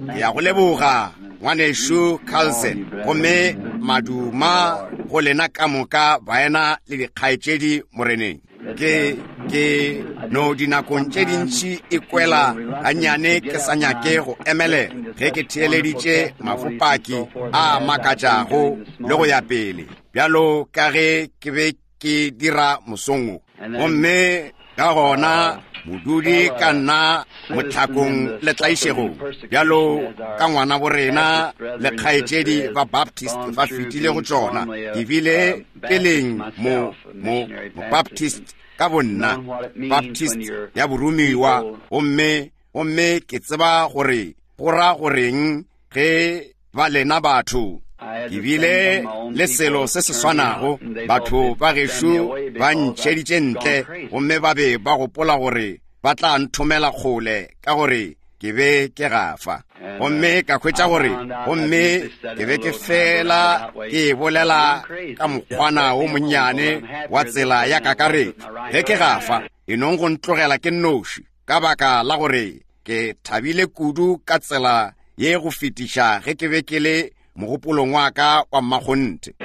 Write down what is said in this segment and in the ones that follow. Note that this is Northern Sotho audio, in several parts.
Ke ya go leboga, Ngwanešu Carlson, gomme maduma go lena ka moka baena le dikgaetšedi Moreneng. Ke, ke no dinakong tše dintši e kwela gannyane ke sa nyake go emelela ge ke theeleditše mafopaki a makatšago le go ya pele bjalo ka ge ke be ke dira mosong wo. Gomme ka gona modudi ka nna mohlakong le tlaišegong bjalo ka ngwana borena le kgaetšedi ba Baptist ba fetile go tšona. Ke bile peleng mo, mo, mo Baptist ka bonna, Baptist ya boromiwa, gomme, gomme ke tseba gore go ra goreng ge ba lena batho. Ke bile le selo se se swanago, batho ba gešo ba ntšheditše ntle, gomme ba be ba gopola gore ba tla nthomela kgole ka gore ke be ke gafa. Gomme ka hwetša gore, gomme ke be ke fela ke e bolela ka mokgwana wo monnyane wa tsela ya kakaretšo. Ge ke gafa, e nong go ntlogela ke nnoši, ka baka la gore ke thabile kudu ka tsela ye go fetiša ge ke be ke le mogopolong wa ka wa mmakgonthe.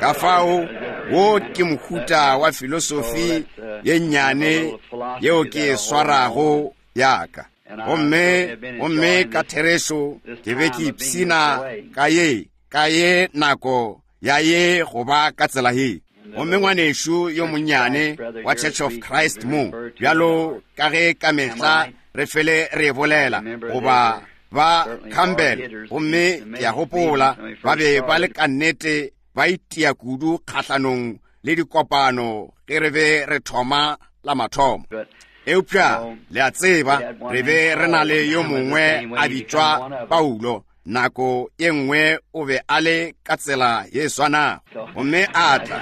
Ka fao, wo ke mohuta wa filosofi ye nnyane yeo ke e swarago ya ka. Gomme, gomme ka therešo ke be ke ipshina ka ye, ka ye nako ya ye go ba ka tsela ye. Gomme ngwanešu yo monnyane wa Church of Christ mo, bjalo ka ge ka mehla re fele re e bolela, goba ba Campbell, gomme ke a gopola ba be ba le ka nnete ba itia kudu kgahlanong le dikopano ge re be re thoma la mathomo. Eupša le a tseba, re be re na le yo mongwe a bitšwa Paulo, nako ye nngwe o be a le ka tsela ye swanago, gomme a tla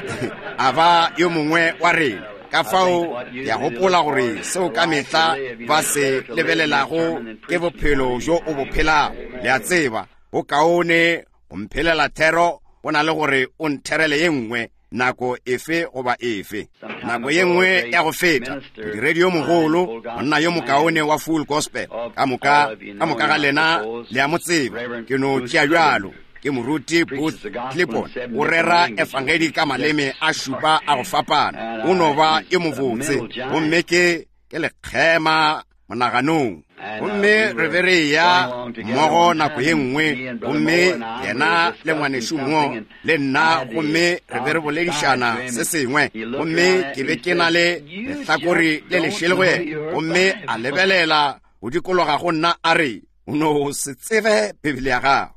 a ba yo mongwe wa rena. Ka fao ke a gopola gore seo ka mehla ba se lebelelago ke bophelo bjo o bo phelago. Le a tseba, go kaone go mphelela thero go na le gore o ntherele ye nngwe nako efe goba efe. Nako ye nngwe ya go feta, modiredi yo mogolo, monna yo mokaone wa Full Gospel, ka moka, ka moka ga lena le a mo tseba, ke no tšea bjalo, ke moruti Booth Clipon, o rera efangedi ka maleme a šupa a go fapana, o no ba yo mobotse, gomme ke, ke lekgema monaganong. Gomme re be re eya mmogo nako ye nngwe, gomme yena le ngwanešu mo le nna, gomme re be re boledišana se sengwe, gomme ke be ke na le lehlakore le lešele go yena, gomme a lebelela go dikologa go nna a re, O no se tsebe Bibele ya gago.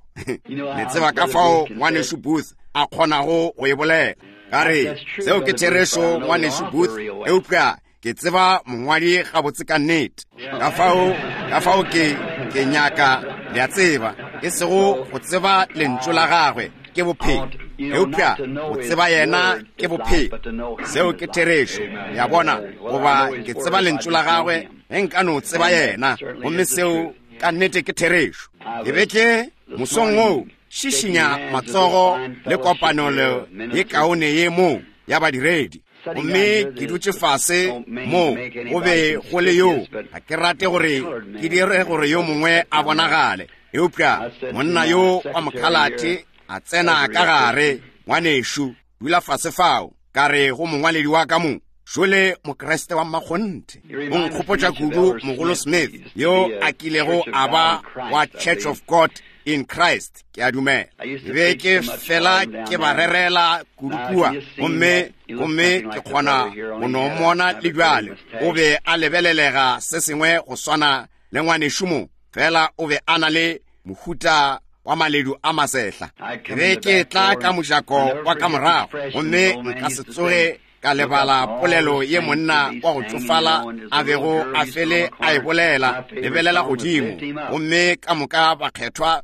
Le tseba ka fao ngwanešu Booth a kgonago go e bolela. Ka re, seo ke therešo, ngwanešu Booth, eupša ke tseba mongwadi gabotse ka nnete. Ka fao, ka fao ke, ke nyaka, le a tseba, e sego go tseba lentšu la gagwe ke bophelo, eupša go tseba yena ke bophelo. Seo ke therešo, le a bona, goba ke tseba lentšu la gagwe ge nka no tseba yena, gomme seo ka nnete ke therešo. Ke be ke, mosong wo, šišinya matsogo le kopanelo ye kaone ye mo ya badiredi. Gomme ke dutše fase mo, go be go le yo, ga ke rate gore ke dire gore yo mongwe a bonagale, eupša monna yo wa mokhalate a tsena ka gare, ngwanešu, dula fase fao, ka re go mongwaledi wa ka mo, šole Mokriste wa mmakgonthe. O nkgopotša kudu Mogolo Smith, yo a kilego a ba wa Church of God in Christ, ke a dumela. Ke be ke fela ke ba rerela kudu kua, gomme, gomme ke kgona go no mmona le bjale. O be a lebelelega se sengwe go swana le ngwanešu mo, fela o be a na le mohuta wa maledu a masehla. Ke be ke tla ka mojako wa ka morago, gomme nka se tsoge ka lebala polelo ye monna wa go tšofala a bego a fele a e bolela, lebelela godimo, gomme ka moka bakgethwa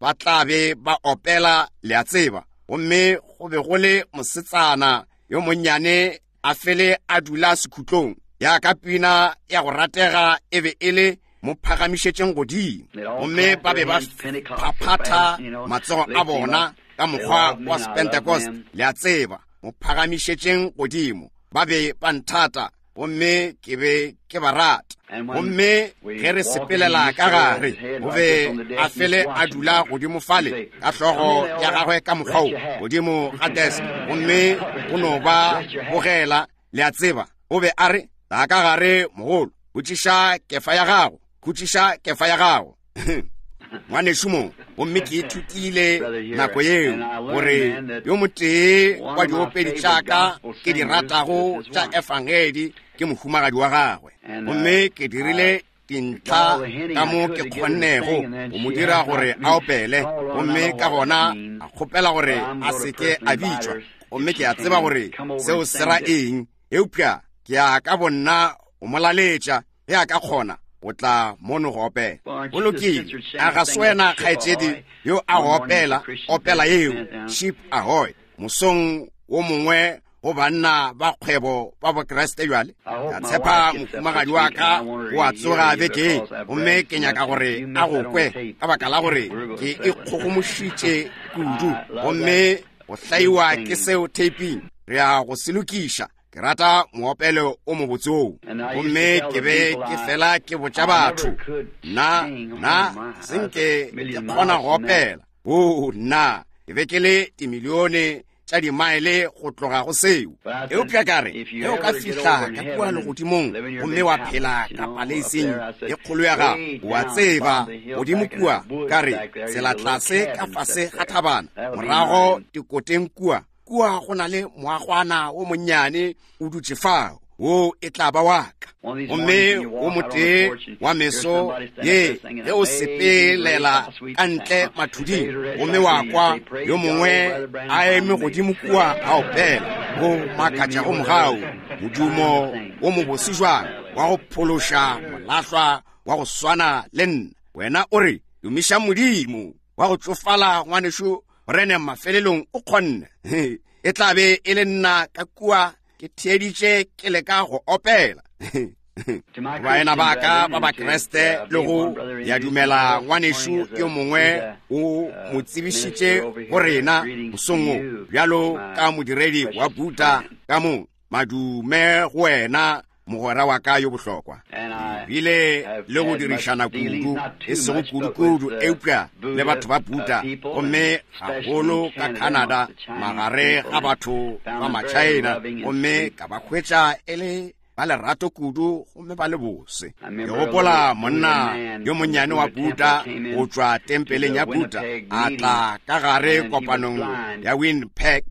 ba tla be ba opela, le a tseba. Gomme go be go le mosetsana yo monnyane a fele a dula sekhutlong, ya ka pina ya go ratega e be e le mo phagamišetšeng godimo, gomme ba be ba phaphatha matsogo a bona ka mokgwa wa Sepentecost, le a tseba, mo phagamišetšeng godimo. Ba be ba nthata. Gomme ke be ke ba rata. Gomme ge re sepelela ka gare, o be a fele a dula godimo fale ka hlogo ya gagwe ka mokgwa wo, godimo ga desk, gomme o no ba bogela, le a tseba. O be a re, Tla ka gare, mogolo, khutšiša kefa ya gago, khutšiša kefa ya gago. Ngwanešu mo, gomme ke ithutile nako yeo gore yo motee wa diopedi tša ka ke di ratago tša efangedi ke mohumagadi wa gagwe. Gomme ke dirile dintlha ka mo ke kgonnego go mo dira gore a opele, gomme ka gona a kgopela gore a se ke a bitšwa. Gomme ke a tseba gore seo se ra eng, eupša ke ya ka bonna go mo laletša ge a ka kgona o tla mono go opela. Go lokile, a ga se wena kgaetšedi yo a go opela opela yeo Ship Ahoy mosong wo mongwe go banna ba kgwebo ba Bokriste bjale? Ka tshepa mohumagadi wa ka o a tsoga beke ye, gomme ke nyaka gore a go kwe ka baka la gore ke ikgogomošitše kudu, gomme go hlaiwa ke seo taping. Re ya go se lokiša. Ke rata moopelo o mobotse oo. Gomme ke be ke fela ke botša batho, nna, nna, se nke ke kgona go opela. Oo, nna, ke be ke le dimilione tša dimaele go tloga go seo. Eupša ka re, ge o ka fihla ka kua legodimong gomme wa phela ka paleising e kgolo ya gago, o a tseba, godimo kua, ka re, tsela tlase ka fase ga thabana, morago dikoteng kua, kua go na le moagwana wo monnyane o dutše fao, wo e tla ba wa ka. Gomme wo motee wa meso ye ge o sepelela ka ntle mathuding, gomme wa kwa yo mongwe a eme godimo kua a opela, go makatšago mogau, modumo wo mobose jwang wa go phološa molahlwa wa go swana le nna. Wena o re, Tumiša Modimo wa go tšofala, ngwanešu Branham mafelelong o kgonne. E tla be e le nna ka kua ke theeditše ke leka go opela. Baena ba ka ba Bakriste le go ya dumela ngwanešu yo mongwe o mo tsebišitše go rena mosong wo bjalo ka modiredi wa Buddha ka mo. Madume go wena, mogwera wa ka yo bohlokwa. Bile le go dirišana kudu, e sego kudu-kudu, eupša le batho ba Buddha, gomme gagolo ka Canada, magare ga batho ba ma-China, gomme ka ba hwetša e le ba lerato kudu gomme ba le bose. Ke gopola monna yo monnyane wa Buddha go tšwa tempeleng ya Buddha, a tla ka gare kopanong ya Winnipeg,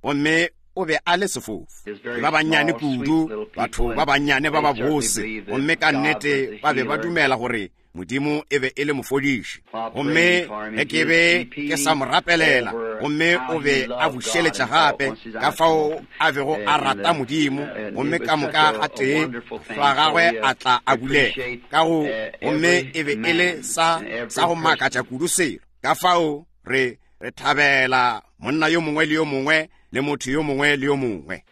gomme o be a le sefofu. Ke ba bannyane kudu, batho ba bannyane ba babose, gomme ka nnete ba be ba dumela gore Modimo e be e le mofodiši. Gomme ge ke be ke sa mo rapelela, gomme o be a bušeletša gape ka fao a bego a rata Modimo, gomme ka moka gatee mahlo a gagwe a tla a bulega ka go, gomme e be e le sa, sa go makatša kudu selo. Ka fao re, re thabela monna yo mongwe le yo mongwe le motho yo mongwe le yo mongwe.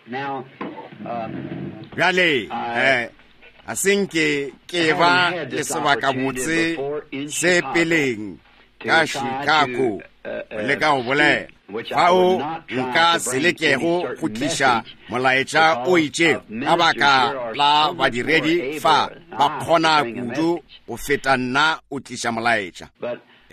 Bjale, ga se nke ke ba le sebakabotse se peleng ka Chicago go leka go bolela, fao nka se lekego go tliša molaetša o itšego ka baka la badiredi fa ba kgona kudu go feta nna o tliša molaetša.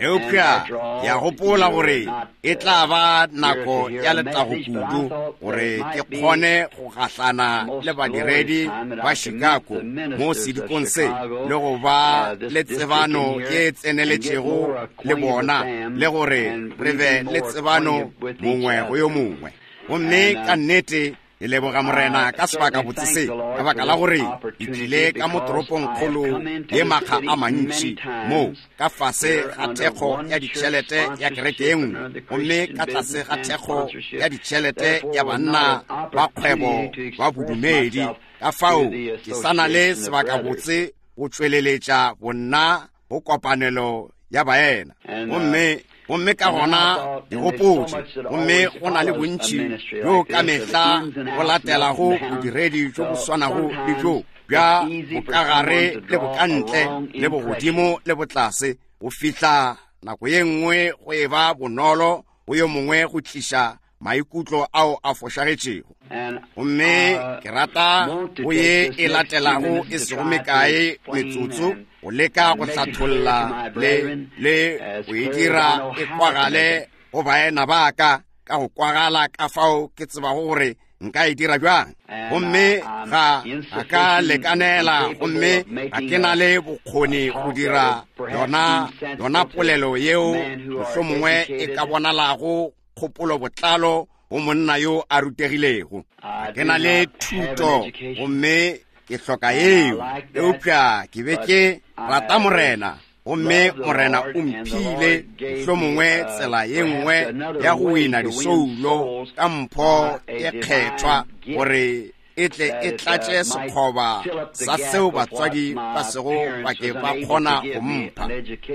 Eupša ke a gopola gore e tla ba nako ya letago kudu gore ke kgone go gahlana le badiredi ba Chicago mo sedikong se le go ba le tsebano ye tseneletšego le bona, le gore re be le tsebano mongwe go yo mongwe. Gomme ka nnete Ke leboga Morena ka sebakabotse se, ka baka la gore ke tlile ka mo toropongkgolo ye makga a mantši, mo ka fase ga thekgo ya ditšhelete ya kereke ye nngwe, gomme ka tlase ga thekgo ya ditšhelete ya banna ba kgwebo ba bodumedi. Ka fao ke sa na le sebakabotse go tšweleletša bonna go kopanelo ya baena. Gomme, gomme ka gona ke gopotše, gomme go na le bontši bjo ka mehla go latelago bodiredi bjo bo swanago le bjo bja bokagare le bokantle le bogodimo le botlase, go fihla nako ye nngwe go e ba bonolo go yo mongwe go tliša maikutlo ao a fošagetšego. Gomme ke rata go ye e latelago e sego mekae metsotso go leka go hlatholla le le go e dira e kwagale go baena ba ka ka go kwagala ka fao ke tsebago gore nka e dira bjang. Gomme ga a ka lekanela, gomme ga ke na le bokgoni go dira yona yona polelo yeo mohlomongwe e ka bonalago kgopolo botlalo go monna yo a rutegilego. Ga ke na le thuto, gomme ke hloka yeo, eupša ke be ke rata Morena, gomme Morena o mphile mohlomongwe tsela ye nngwe ya go wina disoulo ka mpho ye kgethwa, gore e tle e tlatše sekgoba sa seo batswadi ba sego ba ke ba kgona go mpha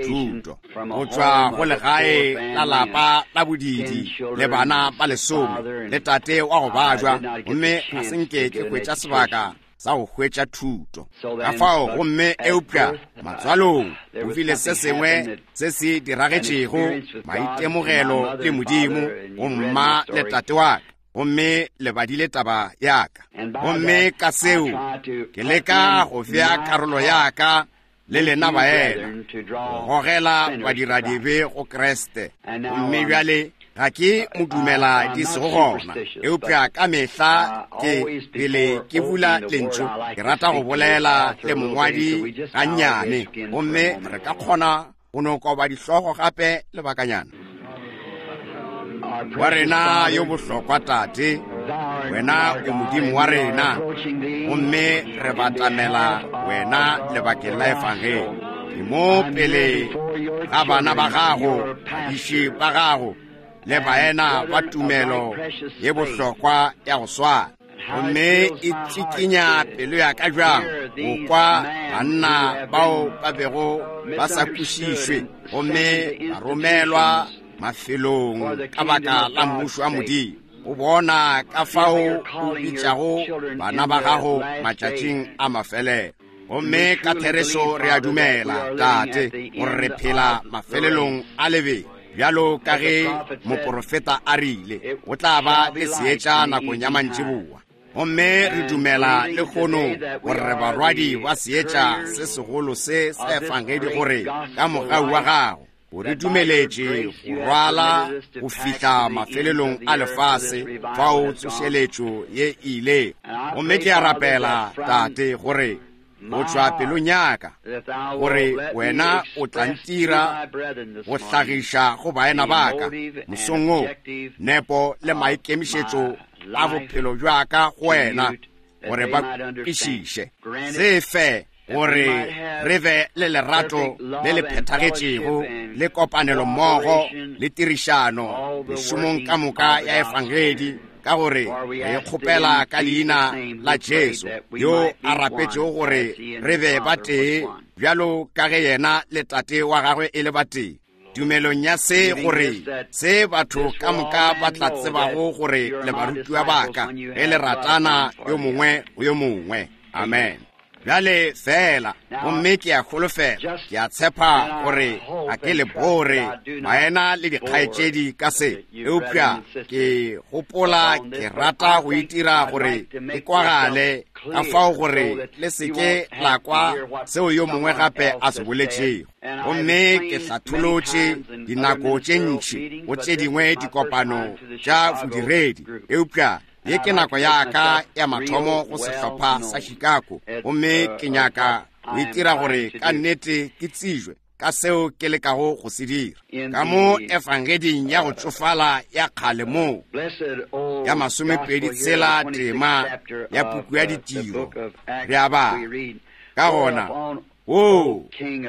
thuto go tšwa go legae la lapa la bodidi le bana ba lesome le tate wa go bajwa, gomme ga se nke ke hwetša sebaka sa go hwetša thuto. Ka fao gomme eupša matswalong go bile se sengwe se se diragetšego, maitemogelo le Modimo go mma le tate wa ka, gomme le badile taba ya ka. Gomme ka seo ke leka go bea karolo ya ka le lena baena, go gogela badiradibe go Kriste. Gomme bjale ga ke mo dumela di sego gona, eupša ka mehla ke pele ke bula lentšu ke rata go bolela le mongwadi gannyane, gomme re ka kgona go no koba dihlogo gape lebakanyana. Wa rena yo bohlokwa Tate, wena o Modimo wa rena, gomme re batamela wena lebakeng la Efangeli. Ke mo pele ga bana ba gago, badiši ba gago, le baena ba tumelo ye bohlokwa ya go swana. Gomme e tsikinya pelo ya ka bjang go kwa banna bao ba bego ba sa kwešišwe gomme ba romelwa mafelong ka baka la mmušo wa Modimo, go bona ka fao o bitšago bana ba gago matšatšing a mafelelo. Gomme ka therešo re a dumela, Tate, gore re phela mafelelong a lebelo, bjalo ka ge moporofeta a rile go tla ba le seetša nakong ya mantšiboa. Gomme re dumela lehono gore re barwadi ba seetša se segolo se sa Efangedi, gore ka mogau wa gago o re dumeletše go rwala go fihla mafelelong a lefase fao tsošeletšo ye e ile. Gomme ke a rapela, Tate, gore go tšwa pelong ya ka, gore wena o tla ntira go hlagiša go baena ba ka mosong wo nepo le maikemišetšo a bophelo bja ka go wena, gore ba kwešiše. Se fe gore re be le lerato le le phethagetšego le kopanelo mmogo le tirišano mešomong ka moka ya Efangedi, ka gore re kgopela ka leina la Jesu yo a rapetšego gore re be ba tee bjalo ka ge yena le Tate wa gagwe e le ba tee. Tumelong ya se, gore se batho ka moka ba tla tsebago gore le barutiwa ba ka, ge le ratana yo mongwe go yo mongwe. Amen. Bjale fela, gomme ke a holofela, ke a tshepa gore ga ke le bore baena le dikgaetšedi ka se, eupša ke gopola ke rata go itira gore ke kwagale ka fao gore le se ke la kwa seo yo mongwe gape a se boletšego. Gomme ke hlatholotše dinako tše ntši go tše dingwe dikopano tša bodiredi, eupša ye ke nako ya ka ya mathomo go sehlopha sa Chicago, gomme ke nyaka go itira gore ka nnete ke tsejwe ka seo ke lekago go se dira ka mo efangeding ya go tšofala ya kgale mo ya 26 tema ya puku ya Ditiro. Re a bala ka gona, O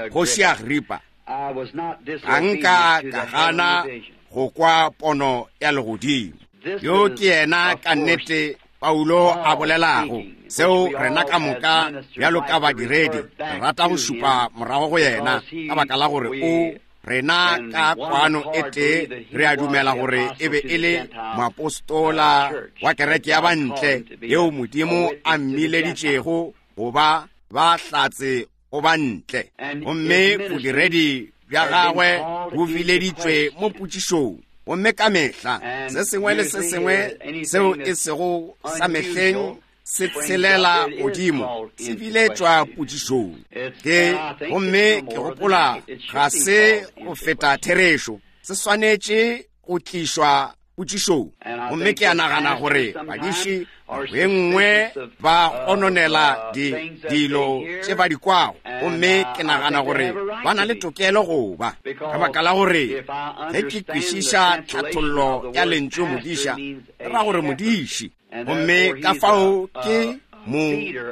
Kgoši Agripa, ga nka ka gana go kwa pono ya legodimo. Yo ke yena ka nnete Paulo a bolelago seo rena ka moka bjalo ka badiredi re rata go šupa morago go yena, ka baka la gore o rena ka kwano e tee re a dumela gore e be e le moapostola wa kereke ya bantle yeo Modimo a mmileditšego go ba ba hlatse go ba ntle. Gomme bodiredi bja gagwe bo bileditšwe mo potšišong. Gomme ka mehla se sengwe le se sengwe seo e sego sa mehleng se tshelela godimo, se biletšwa potšišong. Ke, gomme ke gopola ga se go feta therešo, se swanetše go tlišwa potšišong. Gomme ke a nagana gore badiši nako ye nngwe ba gononela di, dilo tše ba di kwago, gomme ke nagana gore ba na le tokelo go ba, ka baka la gore ge ke kwešiša tlhathollo ya lentšu modiša, e ra gore modiši. Gomme ka fao ke mo,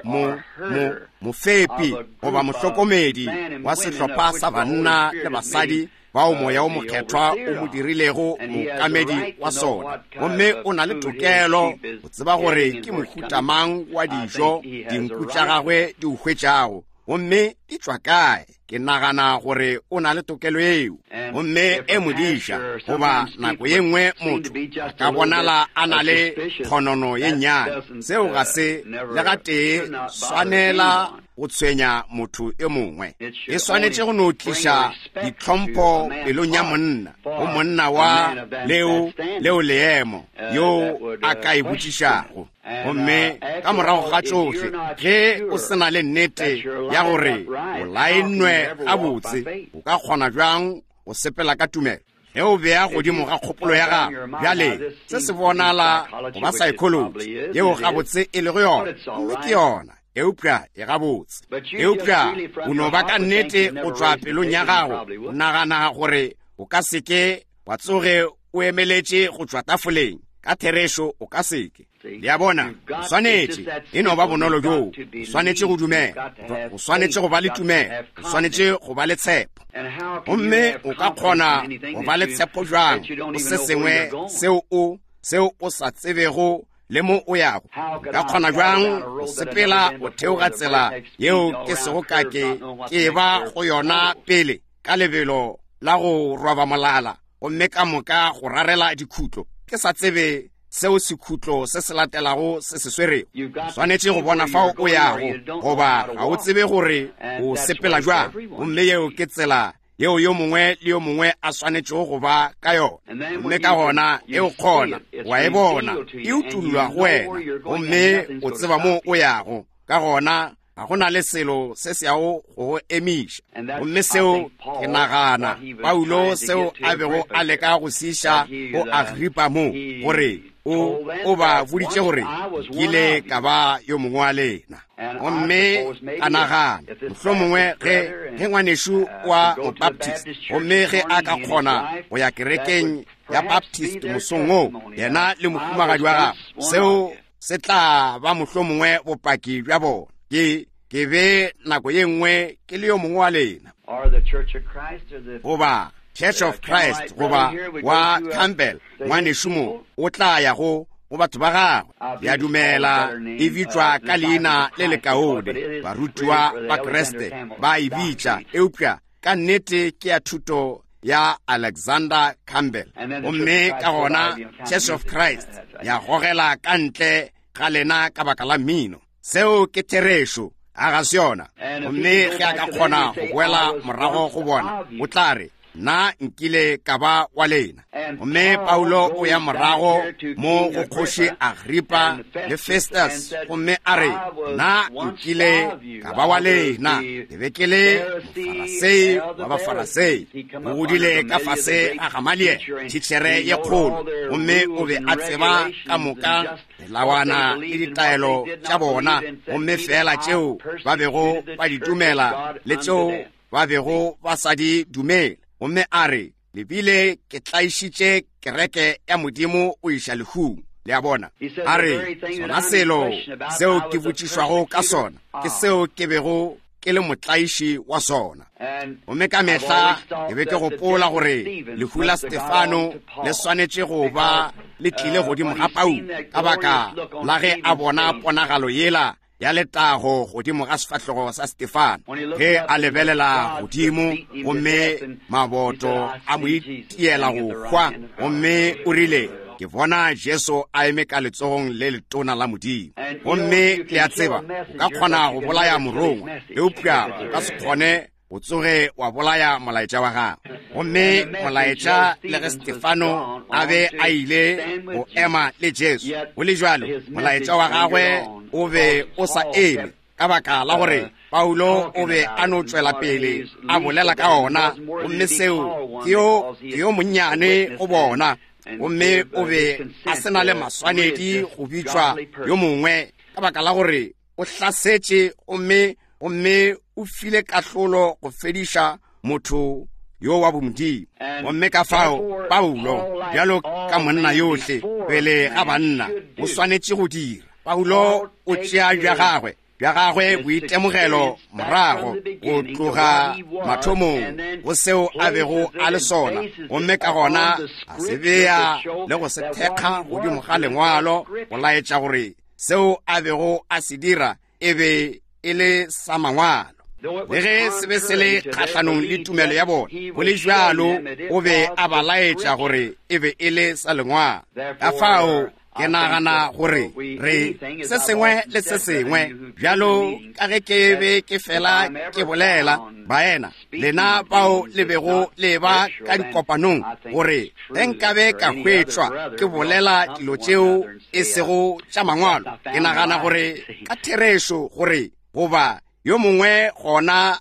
mo, mo, mofepi goba mohlokomedi wa sehlopha sa banna le basadi bao Moya wo Mokgethwa o mo dirilego mookamedi wa sona. Gomme o na le tokelo go tseba gore ke mohuta mang wa dijo dinku tša gagwe di o hwetšago, gomme di tšwa kae. Ke nagana gore o na le tokelo eo. Gomme e modiša, goba nako ye nngwe motho a ka bonala a na le kgonono ye nnyane. Seo ga se le gatee swanela go tshwenya motho yo mongwe. E swanetše go no tliša ditlhompho pelong ya monna, go monna wa leo, leo leemo, yo a ka e botšišago. Gomme ka morago ga tšohle, ge o se na le nnete ya gore o laennwe gabotse, o ka kgona bjang go sepela ka tumelo? Ge o bea godimo ga kgopolo ya gago, bjale se se bonala go ba saekholoji, yeo gabotse e lego yona, gomme ke yona, eupša e gabotse. Eupša o no ba ka nnete go tšwa pelong ya gago, o nagana gore o ka se ke wa tsoge o emeletše go tšwa tafoleng. Ka therešo o ka se ke. Le a bona, o swanetše, e no ba bonolo bjoo, o swanetše go dumela, o swanetše go ba le tumelo, o swanetše go ba le tshepo. Gomme o ka kgona go ba le tshepo bjang go se sengwe seo o, seo o sa tsebego le mo o yago? O ka kgona bjang go sepela go theoga tsela yeo ke sego ka ke ke ba go yona pele ka lebelo la go roba molala, gomme ka moka go rarela dikhutlo, ke sa tsebe seo sekhutlo se se latelago se se swerego? O swanetše go bona fao o yago, goba ga o tsebe gore o sepela bjang. Gomme yeo ke tsela yeo yo mongwe le yo mongwe a swanetšego go ba ka yona. Gomme ka gona e o kgona, wa e bona, e utollwa go wena, gomme o tseba mo o yago. Ka gona ga go na le selo se se yago go go emiša. Gomme seo ke nagana Paulo seo a bego a leka go se iša go Agripa mo, gore o, o ba boditše gore nkile ka ba yo mongwe wa lena. Gomme ka nagana mohlomongwe ge, ge ngwanešu wa Mobaptist, gomme ge a ka kgona go ya kerekeng ya Baptist mosong wo, yena le mohumagadi wa gagwe, seo se tla ba mohlomongwe bopaki bja bona. Ke, ke be nako ye nngwe ke le yo mongwe wa lena, goba Church of Christ, goba wa Campbell, ngwanešu mo, o tla ya go, go batho ba gagwe. Ke a dumela e bitšwa ka leina le lekaone, barutiwa ba Kriste ba e bitša, eupša ka nnete ke ya thuto ya Alexander Campbell. Gomme ka gona Church of Christ ya gogela ka ntle ga lena ka baka la mmino. Seo ke therešo, a ga se yona? Gomme ge a ka kgona go boela morago go bona, o tla re, Nna nkile ka ba wa lena. Gomme Paulo o ya morago mo go kgoši Agripa le Festus, gomme a re, Nna nkile ka ba wa lena, ke be ke le Mofarasei wa Bafarasei. O godile ka fase ga Gamaliele, thitšhere ye kgolo, gomme o be a tseba ka moka melawana le ditaelo tša bona, gomme feela tšeo ba bego ba di dumela le tšeo ba bego ba sa di dumele. Gomme a re, Le bile ke tlaišitše kereke ya Modimo go iša lehung. Le a bona? A re, Sona selo seo ke botšišwago ka sona ke seo ke bego ke le motlaiši wa sona. Gomme ka mehla ke be ke gopola gore lehu la Stefano le swanetše go ba le tlile godimo ga Paulo ka baka la ge a bona ponagalo yela ya letago godimo ga sefahlogo sa Stefano ge a lebelela godimo, gomme maboto a mo itiela go hwa, gomme o rile, Ke bona Jesu a eme ka letsogong le letona la Modimo. Gomme le a tseba, o ka kgona go bolaya morongwa, eupša o ka se kgone o tsoge wa bolaya molaetša wa gagwe. Gomme molaetša le ge Stefano a be a ile go ema le Jesu, go le bjalo molaetša wa gagwe o be o sa eme, ka baka la gore Paulo o be a no tšwela pele a bolela ka ona, gomme seo ke yo, ke yo monnyane go bona, gomme o be a se na le maswanedi go bitšwa yo mongwe, ka baka la gore o hlasetše gomme, gomme o file kahlolo go fediša motho yo wa bomodimo. Gomme ka fao Paulo, bjalo ka monna yohle pele ga banna, o swanetše go dira. Paulo o tšea bja gagwe, bja gagwe boitemogelo morago go tloga mathomong go seo a bego a le sona, gomme ka gona a se bea le go se thekga godimo ga Lengwalo go laetša gore seo a bego a se dira e be e le sa Mangwalo. Le ge se be se le kgahlanong le tumelo ya bona, go le bjalo o be a ba laetša gore e be e le sa Lengwalo. Ka fao ke nagana gore re se sengwe le se sengwe, bjalo ka ge ke be ke fela ke bolela, baena, lena bao le bego le ba ka dikopanong, gore ge nkabe ka hwetšwa ke bolela dilo tšeo e sego tša Mangwalo, ke nagana gore ka therešo gore goba yo mongwe gona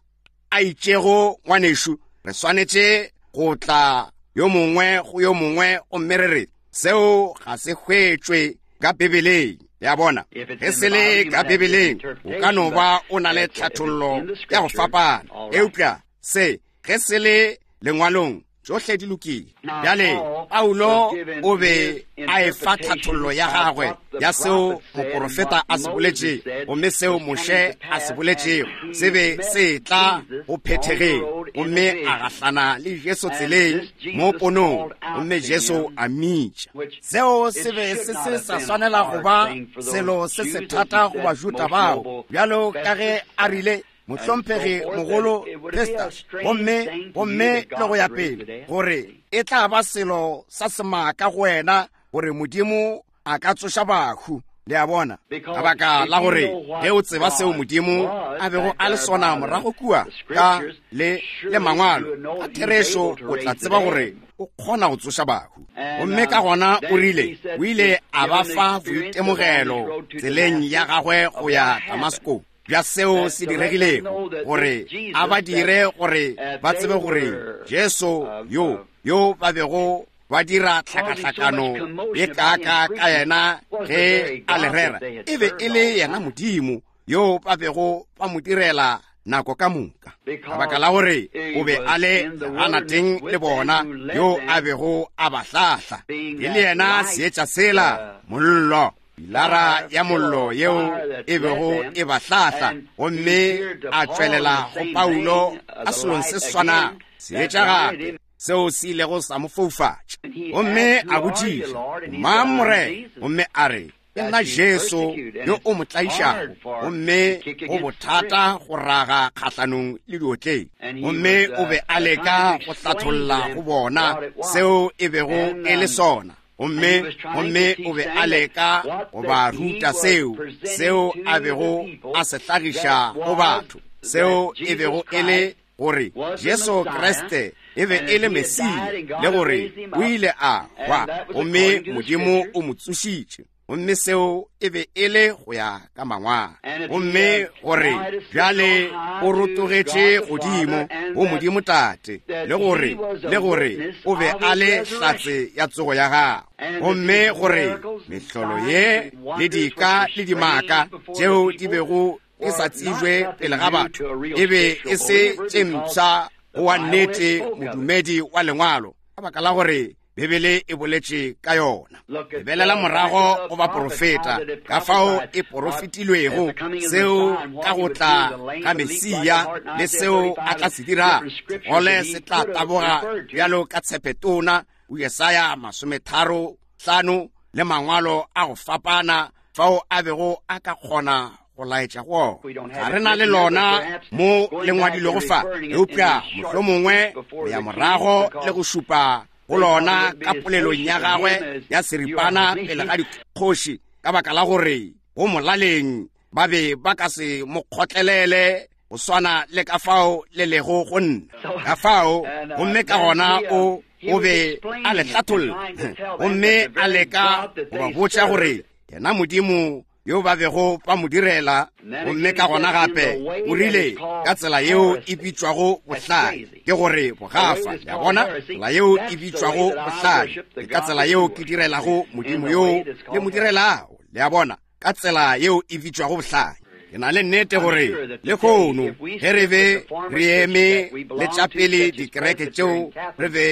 a itšego, ngwanešu, re swanetše go tla yo mongwe go yo mongwe gomme re re seo ga se hwetšwe ka Bibeleng. Ya bona, ge se le ka Bibeleng, o ka no ba o na le tlhathollo ya go fapana, eupša se ge se le Lengwalong, tšohle di lokile. Bjale Paulo o be a efa tlhathollo ya gagwe ya seo moporofeta a se boletšego, gomme seo Moshe a se boletšego se be se etla go phethegeng, gomme a gahlana le Jesu tseleng mo ponong, gomme Jesu a mmitša. Seo se be se se sa swanela go ba selo se se thata go Bajuda bao, bjalo ka ge a rile, Mohlomphegi mogolo Festus, gomme, gomme le go ya pele, gore e tla ba selo sa semaka go wena gore Modimo a ka tsoša bahu. Le a bona? Ka baka la gore ge o tseba seo Modimo a bego a le sona morago kua ka le, le Mangwalo, ka therešo o tla tseba gore o kgona go tsoša bahu. Gomme ka gona o rile, o ile a ba fa boitemogelo tseleng ya gagwe go ya Damasko, bja seo se diregilego, gore a ba dire gore ba tsebe gore Jesu yo, yo ba bego ba dira tlhakahlakano ye kaaka ka yena ge a le rera, e be e le yena Modimo yo ba bego ba mo direla nako ka moka, ka baka la gore o be a le leganateng le bona yo a bego a ba hlahla, e le yena seetša sela, mollo, pilara ya mollo yeo e bego e ba hlahla, gomme a tšwelela go Paulo ka selong se swanago, seetša gape seo se ilego sa mo foufatša. Gomme a botšiša, Mang, Morena? Gomme a re, Ke nna Jesu yo o mo tlaišago, gomme go bothata go raga kgahlanong le diotleng. Gomme o be a leka go hlatholla go bona seo e bego e le sona. Gomme, gomme o be a leka go ba ruta seo, seo a bego a se hlagiša go batho, seo e bego e le gore Jesu Kriste e be e le Mesia, le gore o ile a hwa, gomme Modimo o mo tsošitše. Gomme seo e be e le go ya ka Mangwalo. Gomme gore bjale o rotogetše godimo go Modimo Tate, le gore, le gore o be a le hlatse ya tsogo ya gagwe. Gomme gore mehlolo ye le dika le dimaka tšeo di bego di sa tsebjwe pele ga batho e be e se tše mpsha go wa nnete modumedi wa Lengwalo, ka baka la gore Bibele e boletše ka yona. Lebelela morago go baprofeta, ka fao e porofetilwego seo ka go tla ga Mesia le seo a tla se dirago. Segole se tla taboga bjalo ka tshepetona, Jesaya 35, le mangwalo a go fapana fao a bego a ka kgona go laetša go ona. Ga re na le lona mo le ngwadilwego fa, eupša mohlomongwe go ya morago le go šupa go lona ka polelong ya gagwe ya seripana pele ga dikgoši, ka baka la gore go molaleng ba be ba ka se mo kgotlelele. go swana le ka fao le lego go nna. Ka fao, gomme ka gona o, o be a le hlatholla, gomme a leka go ba botša gore yena Modimo yo ba bego ba mo direla. Gomme ka gona gape o rile, ka tsela yeo e bitšwago bohlale, ke gore bogafa, ya bona, tsela yeo e bitšwago bohlale, ke ka tsela yeo ke direlago Modimo yoo le mo direlago, le a bona, ka tsela yeo e bitšwago bohlale. Ke na le nnete gore lehono ge re be re eme le tša pele dikereke tšeo re be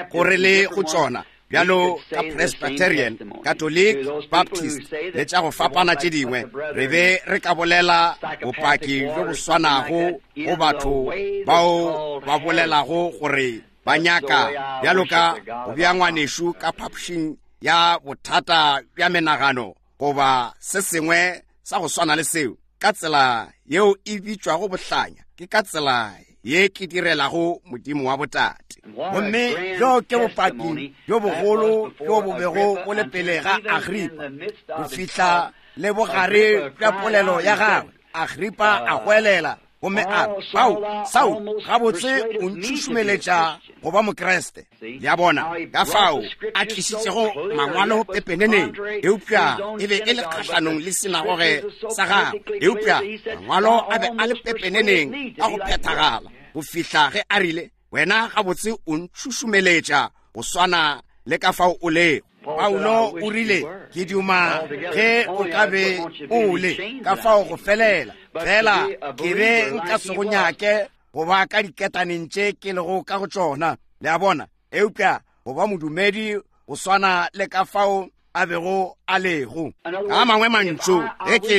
go re le go tšona, bjalo ka Presbyterian, Catholic, Baptist le tša go fapana tše dingwe, re be re ka bolela bopaki bjo bo swanago go batho bao ba bolelago gore ba nyaka bjalo ka go bea ngwanešu ka phapošing ya bothata bja menagano goba se sengwe sa go swana le seo, ka tsela yeo e bitšwago bohlanya, ke ka tsela ye ke direlago Modimo wa botate. Gomme bjo ke bopaki bjo bogolo bjo bo bego bo le pele ga Agripa, go fihla le bogare bja polelo ya gagwe. Agripa a goelela gomme a re, Paulo, Saulo, gabotse o ntšhušumeletša go ba Mokriste. Le a bona ka fao a tlišitšego mangwalo pepeneneng, eupša e be e le kgahlanong le sinagoge sa gagwe, eupša mangwalo a be a le pepeneneng ka go phethagala go fihla ge a rile, Wena gabotse o ntšhušumeletša go swana le ka fao o lego. Paulo o rile, Ke duma ge o ka be o le ka fao go felela, fela ke be nka se go nyake go ba ka diketaneng tše ke lego ka go tšona. Le a bona? Eupša go ba modumedi go swana le ka fao a bego a lego. Ka mangwe mantšu, ge ke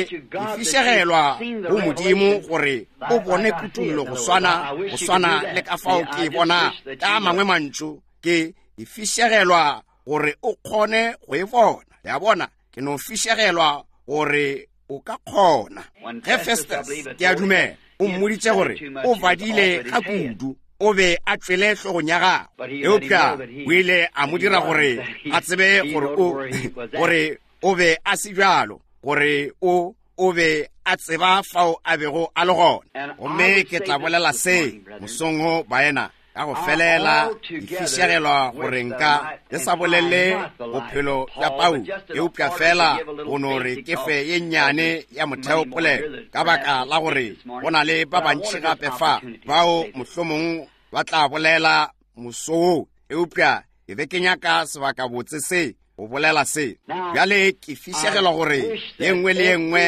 fišegelwa go Modimo gore o bone kutollo go swana, go swana le ka fao ke e bonago. Ka mangwe mantšu, ke fišegelwa gore o kgone go e bona. Le a bona? Ke no fišegelwa gore o ka kgona. Ge Festus, ke a dumela, o mmoditše gore o badile ga kudu, o be a tšwele hlogong ya gagwe, eupša o ile a mo dira gore a tsebe gore o, gore o be a se bjalo, gore o, o be a tseba fao a bego a le gona. Gomme ke tla bolela se mosong wo, baena, ka go felela ke fišegelwa gore nka ke sa bolele bophelo bja Paulo, eupša fela go no re ke fe ye nnyane ya motheo polelo, ka baka la gore go na le ba bantši gape fa bao mohlomong ba tla bolela moso wo, eupša ke be ke nyaka sebakabotse se go bolela se. Bjale ke fišegelwa gore ye nngwe le ye nngwe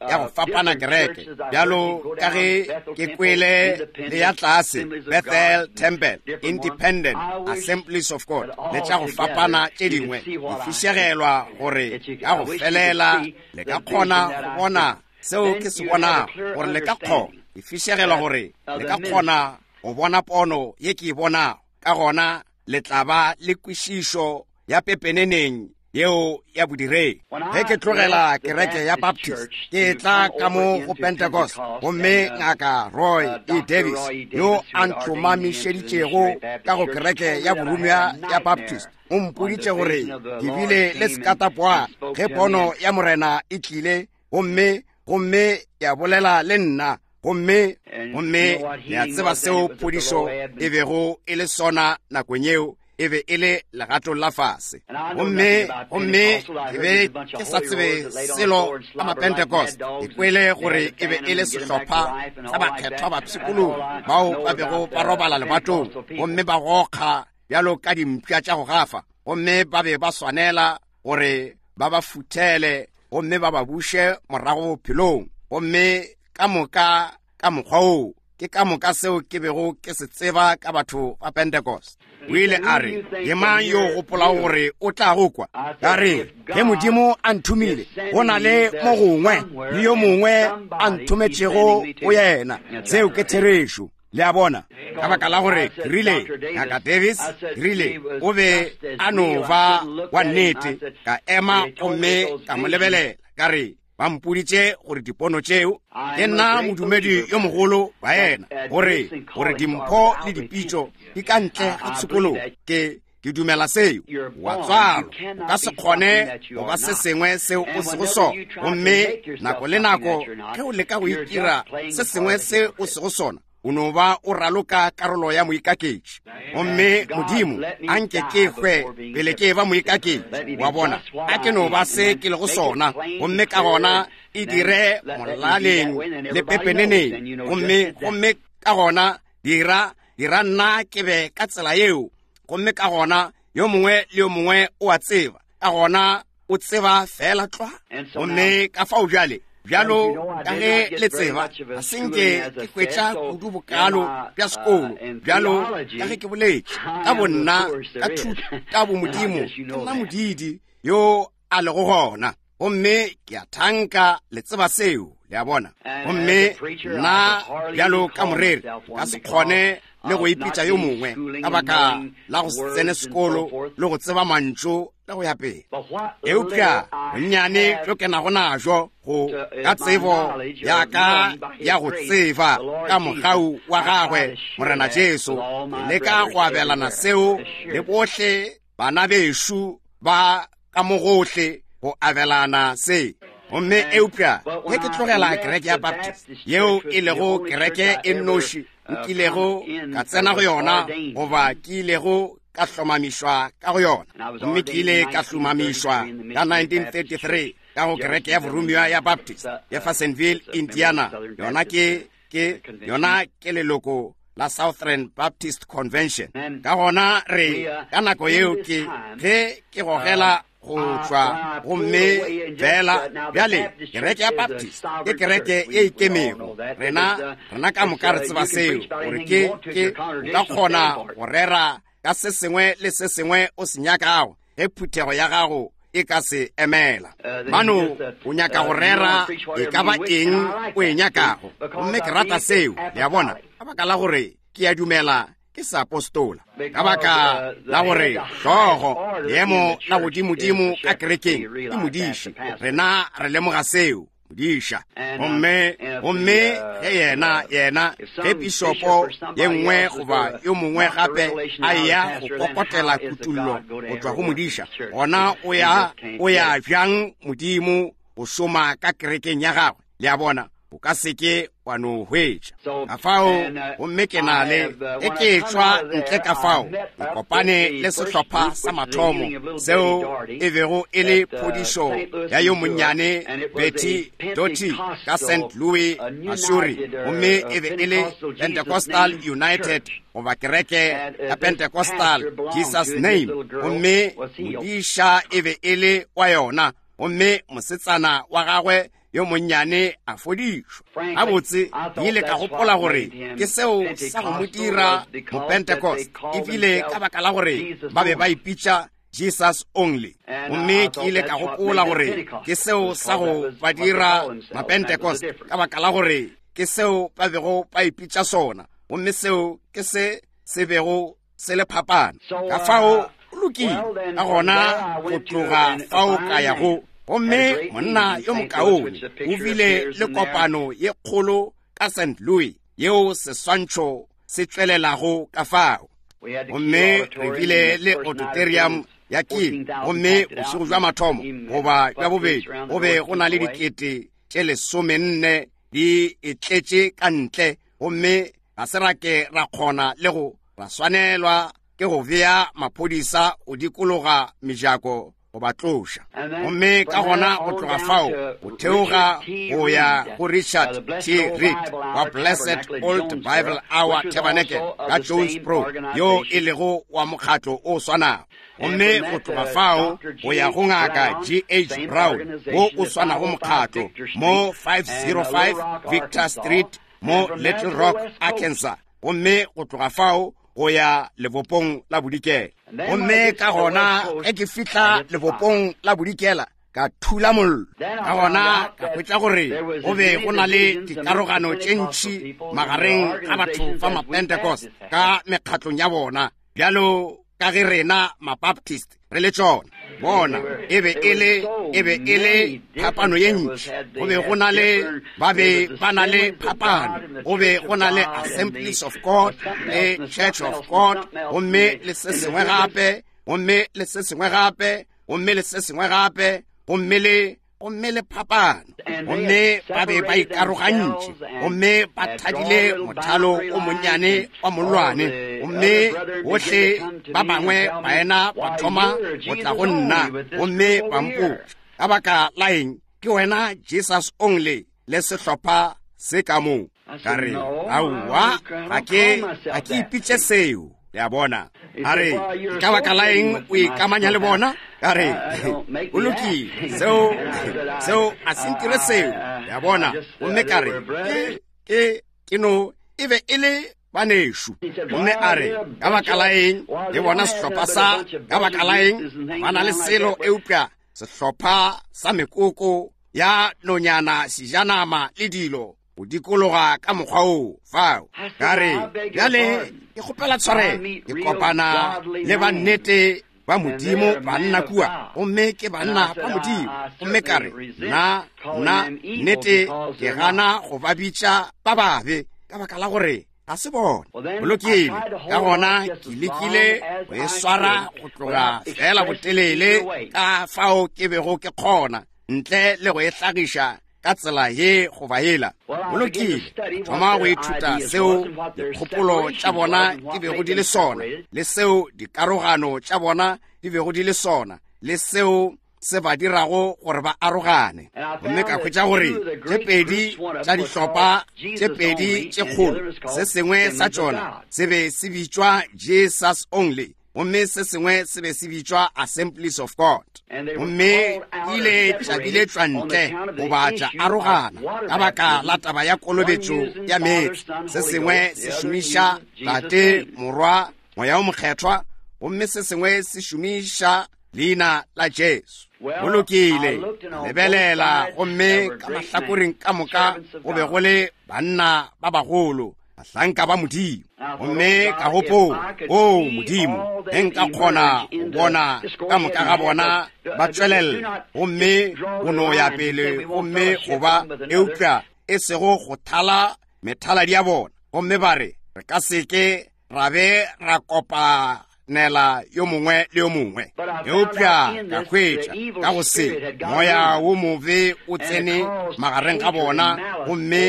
ya go fapana kereke, bjalo ka ge ke kwele le ya tlase Bethel Temple, Independent Assemblies of God, le tša go fapana tše dingwe, ke fišegelwa gore ka go felela le ka kgona go bona seo ke se bonago, gore le ka kgona, ke fišegelwa gore le ka kgona go bona pono ye ke e bonago. Ka gona le tla ba le kwešišo ya pepeneneng yeo ya bodiredi. Ge ke tlogela kereke ya Baptist, ke tla ka mo go Pentecost, gomme Ngaka Roy E. Davis, yo a ntlhomamišeditšego ka go kereke ya borumwa ya Baptist, o mpoditše gore ke bile le sekatapoa ge pono ya Morena e tlile, gomme, gomme ya bolela le nna. Gomme, gomme le a tseba seo phodišo e bego e le sona nakong yeo, e be e le legatong la fase. Gomme, gomme ke be ke sa tsebe selo ka Mapentecost. Ke kwele gore e be e le sehlopha sa bakgethwa ba pshikologi bao ba bego ba robala lebatong gomme ba gokga bjalo ka dimpša tša go gafa, gomme ba be ba swanela gore ba ba futhele gomme ba ba buše morago bophelong. Gomme ka moka ka mokgwa woo, ke ka moka seo ke bego ke se tseba ka batho ba Pentecost. O ile a re, Ke mang yo o gopolago gore o tla go kwa? Ka re, Ge Modimo a nthomile, go na le mo gongwe le yo mongwe a nthometšego go yena. Seo ke therešo. Le a bona? Ka baka la gore ke rile, Ngaka Davis, ke rile, o be a no ba wa nnete. Ka ema gomme ka mo lebelela, ka re, Ba mpoditše gore dipono tšeo, ke nna modumedi yo mogolo wa yena, gore, gore dimpho le dipitšo di ka ntle ga tshokologo. Ke, Ke dumela seo. Wa tswalwa, o ka se kgone go ba se sengwe seo o sego sona. Gomme nako le nako ge o leka go itira se sengwe se o sego sona, o no ba o raloka karolo ya moikaketši. Gomme Modimo, a nke ke hwe pele ke eba moikaketši. Wa bona, a ke no ba se ke lego sona, gomme ka gona e dire molaleng le pepeneneng. Gomme, gomme ka gona dira, dira nna ke be ka tsela yeo. Gomme ka gona yo mongwe le yo mongwe o a tseba. Ka gona o tseba fela tlwa. Gomme ka fao bjale, bjalo ka ge le tseba, ga se nke ke hwetša kudu bokalo bja sekolo, bjalo ka ge ke boletše ka bonna ka thuta bomodimo, ke nna modidi yo a lego gona. Gomme ke a thanka le tseba seo, le a bona. Gomme nna bjalo ka moreri ka se kgone le go ipitša yo mongwe ka baka la go se tsene sekolo le go tseba mantšu le go ya pele. Eupša bonnyane bjo ke nago najo go ka tsebo ya ka ya go tseba ka mogau wa gagwe Morena Jesu, ke leka go abelana seo le bohle bana bešo ba ka mo gohle go abelana se. Gomme eupša ge ke tlogela kereke ya Baptist, yeo e lego kereke e nnoši nkilego ka tsena go yona, goba ke ilego ka hlomamišwa ka go yona, gomme ke ile ka hlomamišwa ka 1933 ka go kereke ya boromiwa ya Baptist Jeffersonville, Indiana. Yona ke, ke, yona ke leloko la Southern Baptist Convention. Ka gona re, ka nako yeo ke ge ke gogela go tšwa, gomme fela bjale kereke ya Baptist ke kereke ye ikemego. Rena, rena ka moka re tseba seo, gore ke, ke, o ka kgona go rera ka se sengwe le se sengwe o se nyakago ge phuthego ya gago e ka se emela. Mano, o nyaka go rera e ka ba eng o e nyakago, gomme ke rata seo, le a bona, ka baka la gore ke a dumela ke seapostola, ka baka la gore hlogo leemo la godimodimo ka kerekeng ke modiši. Rena re lemoga seo, modiša. Gomme, gomme ge yena, yena, ge pišopo ye nngwe goba yo mongwe gape a eya go kokotela kutullo go tšwa go modiša, gona o ya, o ya bjang Modimo go šoma ka kerekeng ya gagwe? Le a bona, o ka se ke wa no hwetša. Ka fao, gomme ke na le, ge ke etšwa ntle ka fao, ke kopane le sehlopha sa mathomo, seo e bego e le phodišo ya yo monnyane Betty Doty ka Saint Louis, Missouri, gomme e be e le Pentecostal United, goba kereke ya Pentecostal Jesus Name, gomme modiša e be e le wa yona, gomme mosetsana wa gagwe yo monnyane a fodišwa. Gabotse, ke ile ka gopola gore ke seo sa go mo dira Mopentecost, ebile ka baka la gore ba be ba ipitša Jesus Only. Gomme ke ile ka gopola gore ke seo sa go ba dira Mapentecost, ka baka la gore ke seo ba bego ba ipitša sona, gomme seo ke se se bego se le phapano. Ka fao o lokile, ka gona go tloga fao ka ya go, gomme monna yo mokaone o bile le kopano ye kgolo ka Saint Louis, yeo seswantšho se tšwelelago ka fao. Gomme re bile le auditorium ya King, gomme bošego bja mathomo goba bja bobedi go be go na le dikete tše 14 di e tletše ka ntle, gomme ga se ra ke ra kgona le go ra swanelwa ke go bea maphodisa go dikologa mejako go ba tloša. Gomme ka gona go tloga fao go theoga go ya go Richard T. Reed wa Blessed Old Bible Hour Tabernacle ka Jonesboro, yo e lego wa mokgatlo o swanago. Gomme go tloga fao go ya go Ngaka G. H. Brown, wo o swanago mokgatlo, mo 505 Victor Street mo Little Rock, Arkansas. Gomme go tloga fao go ya lebopong la bodikela. Gomme ka gona ge ke fihla lebopong la bodikela, ka thula mollo. Ka gona ka hwetša gore go be go na le dikarogano tše ntši magareng ga batho ba Mapentecost ka mekgatlong ya bona, bjalo ka ge rena Mabaptist re le tšona. Bona, e be e le, e be e le phapano ye ntši. Go be go na le, ba be ba na le phapano. Go be go na le Assemblies of God le Church of God, gomme le se sengwe gape. gomme le se sengwe gape, gomme le se sengwe gape, gomme le gomme le phapano gomme ba be ba ikarogantše gomme ba thadile mothalo o monnyane wa mollwane gomme bohle ba bangwe baena ba thoma go tla go nna gomme ba mpotša ka baka la eng ke wena Jesus only le sehlopha se ka moo ka re aowa ga ke ga ke ipitše seo le a bona a re ka baka la eng o ikamanya le bona ka re o lokile seo seo a se ntire seo le a bona gomme ka re ke ke no e be e le banešu gomme a re ka baka la eng le bona sehlopha sa ka baka la eng ba na le selo eupša sehlopha sa mekoko ya nonyana sejanama le dilo go dikologa ka mokgwa oo fao ka re bjale ke kgopela tshwarelo ke kopana le ba nnete ba modimo banna kua gomme ke banna ba modimo gomme ka re nna nna nnete ke gana go ba bitša ba babe ka baka la gore ga se bona go lokile ka gona ke lekile go e swara go tloga fela botelele ka fao ke bego ke kgona ntle le go e hlagiša ka tsela ye goba yela go lokile thoma go ithuta seo dikgopolo tša bona di bego di le sona le seo dikarogano tša bona di bego di le sona le seo se ba dirago gore ba arogane gomme ka hwetša gore tše pedi tša dihlopha tše pedi tše kgolo se sengwe sa tšona se be se bitšwa Jesus only gomme se sengwe se be se bitšwa assemblies of god gomme ile tša biletšwa ntle goba tša arogana ka baka la taba ya kolobetšo ya meetse se sengwe se šomiša tate morwa moya o mokgethwa gomme se sengwe se šomiša leina la jesu go lokile lebelela gomme ka mahlakoreng ka moka go be go le banna ba bagolo bahlanka ba modimo gomme ka gopola o modimo ge nka kgona go bona ka moka ga bona ba tšwelela gomme go no ya pele gomme go ba eupša e sego go thala methaladi ya bona gomme ba re re ka seke ra be ra kopanela yo mongwe le yo mongwe eupša ka hwetša ka go se moya wo mobe o tsene magareng ga bona gomme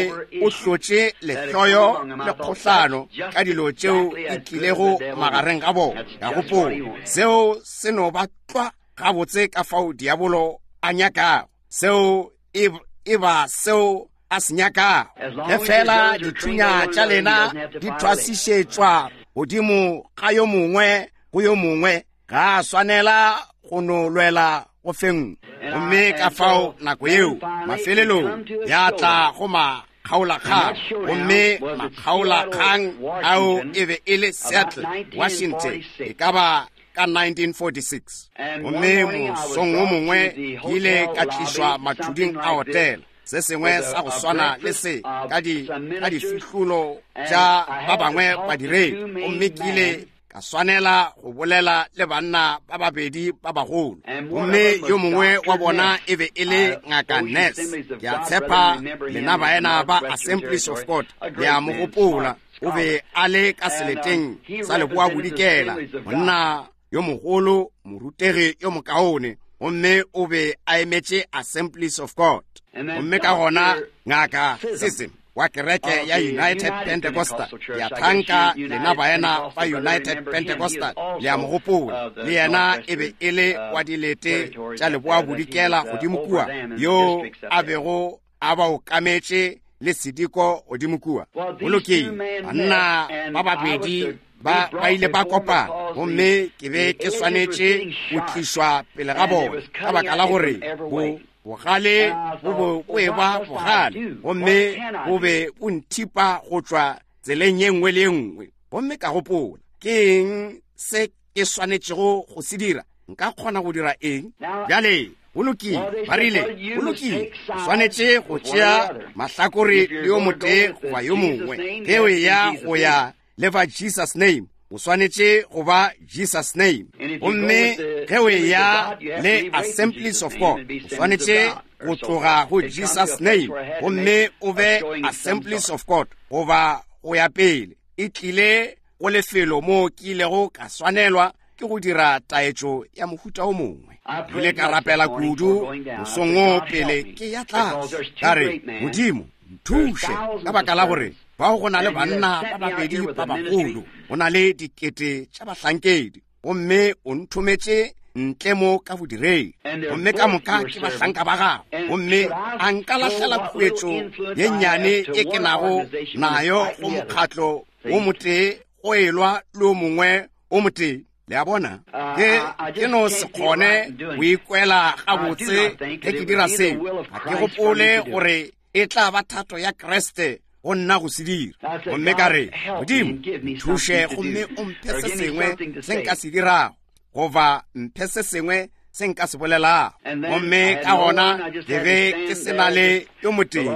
o hlotše lehloyo le kgohlano ka dilo tšeo di tlilego magareng ga bona ka gopola seo se no ba tlwa gabotse ka fao diabolo a nyakago seo e, e ba seo a se nyakago ge fela dithunya tša lena di thwasišetšwa godimo ga yo mongwe go yo mongwe ga a swanela go no lwela go fengwe gomme ka fao nako yeo mafelelong ya tla go makgaolakgang gomme makgaolakgang ao e be e le seattle washington e ka ba ka 1946 gomme mosong wo mongwe ke ile ka tlišwa mathuding a hotela se sengwe sa go swana le se ka di ka difihlolo tša ba bangwe badiredi gomme ke ile ka swanela go bolela le banna ba babedi ba bagolo gomme yo mongwe wa bona e be e le ngaka nes ke a tshepa lena baena ba assemblies of god le a mo gopola o be a le ka seleteng sa leboa bodikela monna yo mogolo morutegi yo mokaone gomme o be a emetše assemblies of god gomme ka gona ngaka sism wa kereke ya united pentecostal ya thanka lena baena ba united pentecostal le a mo gopola le yena e be e le wa dilete tša leboa bodikela godimo kua yo a bego a ba okametše le sediko godimo kua go lokile banna ba babedi ba ba ile ba kopana gomme ke be ke swanetše go tlišwa pele ga bona ka baka la gore bo bogale bo bo bo eba bogale gomme bo be bo nthipa go tšwa tseleng ye nngwe le ye nngwe gomme ka gopola ke eng se ke swanetšego go se dira nka kgona go dira eng bjale go lokile ba rile go lokile o swanetše go tšea mahlakore le yo motee goba yo mongwe ge o eya go ya le ba jesus name o swanetše go ba jesus name gomme ge o eya le assemblies of god o swanetše go tloga go jesus name gomme o be assemblies of god goba go ya pele e tlile go lefelo moo ke ilego ka swanelwa ke go dira taetšo ya mohuta o mongwe. Ke ile ka rapela kudu mosong wo pele ke ya tlase. Ka re, Modimo, nthuše, ka baka la gore bao go na le banna ba babedi ba bagolo, go na le dikete tša bahlankedi, gomme o nthometše ntle mo ka bodiredi, gomme ka moka ke bahlanka ba gago, gomme a nka lahlela khuetšo ye nnyane e ke nago nayo go mokgatlo wo motee go elwa le o mongwe o motee. Le a bona? Ke, ke no se kgone go ikwela gabotse ge ke dira seo. Ga ke gopole gore e tla ba thato ya Kriste go nna go se dira. Gomme ka re, Modimo, nthuše gomme o mphe se sengwe se nka se dirago, goba mphe se sengwe se nka se bolelago. Gomme ka gona ke be ke se na le yo motee,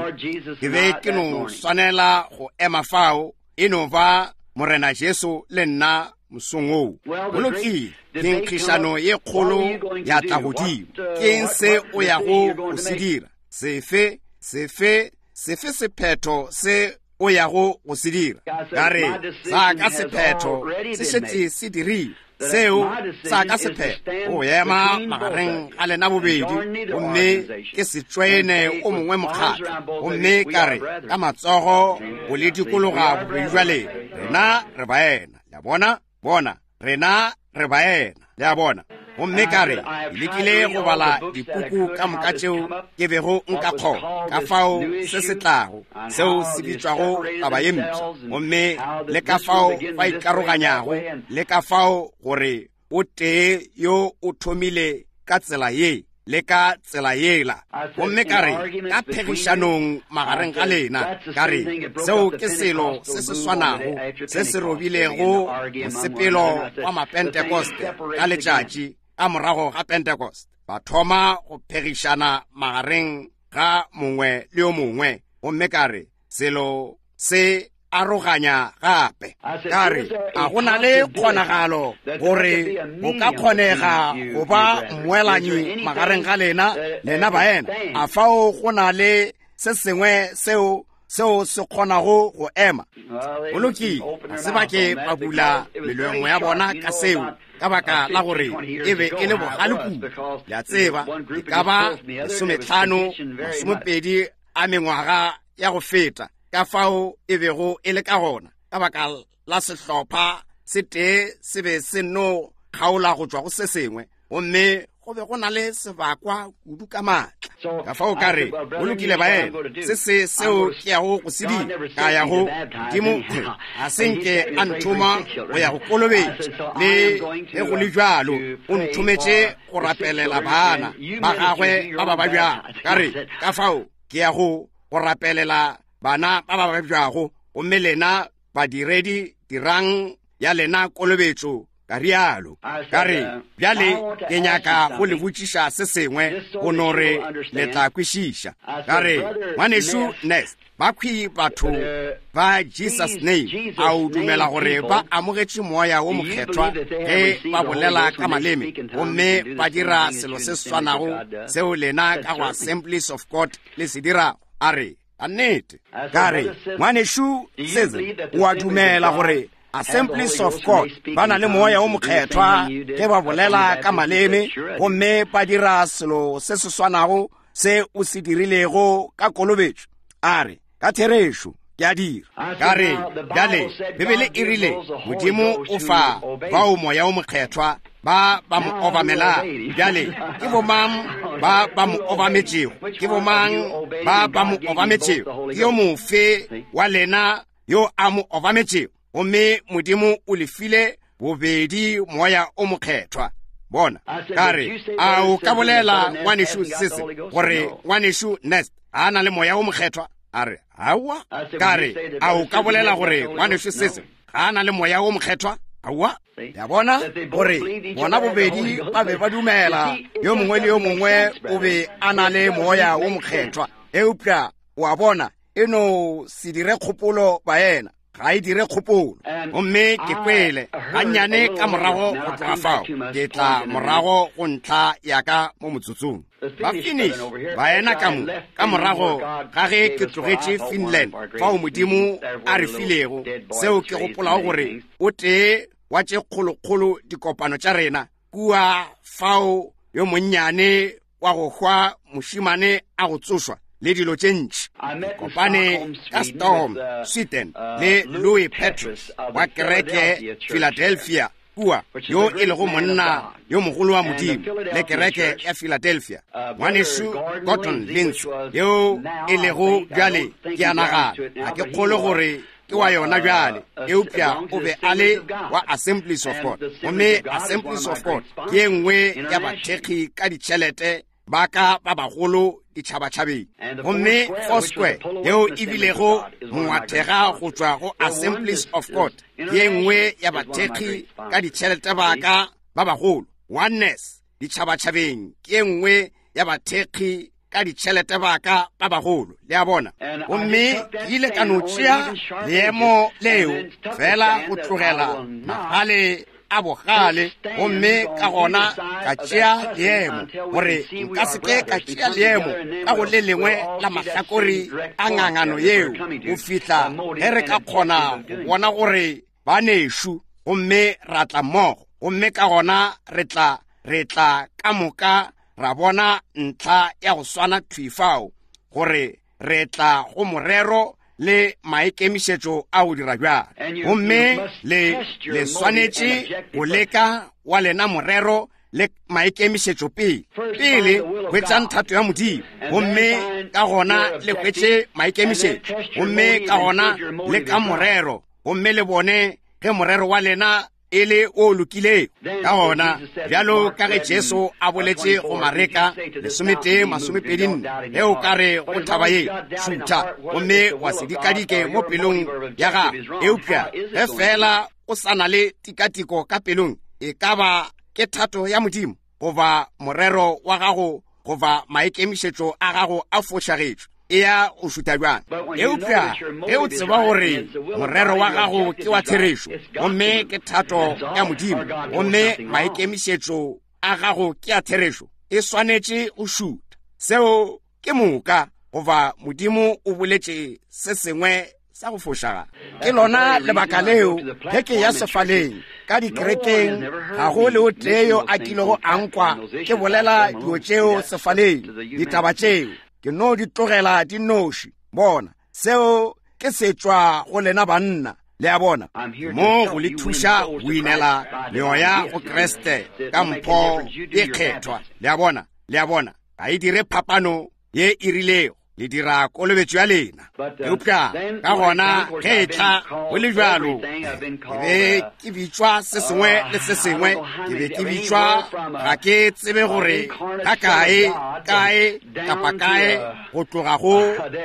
ke be ke no swanela go ema fao, e no ba Morena Jesu le nna mosong woo. Go lokile, ke nkgišano ye kgolo ya tla godimo. Ke eng se o yago go se dira? Sefe, sefe, sefe sephetho se o yago go se dira? Ka re, sa ka sephetho se šetše se dirile. Seo sa ka sephetho go ema magareng ga lena bobedi, gomme ke se tšoene o mongwe mokgatlo. Gomme ka re, ka matsogo go le dikologa bobedi bja lena, rena re baena. Le a bona? Bona, rena re baena. Le a bona? Gomme ka re, ke lekile go bala dipuku ka moka tšeo ke bego nka kgona, ka fao se se tlago, seo se bitšwago taba ye mpsha, gomme le ka fao ba ikaroganyago, le ka fao gore o tee yo o thomile ka tsela ye le ka tsela yela. Gomme ka re, ka phegišanong magareng ga lena, ka re, seo ke selo se se swanago se se robilego mosepelo wa Mapentekoste ka letšatši ka morago ga Pentekoste. Ba thoma go phegišana magareng ga mongwe le yo mongwe. Gomme ka re, selo se aroganya gape. Ka re, a go na le kgonagalo gore go ka kgonega go ba mmoelanyi magareng ga lena, lena baena? A fao go na le se sengwe seo, seo se kgonago go ema? Go lokile, ga se ba ke ba bula melomo ya bona ka seo, ka baka la gore e be e le bogale kudu. Le a tseba, e ka ba 15, 20 a mengwaga ya go feta, ka fao e bego e le ka gona, ka baka la sehlopha se tee se be se no kgaola go tšwa go se sengwe, gomme go be go na le sebakwa kudu ka maatla. Ka fao ka re, go lokile baena, se se seo ke yago go se dira, ka ya go Modimo, ga se nke a nthoma go ya go kolobetša, le ge go le bjalo o nthometše go rapelela bana ba gagwe ba ba babjago. Ka re, ka fao ke ya go go rapelela bana ba ba babjago, gomme lena badiredi dirang ya lena kolobetšo. Ka rialo. Ka re, bjale ke nyaka go le botšiša se sengwe, go no re le tla kwešiša. Ka re, Ngwanešu Nest, bakhwi batho ba Jesus Name, a o dumela gore ba amogetše Moya wo Mokgethwa ge ba bolela ka maleme gomme ba dira selo se swanago seo lena ka go Assemblies of God le se dirago? A re, ka nnete. Ka re, Ngwanešu Sism, o a dumela gore Assemblies of God ba na le Moya wo Mokgethwa ge ba bolela ka maleme gomme ba dira selo se se swanago se o se dirilego ka kolobetšo? A re, ka therešo ke a dira. Ka re, bjale Bibele e rile Modimo o fa bao Moya wo Mokgethwa ba ba mo obamelang. Bjale ke bomang ba ba mo obametšego? Ke bomang ba ba mo obametšego? Ke yo mofe wa lena yo a mo obametšego? Gomme Modimo o le file bobedi Moya o Mokgethwa. Bona, ka re, a o ka bolela ngwanešu Sese gore ngwanešu Nest a na le Moya o Mokgethwa? A re, aowa. Ka re, a o ka bolela gore ngwanešu Sese ga a na le Moya o Mokgethwa? Aowa. Ya bona gore bona bobedi ba be ba dumela yo mongwe le yo mongwe o be a na le Moya o Mokgethwa. Eupša o a bona, e no se dire kgopolo baena, ga e dire kgopolo. Gomme ke kwele gannyane ka morago go tloga fao, ke tla morago go ntlha ya ka mo motsotsong. Ba Finnish baena ka mo, ka morago ga ge ke tlogetše Finland, fao Modimo a re filego seo ke gopolago gore o tee. wa tše kgolokgolo dikopano tša rena kua fao yo monnyane wa go hwa mošimane a go tsošwa le dilo tše ntši. Ke kopane ka Stockholm, Sweden le Louis Petrus wa kereke Philadelphia kua, yo e lego monna yo mogolo wa Modimo, le kereke ya Philadelphia. Ngwanešu Gordon Lindsay, yo e lego bjale, ke a nagana, ga ke kgolwe gore ke wa yona bjale, eupša o be a le wa Assemblies of God. Gomme Assemblies of God ke ye nngwe ya bathekgi ka ditšhelete ba ka ba bagolo ditšhabatšhabeng. Gomme Foursquare, yeo e bilego mongwathega go tšwa go Assemblies of God, ke ye nngwe ya bathekgi ka ditšhelete ba ka ba bagolo. Oneness ditšhabatšhabeng ke ye nngwe ya bathekgi ka ditšhelete ba ka ba bagolo, le a bona. Gomme ke ile ka no tšea leemo leo fela go tlogela magale a bogale, gomme ka gona ka tšea leemo gore nka se ke ka tšea leemo ka go le lengwe la mahlakore a ngangano yeo go fihla ge re ka kgona go bona gore banešu, gomme ra tla mmogo, gomme ka gona re tla, re tla ka moka ra bona ntlha ya go swana thwi fao, gore re tla go morero le maikemišetšo a go dira bjalo. Gomme le, le swanetše go leka wa lena morero le maikemišetšo pele. Pele hwetšang thato ya Modimo, gomme ka gona le hwetše maikemišetšo, gomme ka gona le ka morero, gomme le bone ge morero wa lena e le o lokilego. Ka gona, bjalo ka ge Jesu a boletše go Mareka 11:24, ge o ka re go thaba ye, šutha, gomme wa se dikadike mo pelong ya gago, eupša ge feela o sa na le tikatiko ka pelong, e ka ba ke thato ya Modimo goba morero wa gago goba maikemišetšo a gago a fošagetšwe, e ya go šutha bjang. Eupša ge o tseba gore morero wa gago ke wa therešo, gomme ke thato ya Modimo, gomme maikemišetšo a gago ke a therešo, e swanetše go šutha. Seo ke moka, goba Modimo o boletše se sengwe sa go fošagala. Ke lona lebaka leo ge ke ya sefaleng ka dikerekeng, ga go le o tee yo a kilego a nkwa ke bolela dilo tšeo sefaleng, ditaba tšeo ke no di tlogela di noši. Bona, seo ke se tšwa go lena banna, le a bona, mo go le thuša go inela meoya go Kriste ka mpho e kgethwa. Le a bona, le a bona, ga e dire phapano ye e rilego, le dira kolobetšo ya lena. Eupša ka gona ge e tla go le bjalo, ke be ke bitšwa se sengwe le se sengwe, ke be ke bitšwa, ga ke tsebe gore ka kae, kae, kapa kae, go tloga go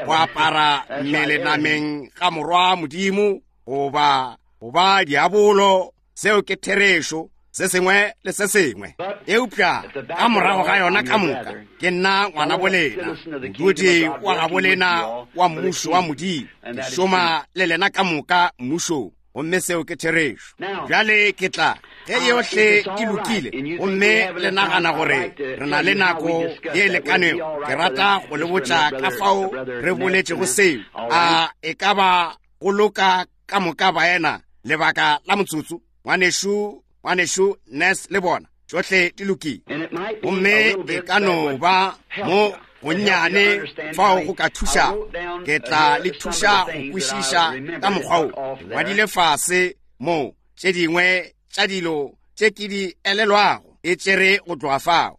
go apara mmele nameng ga Morwa Modimo, goba go ba diabolo. Seo ke therešo, se sengwe le se sengwe. Eupša ka morago ga yona ka moka, ke nna ngwana bolena, modudi wa gabo lena wa mmušo wa Modimo. Ke šoma le lena ka moka mmušong, gomme seo ke therešo. Bjale ke tla, ge yohle e lokile, gomme le nagana gore re na le nako ye lekanego, ke rata go le botša ka fao re boletšego seo. A e ka ba go loka ka moka baena lebaka la motsotso? Ngwanešu, ngwanešu Ness le bona, tšohle di lokile. Gomme e ka no ba mo gonnyane fao go ka thuša, ke tla le thuša go kwešiša ka mokgwa wo. Ke ngwadile fase mo tše dingwe tša dilo tše ke di elelwago, e tšere go tloga fao.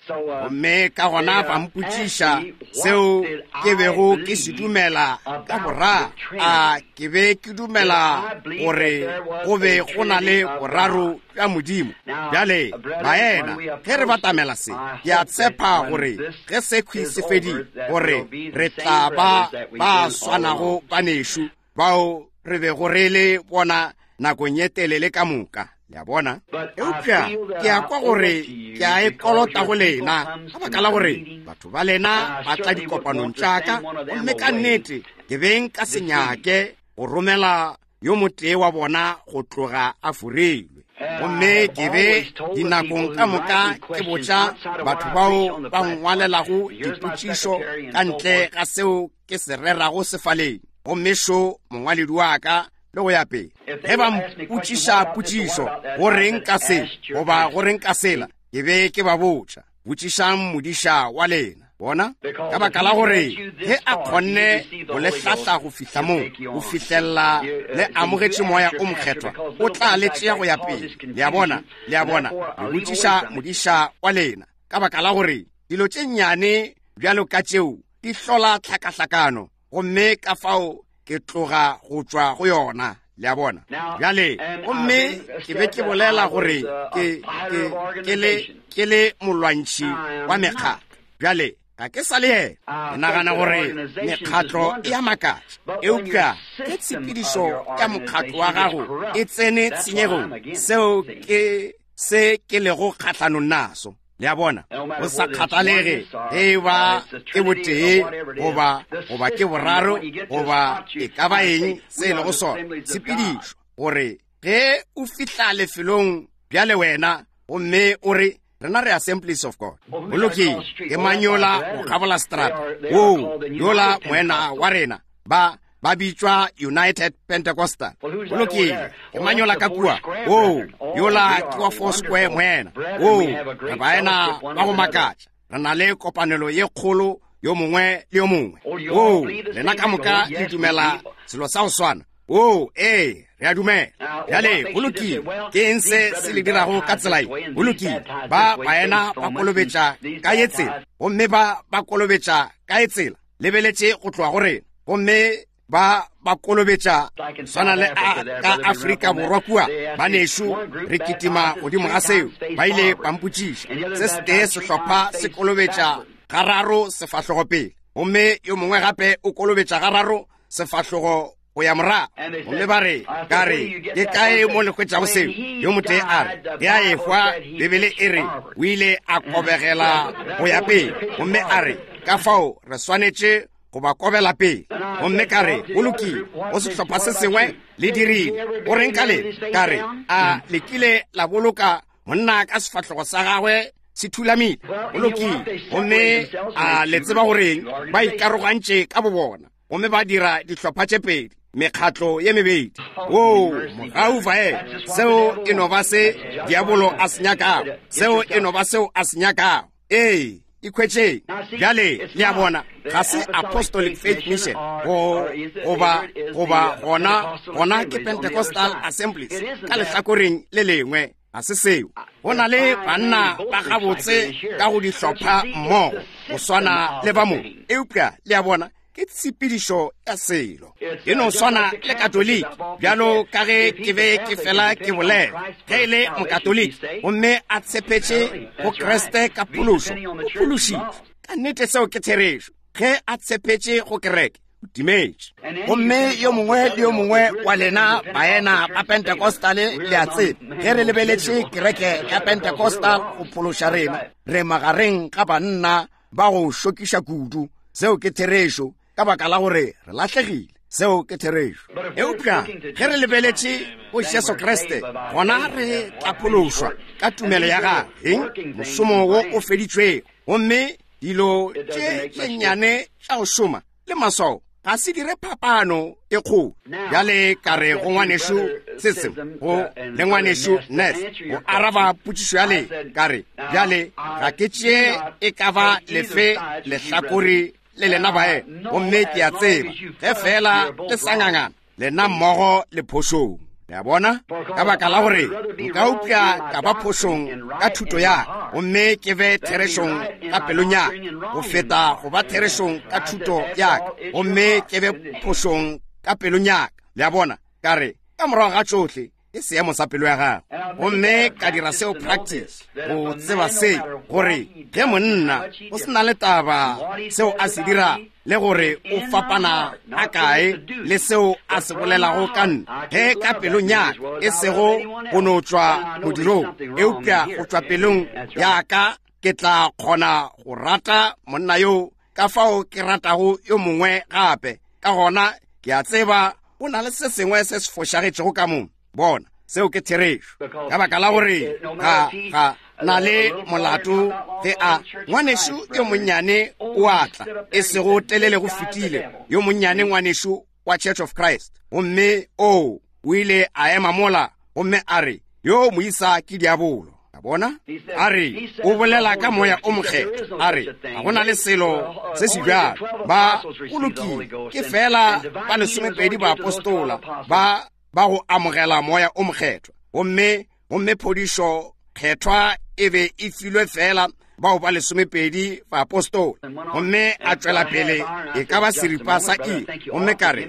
Gomme ka gona ba mpotšiša seo ke bego ke se dumela ka boraro. A ke be ke dumela gore go be go na le boraro bja Modimo? Bjale, baena, ge re batamela se, ke a tshepa gore ge sekhwi se fedile, gore re tla ba ba swanago banešu bao re bego re le bona nakong ye telele ka moka. Le a bona? Eupša ke a kwa gore ke a e kolota go lena, ka baka la gore batho ba lena ba tla dikopanong tša ka, gomme ka nnete ke be nka se nyake go romela yo motee wa bona go tloga a forilwe. Gomme ke be dinakong ka moka ke botša batho bao ba nngwalelago dipotšišo ka ntle ga seo ke se rerago sefaleng. Gomme šo mongwaledi wa ka. le go ya pele. Ge ba mpotšiša potšišo, go reng ka se goba go reng ka sela, ke be ke ba botša, botšišang modiša wa lena. Bona? Ka baka la gore ge a kgonne go le hlahla go fihla moo, go fihlelela le amogetše Moya o Mokgethwa, o tla le tšea go ya pele. Le a bona? Le a bona? Le botšiša modiša wa lena, ka baka la gore dilo tše nnyane bjalo ka tšeo di hlola tlhakahlakano, gomme ka fao ke tloga go tšwa go yona. Le a bona? Bjale, gomme ke be ke bolela gore ke, ke, ke le, ke le molwantšhi wa mekgatlo. Bjale, ga ke sa le yena. Ke nagana gore mekgatlo e a makatša, eupša ge tshepedišo ya mokgatlo wa gago e tsene tshenyegong, seo ke se ke lego kgahlanong naso. Le a bona? Go sa kgathalege ge e ba ke botee goba, goba ke boraro goba e ka ba eng se e lego sona, tshepedišo, gore ge o fihla lefelong bjale wena gomme o re, rena re Assemblies of God. Go lokile, ke mang yola go kgabola seterata? Woo, yola moena wa rena. Ba, ba bitšwa United Pentecostal. Go lokile, ke mang yola ka kua? Woo, yola ke wa Four Square moena. Woo, re baena ba go makatša. Re na le kopanelo ye kgolo yo mongwe le yo mongwe. Woo, lena ka moka le dumela selo sa go swana. Oo, ee, re a dumela. Bjale, go lokile. Ke eng se se le dirago ka tsela ye? Go lokile. Ba baena ba kolobetša ka ye tsela, gomme ba ba kolobetša ka ye tsela. Lebeletše go tloga go rena, gomme ba ba kolobetša swana le a, ka Afrika Borwa kua. Banešu, re kitima godimo ga seo. Ba ile ba mpotšiša. Se setee sehlopha se kolobetša gararo sefahlogo pele, gomme yo mongwe gape o kolobetša gararo sefahlogo go ya morago. Gomme ba re, ka re, ke kae mo le hwetšago seo? Yo motee a re, ge a ehwa, Bibele e re o ile a kobegela go ya pele. Gomme a re, ka fao re swanetše go ba kobela pele. Gomme ka re, go lokile, go sehlopha se sengwe le dirile. Go reng ka lena? Ka re, a le kile la boloka monna ka sefahlogo sa gagwe se thulamile? Go lokile. Gomme a le tseba goreng? Ba ikarogantše ka bobona, gomme ba dira dihlopha tše pedi, mekgatlo ye mebedi. Oo, mogau vae, seo e no ba se diabolo a se nyakago. Seo e no ba seo a se nyakago. Ee, ikhwetšeng. Bjale, le a bona, ga se Apostolic Faith Mission, go, goba, goba gona, gona ke Pentecostal Assemblies, ka lehlakoreng le lengwe. Ga se seo. Go na le banna ba gabotse ka go dihlopha mmogo, go swana le ba mo. Eupša, le a bona, ke tshepedišo ya selo. E no swana le Katoliki, bjalo ka ge ke be ke fela ke bolela. Ge e le Mokatoliki gomme a tshepetše go Kriste ka phološo, o phološitšwe. Ka nnete seo ke therešo. Ge a tshepetše go kereke, o timetše. Gomme yo mongwe le yo mongwe wa lena baena ba Pentecostale le a tseba, ge re lebeletše kereke ya Pentecostal go phološa rena, re magareng ga banna ba go šokiša kudu. Seo ke therešo, ka baka la gore re lahlegile. Seo ke therešo. Eupša ge re lebeletše go Jesu Kriste, gona re tla phološwa ka tumelo ya gagwe, eng? Mošomo wo o feditšwego. Gomme dilo tše tše nnyane tša go šoma le maswao ga se dire phapano e kgolo. Bjale ka re go ngwanešu Sism, go le ngwanešu Ness, go araba potšišo ya le, ka re, bjale ga ke tšee e ka ba lefe lehlakore le lena bae, gomme ke a tseba ge feela le sa ngangana, lena mmogo le phošong. Le a bona? Ka baka la gore nka upša ka ba phošong ka thuto ya ka, gomme ke be therešong ka pelong ya ka, go feta go ba therešong ka thuto ya ka, gomme ke be phošong ka pelong ya ka. Le a bona? Ka re, ka morago ga tšohle, ke seemo sa pelo ya gago. Gomme ka dira seo practice, go tseba se, gore ge monna o se na le taba seo a se dira, le gore o fapana a kae le seo a se bolelago ka nna, ge ka pelong ya ka, e sego go no tšwa modirong, eupša go tšwa pelong ya ka, ke tla kgona go rata monna yo ka fao ke ratago yo mongwe gape. Ka gona ke a tseba go na le se sengwe se se fošagetšego ka mo. Bona, seo ke therešo. Ka baka la gore ga, ga na le molato ge a, ngwanešu yo monnyane o a tla, e sego telele go fetile, yo monnyane ngwanešu wa Church of Christ. Gomme, oo, O ile a ema mola gomme a re, Yo moisa ke diabolo. A bona? A re, O bolela ka Moya o Mokgethwa. A re, Ga go na le selo se se bjalo. Ba, go lokile, ke feela ba lesomepedi baapostola ba ba go amogela Moya o Mokgethwa. Gomme, gomme phodišo Kgethwa e be e filwe feela bao ba lesomepedi baapostola. Gomme a tšwela pele e ka ba seripa sa iri. Gomme ka re,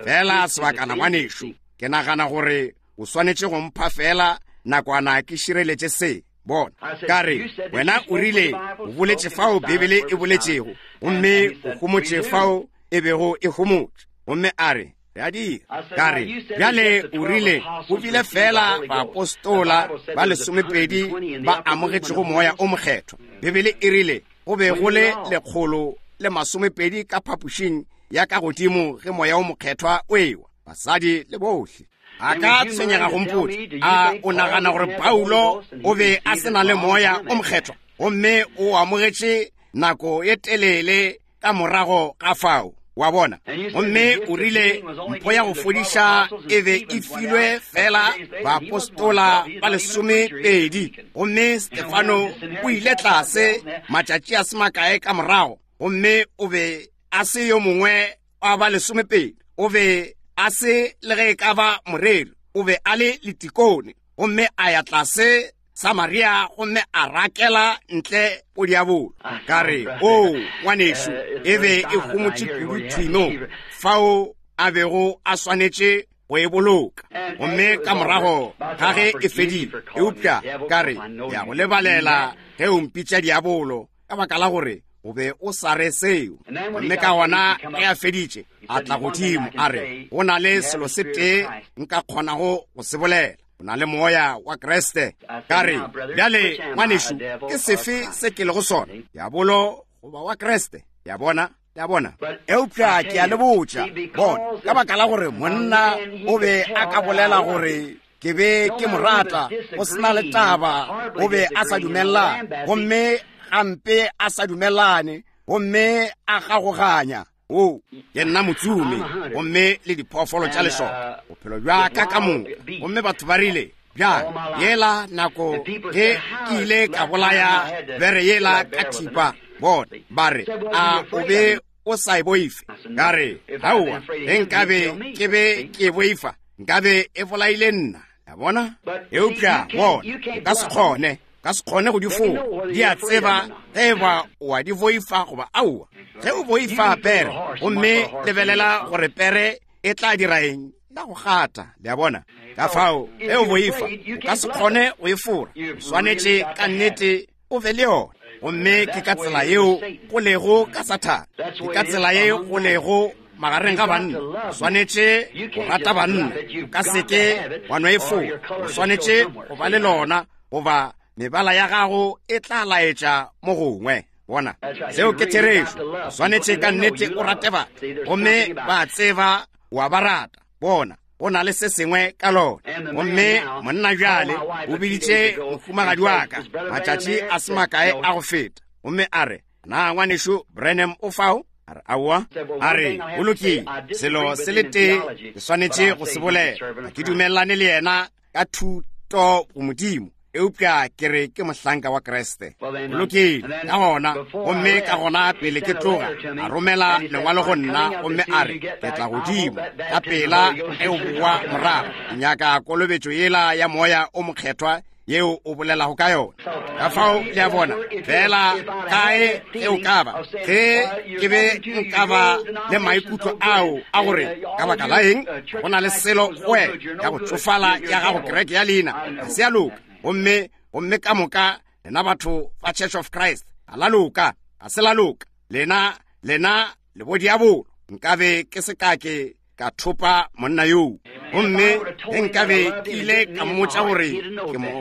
Feela sebakana, ngwanešu, ke nagana gore o swanetše go mpha feela nakwana ke šireletše se. Bona, ka re, wena o rile o boletše fao Bibele e boletšego, gomme o homotše fao e bego e homotše. Gomme a re, re a dira. Ka re, bjale o rile go bile feela baapostola ba lesomepedi ba amogetšego Moya o Mokgethwa. Bibele e rile go be go le 120 ka phapošing ya ka godimo ge Moya o Mokgethwa o ewa, basadi le bohle. A ka tshwenyega go mpotša, a o nagana gore Paulo o be a se na le Moya o Mokgethwa gomme o amogetše nako ye telele ka morago ga fao? Wa bona? Gomme o rile mpho ya go fodiša e be e filwe fela baapostola ba lesomepedi, gomme Stefano o ile tlase matšatši a se makae ka morago, gomme o be a se yo mongwe wa ba lesomepedi, o be a se le ge e ka ba moreri, o be a le letikone, gomme a ya tlase Samaria gomme a rakela ntle bodiabolo. Ka re, O, ngwanešu, e be e homotše kudu thwi mo fao a bego a swanetše go e boloka. Gomme ka morago ga ge e fedile, eupša ka re, Ke a go lebalela ge o mpitša diabolo, ka baka la gore o be o sa re seo. Gomme ka gona ge a feditše, a tla godimo, a re, Go na le selo se tee nka kgonago go se bolela, o na le Moya wa Kriste. Ka re, Bjale, ngwanešu, ke sefe se ke lego sona, diabolo goba wa Kriste? Ya bona? Ya bona? Eupša ke a le botša, bona, ka baka la gore monna o be a ka bolela gore ke be ke mo rata, go se na le taba, o be a sa dumelelane, gomme gampe a sa dumelelane, gomme a gagoganya. O, ke nna motsomi, gomme le diphoofolo tša lešoka, bophelo bja ka ka moka. Gomme batho ba rile, Bjale, yela nako ge ke ile ka bolaya bere yela ka thipa, bona, ba re, a o be o sa e boife? Ka re, Aowa, ge nkabe ke be ke e boifa, nkabe e bolaile nna. Ya bona? Eupša, bona, o ka se kgone, ka se kgone go di fola. Di a tseba ge e ba o a di boifa goba aowa. Ge o boifa pere, gomme lebelela gore pere e tla dira eng, la go gata. Le a bona? Ka fao, ge o boifa, o ka se kgone go e fora. O swanetše ka nnete o be le yona. Gomme ke ka tsela yeo go lego ka Sathane. Ke ka tsela ye go lego magareng ga banna. O swanetše go rata banna. O ka se ke wa no e fola. O swanetše go ba le lona, goba mebala ya gago e tla laetša mo gongwe. Bona, seo ke therešo. O swanetše ka nnete o rate batho, gomme ba tseba wa ba rata. Bona, go na le se sengwe ka lona. Gomme monna bjale o biditše mohumagadi wa ka matšatši a se makae a go feta, gomme a re, Na ngwanešu Branham o fao? A re, Aowa. A re, Go lokile, selo se le tee ke swanetše go se bolela, ga ke dumelelane le yena ka thuto go Modimo, eupša ke re ke mohlanka wa Kriste. Go lokile, ka gona, gomme ka gona pele ke tloga, a romela lengwalo go nna, gomme a re, Ke tla godimo ka pela ge o boa morago. Ke nyaka kolobetšo yela ya Moya o Mokgethwa yeo o bolelago ka yona. Ka fao, le a bona, feela kae ge o ka ba, ge ke be nka ba le maikutlo ao a gore ka baka la eng go na le selo go wena ya go tšofala ya gago kereke ya leina ga se ya loka, gomme, gomme ka moka lena batho ba Church of Christ ga la loka, ga se la loka, lena, lena le bodiabolo. Nkabe ke se ka ke ka thopa monna yoo, gomme ge nkabe ke ile ka mmotša gore ke mo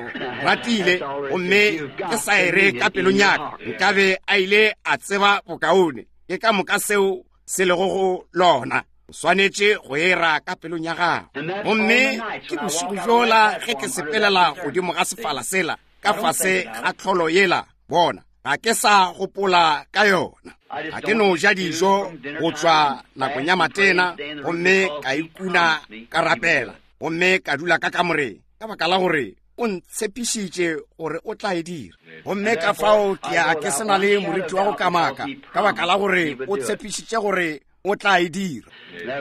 ratile gomme ke sa e re ka pelong ya ka, nkabe a ile a tseba bokaone. Ke ka moka seo se lego go lona. O swanetše go e ra ka pelong ya gago. Gomme ke bošego bjola ge ke sepelela godimo ga sefala sela, ka fase ga tlholo yela, bona, ga ke sa gopola ka yona. Ga ke no ja dijo go tšwa nakong ya matena, gomme ka ikuna ka rapela. gomme ka dula ka kamoreng, ka baka la gore O ntshepišitše gore O tla e dira. Gomme ka fao ke ya ke se na le moriti wa go kamaka, ka baka la gore O tshepišitše gore O tla e dira.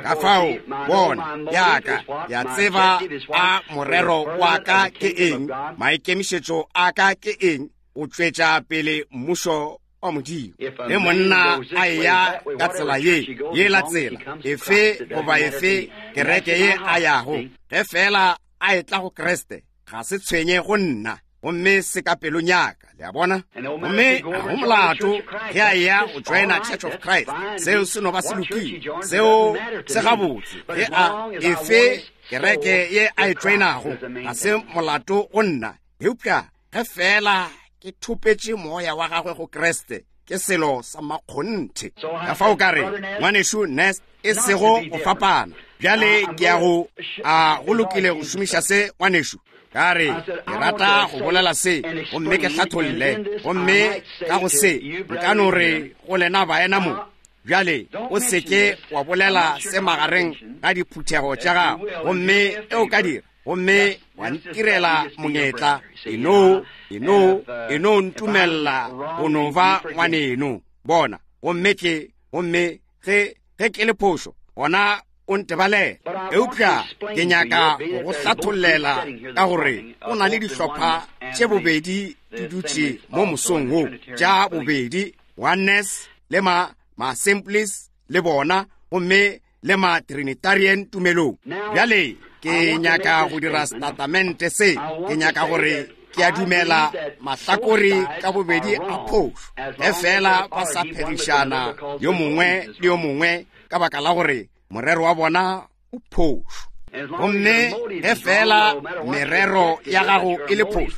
Ka fao, bona, yaka, ya tseba a morero wa ka ke eng, maikemišetšo a ka ke eng, go tšwetša pele Mmušo wa Modimo. Ge monna a eya ka tsela ye, yela tsela, efe goba efe kereke ye a yago, ge feela a etla go Kriste, ga se tshwenye go nna, gomme se ka pelong ya ka, le a bona. Gomme ga go molato ge a eya go joina Church of Christ, seo se no ba se lokile, seo se gabotse. Ge a, efe kereke ye a e joinago, ga se molato go nna, eupša ge feela ke thopetše moya wa gagwe go Kriste, ke selo sa makgonthe. Ka fao ka re, Ngwanešu Nest, e sego go fapana. Bjale ke ya go, a go lokile go šomiša se, ngwanešu? Ka re, ke rata go bolela se, gomme ke hlatholle. Gomme ka go se, nka no re go lena baena mo, bjale o se ke wa bolela se magareng ga diphuthego tša gago. Gomme e o ka dira, gomme wa ntirela monyetla, e no, e no, e no ntumella go no ba ngwaneno. Bona, gomme ke, gomme ge, ge ke le phošo, gona o ntebalele. Eupša ke nyaka go go hlathollela ka gore o na le dihlopha tše bobedi di dutše mo mosong wo, tša bobedi Oneness le ma, ma Assemblies le bona, gomme le ma Trinitarian tumelong. Bjale ke nyaka go dira setatamente se, ke nyaka gore ke a dumela mahlakore ka bobedi a phošo, ge feela ba sa phegišana yo mongwe le yo mongwe ka baka la gore morero wa bona o phošo. Gomme ge feela merero ya gago e le phošo,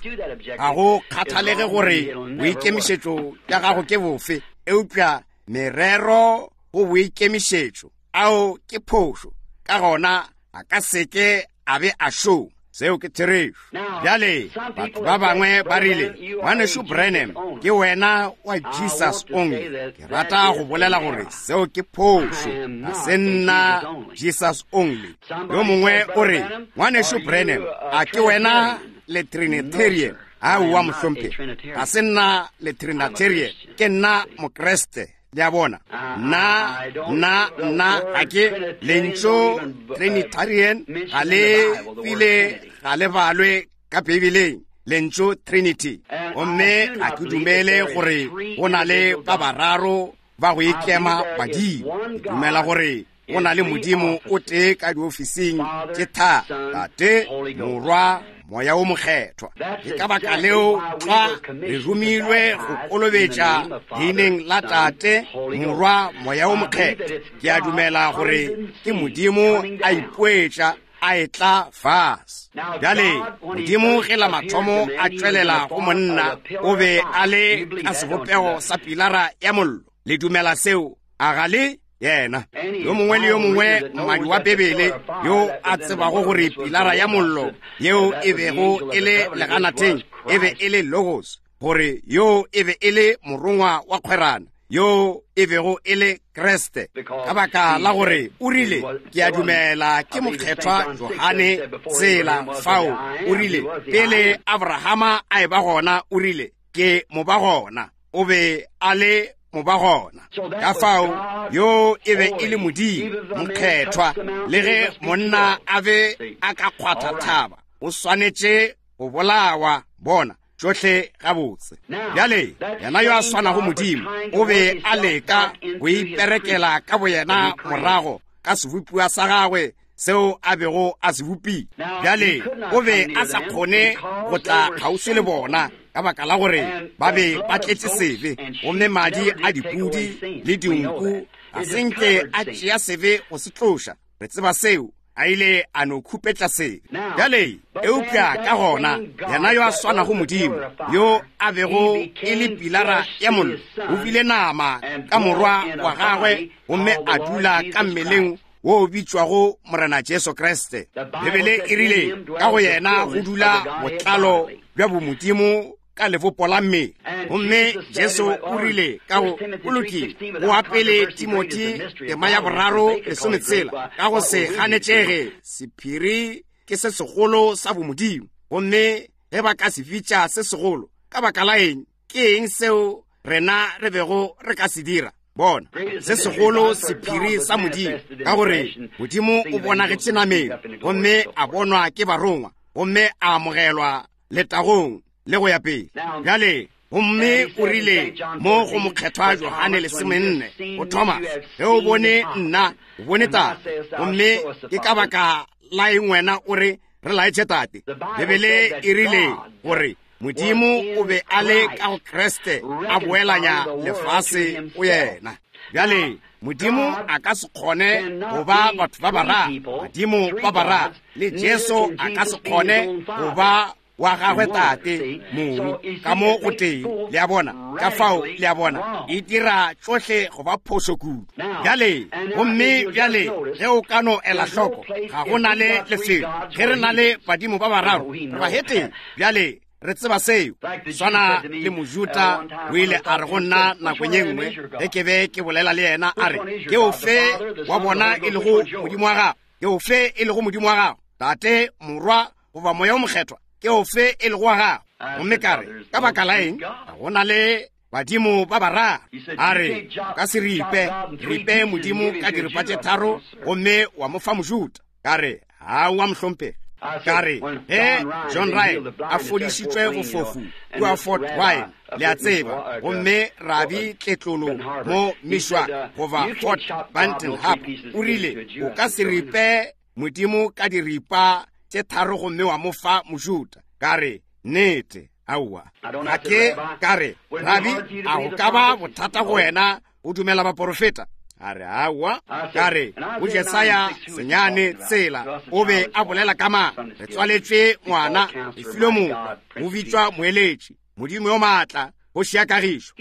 ga go kgathalege gore boikemišetšo bja gago ke bofe, eupša merero go boikemišetšo ao ke phošo, ka gona a ka seke a be a šoma. Seo ke therešo. Bjale, batho ba bangwe ba rile, Ngwanešu Branham, ke wena wa Jesus Only. Ke rata go bolela gore seo ke phošo. Ga se nna Jesus Only. Yo mongwe o re, Ngwanešu Branham, a ke wena le Trinitarian? Aowa, mohlomphegi, ga se nna le Trinitarian. Ke nna Mokriste. Le a bona? Nna, nna, nna, ga ke lentšu Trinitarian ga le bile ga le balwe ka Beibeleng, lentšu Trinity. Gomme ga ke dumele gore go na le ba bararo ba go ikema badimo. Ke dumela gore go na le Modimo o tee ka diofising tše tharo, Tate, Morwa, Moya wo Mokgethwa. Ke ka baka leo tlwa re romilwe go kolobetša leineng la Tate, Morwa, Moya wo Mokgethwa. Ke a dumela gore ke Modimo a ipoetša a etla fase. Bjale, Modimo ge la mathomo a tšwelela go monna, o be a le ka sebopego sa pilara ya mollo. Le dumela seo? A ga le? Yena yo mongwe le yo mongwe mmadi wa Bibele yo a tsebago gore pilara ya mollo yeo e bego e le leganatheng e be e le Logos, gore yo e be e le morongwa wa kgwerano, yo e bego e le Kriste, ka baka la gore o rile, Ke a dumela ke Mokgethwa Johane tsela fao, o rile, pele Abrahama a eba gona, o rile, Ke mo ba gona. O be a le moba gona. Ka fao yo e be e le Modimo mokgethwa, le ge monna a be a ka kgwatha thaba, o swanetše go bolawa. Bona, tšohle gabotse. Bjale yena yo a swanago Modimo o be a leka go iperekela ka boyena morago ka sebopiwa sa gagwe seo a bego a se bopile. Bjale o be a sa kgone go tla kgauswi le bona ka baka la gore ba be ba tletše sebe, gomme madi a dipudi le dinku ga se nke a tšea sebe go se tloša. Re tseba seo. A ile a no khupetša sebe. Bjale, eupša ka gona yena yo a swanago Modimo, yo a bego e le pilara ya mollo, o bile nama ka Morwa wa gagwe gomme a dula ka mmeleng wo o bitšwago Morena Jesu Kriste. Bibele e rile ka go yena go dula botlalo bja bomodimo ka lebopo la mmele. Gomme Jesu o rile ka go, go lokile, go wa pele Timothy tema ya boraro lesometshela, ka go se ganetšege sephiri. ke se segolo sa bomodimo. Gomme ge ba ka se bitša se segolo, ka baka la eng, ke eng seo rena re bego re ka se dira? Bona, se segolo sephiri sa Modimo, ka gore Modimo o bonagetše nameng, gomme a bonwa ke barongwa, gomme a amogelwa letagong, le go ya pele. Bjale, gomme o rile mo go Mokgethwa Johane 14, go Thomas, ge o bone nna, o bone Tate. Gomme ke ka baka la eng wena o re, re laetše Tate? Bibele e rile gore Modimo o be a le ka go Kriste, a boelanya lefase go yena. Bjale, Modimo a ka se kgone go ba batho ba bararo, badimo ba bararo, le Jesu a ka se kgone go ba wa gagwe Tate mong ka mo go tee. Le a bona? Ka fao, le a bona, e dira tšohle go ba phošo kudu. Bjale, gomme bjale ge o ka no ela hloko, ga go na le lefelo ge re na le badimo ba bararo, re ba heteng. Bjale re tseba seo. Swana le Mojuta o ile a re go nna nakong ye nngwe ge ke be ke bolela le yena, a re, Ke ofe wa bona e lego Modimo wa gago? Ke ofe e lego Modimo wa gago, Tate, Morwa, goba Moya o Mokgethwa? Ke ofe e lego wa gago? Gomme ka re, Ka baka la eng, ga go na le badimo ba bararo. A re, O ka se ripe, ripe Modimo ka diripa tše tharo gomme wa mo fa Mojuta. Ka re, Aowa, mohlomphegi. Ka re, Ge John Ryan a fodišitšwe bofofu kua Fort Wayne, le a tseba, gomme rabi tletlolo mo Mishwa goba Fort Benton Harbor, o rile, O ka se ripe Modimo ka diripa tše tharo gomme wa mo fa Mojuta. Ka re, Nnete, aowa. Ga ke, ka re, Rabi, a go ka ba bothata go wena go dumela baporofeta? A re, Aowa. Ka re, go Jesaya senyane tsela o be a bolela ka mang? Re tswaletšwe ngwana, re filwe morwa, o bitšwa Moeletši, Modimo yo maatla, kgoši ya kagišo.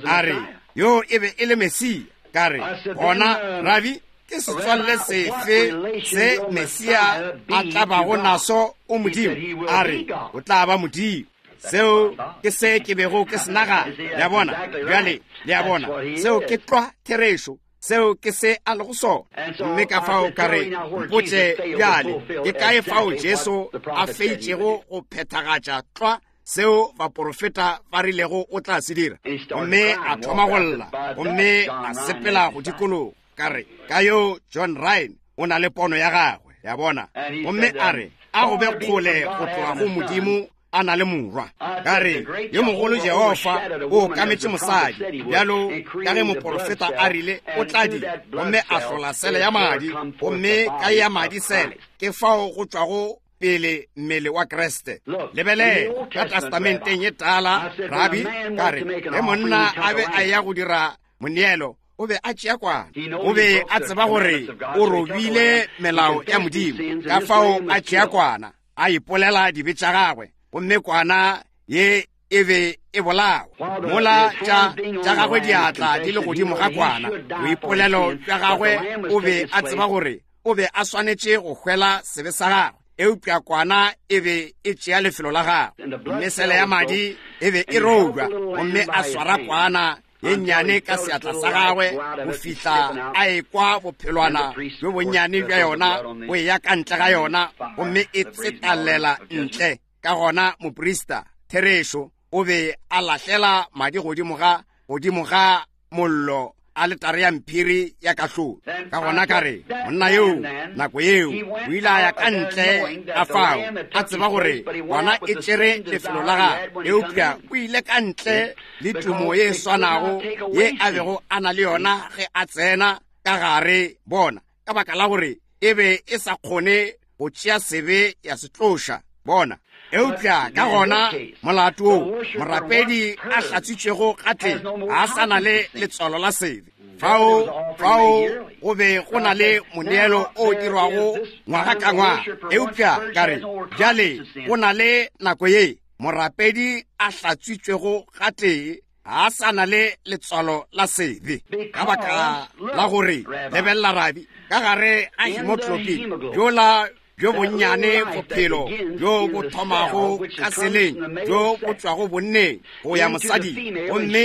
A re, Yo e be e le Mesia. Ka re, Gona, Rabi, ke setswalle sefe se Mesia a tla bago naso o Modimo? A re, O tla ba Modimo. Seo ke se ke bego ke se nagana. Le a bona? Bjale, le a bona, seo ke tlwa therešo. Seo ke se a lego sona. Gomme ka fao ka re, Mpotše bjale, ke kae fao Jesu a feitšego go phethagatša tlwa seo baporofeta ba rilego o tla se dira? Gomme a thoma go lla, gomme a sepela go dikologa. Ka re, ka yo John Ryan o na le pono ya gagwe, ya bona. Gomme a re, a go be kgole go tloga go Modimo a na le morwa. Ka re, yo mogolo Jehofa o okametše mosadi, bjalo ka ge moporofeta a rile o tla dira, gomme a hlola sele ya madi, gomme ka ya madi sele ke fao go tšwago pele mmele wa Kriste. Lebelela ka Testamenteng ye Tala, Rabi, ka re, ge monna a be a eya go dira moneelo, o be a tšea kwana. O be a tseba gore o robile melao ya Modimo, ka fao a tšea kwana, a ipolela dibe tša gagwe, gomme kwana ye e be e bolawa. Mola tša gagwe diatla di le godimo ga kwana, boipolelo bja gagwe, o be a tseba gore o be a swanetše go hwela sebe sa gagwe, eupša kwana e be e tšea lefelo la gagwe. Gomme sele ya madi e be e robja, gomme a swara kwana ye nnyane ka seatla sa gagwe go fihla a ekwa bophelwana bjo bonnyane bja yona bo eya ka ntle ga yona, gomme e tsetalela ntle. Ka gona moprista, therešo, o be a lahlela madi godimo ga, godimo ga mollo aletare ya mphiri ya kahlolo. Ka gona ka re, monna yoo nako yeo o ile a ya ka ntle ga fao, a tseba gore kwana e tšere lefelo la gagwe, eupša o ile ka ntle le tumo ye e swanago ye a bego a na le yona ge a tsena ka gare, bona, ka baka la gore e be e sa kgone go tšea sebe ya se tloša, bona. Eupša ka gona molato wo morapedi a hlatswitšwego gatee ga a sa na le letswalo la sebe. Fao, fao go be go na le moneelo o dirwago ngwaga ka ngwaga. Eupša ka re, bjale go na le nako ye morapedi a hlatswitšwego gatee ga a sa na le letswalo la sebe, ka baka la gore, lebelela rabi, ka gare ga hemoglobin bjola bjo bonnyane bophelo bjo bo thomago ka seleng bjo bo tšwago bonneng go ya mosading, gomme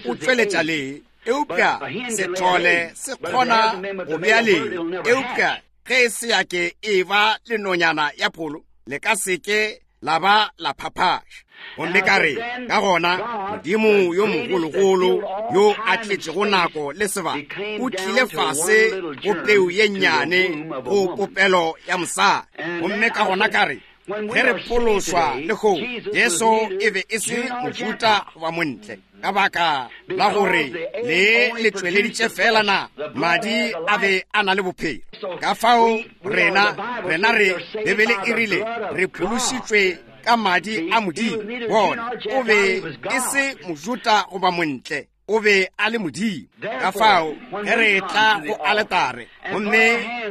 o tšweletša lee, eupša sethole se kgona go bea lee, eupša ge e se ya ke e ba le nonyana ya pholo, le ka se ke la ba la phaphaša. Gomme ka re, ka gona, Modimo yo mogologolo yo a tletšego nako le sebaka o tlile fase go peu ye nnyane go popelo ya mosadi. Gomme ka gona ka re, ge re phološwa lehono, Jesu e be e se Mojuda goba Montle, ka baka la gore le le tšweleditše fela na madi a be a na le bophelo. Ka fao rena, rena re, Bibele e rile re phološitšwe ka madi a Modimo. Bona, o be e se Mojuda goba Montle, o be a le Modimo. Ka fao ge re etla go aletare gomme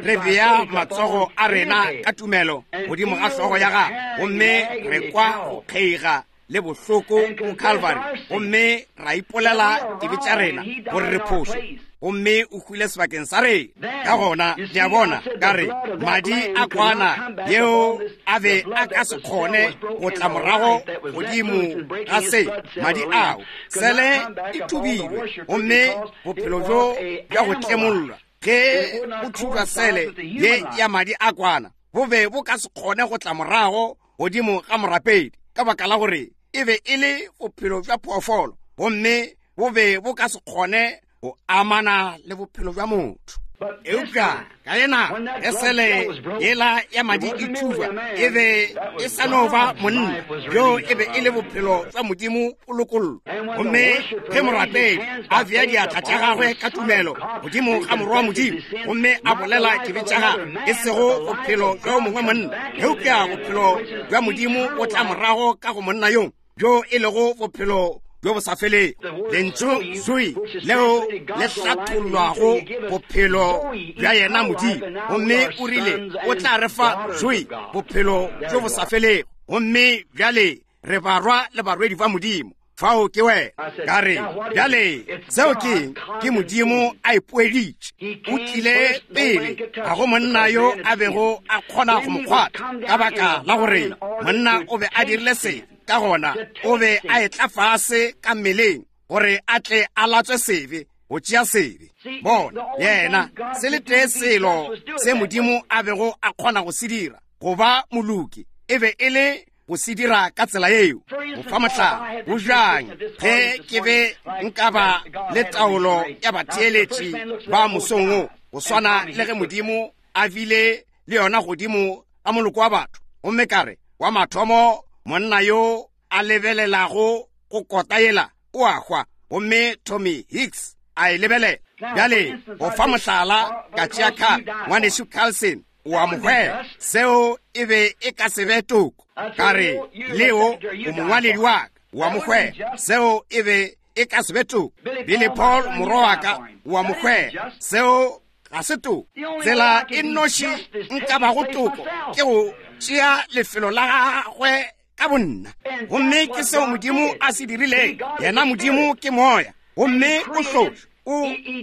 re bea matsogo a rena ka tumelo godimo ga hlogo ya gagwe, gomme re kwa go kgeiga le bohloko go Calvary, gomme ra ipolela dibe tša rena gore re phošo, gomme o hwile sebakeng sa rena. Ka gona le a bona, ka re, madi a kwana yeo a be a ka se kgone go tla morago godimo ga se, madi ao, sele e thubilwe, gomme bophelo bjo bja go tlemollwa ge go thubja sele ye ya madi a kwana bo be bo ka se kgone go tla morago godimo ga morapedi, ka baka la gore e be e le bophelo bja phoofolo, gomme bo be bo ka se kgone go amana le bophelo bja motho. Eupša ka yena ge sele yela ya madi e thubja, e be e sa no ba monna, bjo e be e le bophelo bja Modimo o lokollwa. Gomme ge morapedi a bea diatla tša gagwe ka tumelo godimo ga Morwa wa Modimo, gomme a bolela dibe tša gagwe, e sego bophelo bja mongwe monna, eupša bophelo bja Modimo bo tla morago ka go monna yo, bjo e lego bophelo bjo bo sa felego. Lentšu Zoe leo le hlathollwago bophelo bja yena Modimo, gomme o rile o tla re fa Zoe, bophelo bjo bo sa felego. Gomme bjale re barwa le barwedi ba Modimo. Fao ke wena. Ka re, bjale seo ke eng? Ke Modimo a ipoeditše. O tlile pele, ga go monna yo a bego a kgona go mo kgwatha, ka baka la gore monna o be a dirile sebe. Ka gona o be a etla fase ka mmeleng gore a tle a latswe sebe, go tšea sebe. Bona, yena, se le tee selo se Modimo a bego a kgona go se dira, go ba moloki, e be e le go se dira ka tsela yeo. Go fa mohlala, go bjang ge ke be nka ba le taolo ya batheeletši ba mosong wo, go swana le ge Modimo a bile le yona godimo ga moloko wa batho, gomme ka re, wa mathomo monna yo a lebelelago go kota yela o a hwa, gomme Tommy Hicks a e lebelela. Bjale, go fa mohlala, ka tšea Carl, Ngwanešu Carlson, o a mo hwela. Seo e be e ka se be toko. Ka re, Leo, o mongwaledi wa ka, o a mo hwela. Seo e be e ka se be toko. Billy Paul, morwa wa ka, o a mo hwela. Seo ga se toko. Tsela e nnoši nka bago toko ke go tšea lefelo la gagwe ka bonna. Gomme ke seo Modimo a se dirileng. Yena Modimo ke moya, gomme o hlotšwe.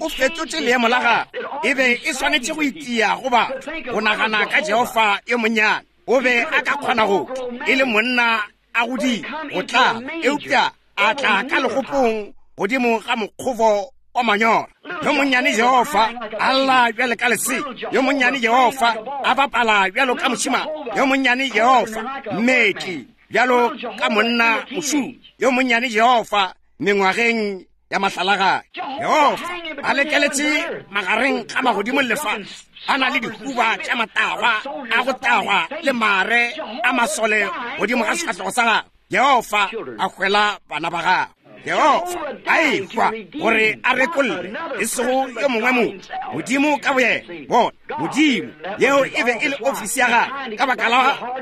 O fetotše leemo la gagwe. E be e swanetše go itia go batho go nagana ka Jehofa yo monnyane. O be a ka kgona go tla e le monna a godile go tla, eupša a tla ka legopong godimo ga mokgobo wa manyora. Yo monnyane Jehofa a lla bjalo ka lesea, yo monnyane Jehofa a bapala bjalo ka mošemane, yo monnyane Jehofa mmetli bjalo ka monna mošumo, yo monnyane Jehofa mengwageng ya mahlalagae. Jehofa a lekeletše magareng ga magodimo le lefase, a na le dihuba tša matagwa a go tagwa le mare a masole godimo ga sefahlego sa gagwe. Jehofa a hwela bana ba gagwe. Jehofa a ehwa gore a rekolle, e sego yo mongwe motho, Modimo ka boyena. Bona, Modimo, yeo e be e le ofisi ya gagwe. Ka baka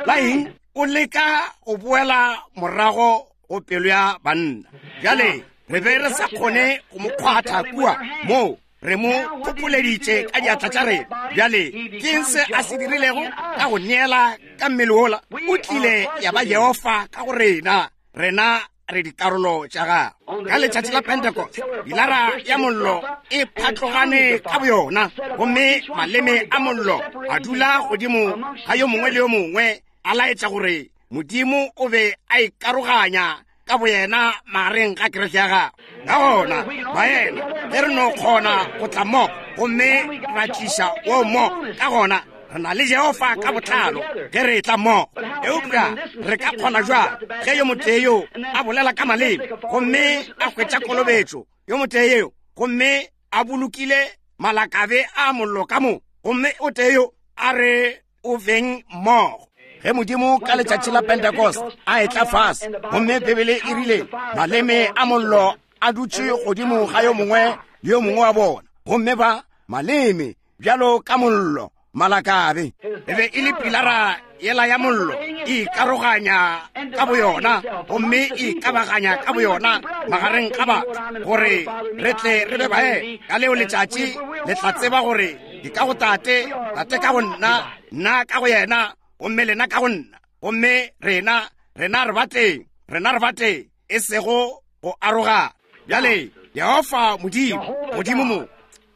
la eng? O leka go boela morago go pelo ya banna. Bjale re be re sa kgone go mo kgwatha kua moo, re mo phopholeditše ka diatla tša rena. Bjale ke eng se a se dirilego ka go neela ka mmele wola? O tlile ya ba Jehofa ka go rena, rena re dikarolo tša gagwe. Ka letšatši la Pentecost, pilara ya mollo e phatlogane ka boyona, gomme maleme a mollo a dula godimo ga yo mongwe le yo mongwe, a laetša gore Modimo o be a ikaroganya ka boyena magareng ga kereke ya gagwe. Ka gona, baena, ge re no kgona go tla mmogo gomme ra tliša wo mmogo, ka gona Re na le Jehofa ka botlalo ge re etla mmogo. Eupša re ka kgona jwang ge yo motee yo a bolela ka maleme gomme a hwetša kolobetšo, yo motee yo gomme a bolokile malakabe a mollo ka mo, gomme o tee yo a re o beng mmogo? Ge Modimo ka letšatši la Pentecost a etla fase, gomme Bibele e rile maleme a mollo a dutše godimo ga yo mongwe le yo mongwe wa bona, gomme ba maleme bjalo ka mollo malakabe, e be e le pilara yela ya mollo e ikaroganya ka boyona gomme e ikabaganya ka boyona magareng ga batho, gore re tle re be bae. Ka leo letšatši le tla tseba gore ke ka go Tate, Tate ka go nna, nna ka go yena, gomme lena ka go nna, gomme rena, rena re bateng, rena re bateng, e sego go arogana. Bjale, Jehofa Modimo, Modimo mo,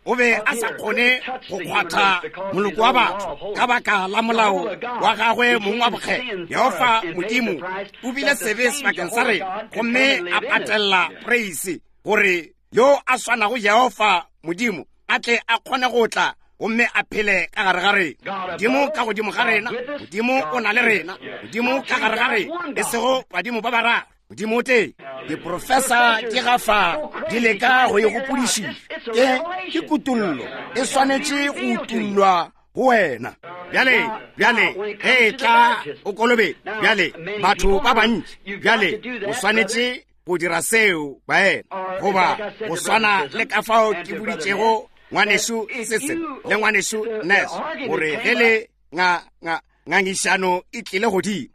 o be a sa kgone go kgwatha moloko wa batho ka baka la molao wa gagwe mong wa bokgethwa. Jehofa Modimo o bile sebe sebakeng sa rena, gomme a patella preise gore yo a swanago Jehofa Modimo a tle a kgone go tla gomme a phele ka gare ga rena. Modimo ka godimo ga rena, Modimo o na le rena, Modimo ka gare ga rena, e sego badimo ba bararo, Modimo o tee. Diprofesa di gafa di leka go e gopodišiša. Ke, ke kutollo, e swanetše go utollwa go wena. Bjale, bjale, ge e tla o kolobe, bjale, batho ba bantši, bjale, o swanetše go dira seo, baena, goba go swana le ka fao ke boditšego ngwanešu Sisson le ngwanešu Ness, gore ge le nga, nga, ngangišano e tlile godimo,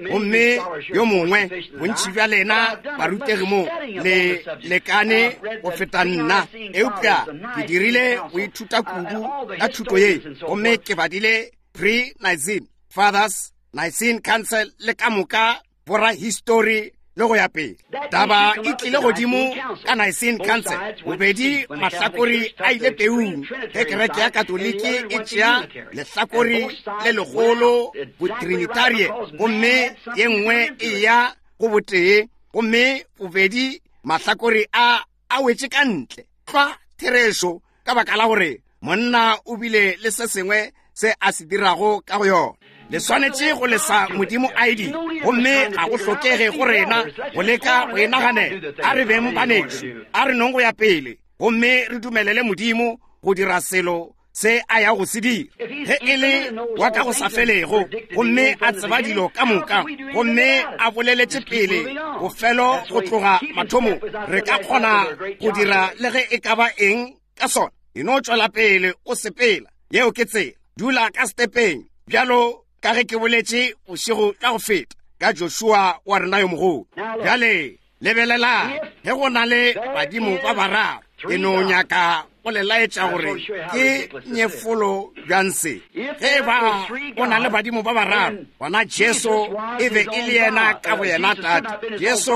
gomme yo mongwe, bontši bja lena barutegi mo le lekane go feta nna, eupša ke dirile go ithuta kudu ka thuto ye, gomme ke badile Pre-Nicene Fathers, Nicene Council, le ka moka borahistori le go ya pele. Taba e tlile godimo ka Nicene Council, bobedi mahlakori a ile peung ge kereke ya Katoliki e tšea lehlakori le legolo botrinitarie, gomme ye nngwe e ya go botee, gomme bobedi mahlakori a a wetše ka ntle tlwa therešo, ka baka la gore monna o bile le se sengwe se a se dirago ka go yona. Le swanetše go lesa Modimo a e dira, gomme ga go hlokege go rena go leka go e naganela. A re beng banešu, a re nong go ya pele gomme re dumelele Modimo go dira selo se a yago go se dira. Ge e le wa ka go sa felego, gomme a tseba dilo ka moka, gomme a boleletše pele bofelo go tloga mathomong, re ka kgona go dira le ge e ka ba eng ka sona. E no tšwela pele o sepela, yeo ke tsela. Dula ka setepeng, bjalo ka ge ke boletše bošego bja go feta ka Joshua wa rena yo mogolo. Bjale lebelelang, ge go na le badimo ba bararo, ke no nyaka go le laetša gore ke nyefolo bjang se. Ge e ba go na le badimo ba bararo, gona Jesu e be e le yena ka boyena Tate. Jesu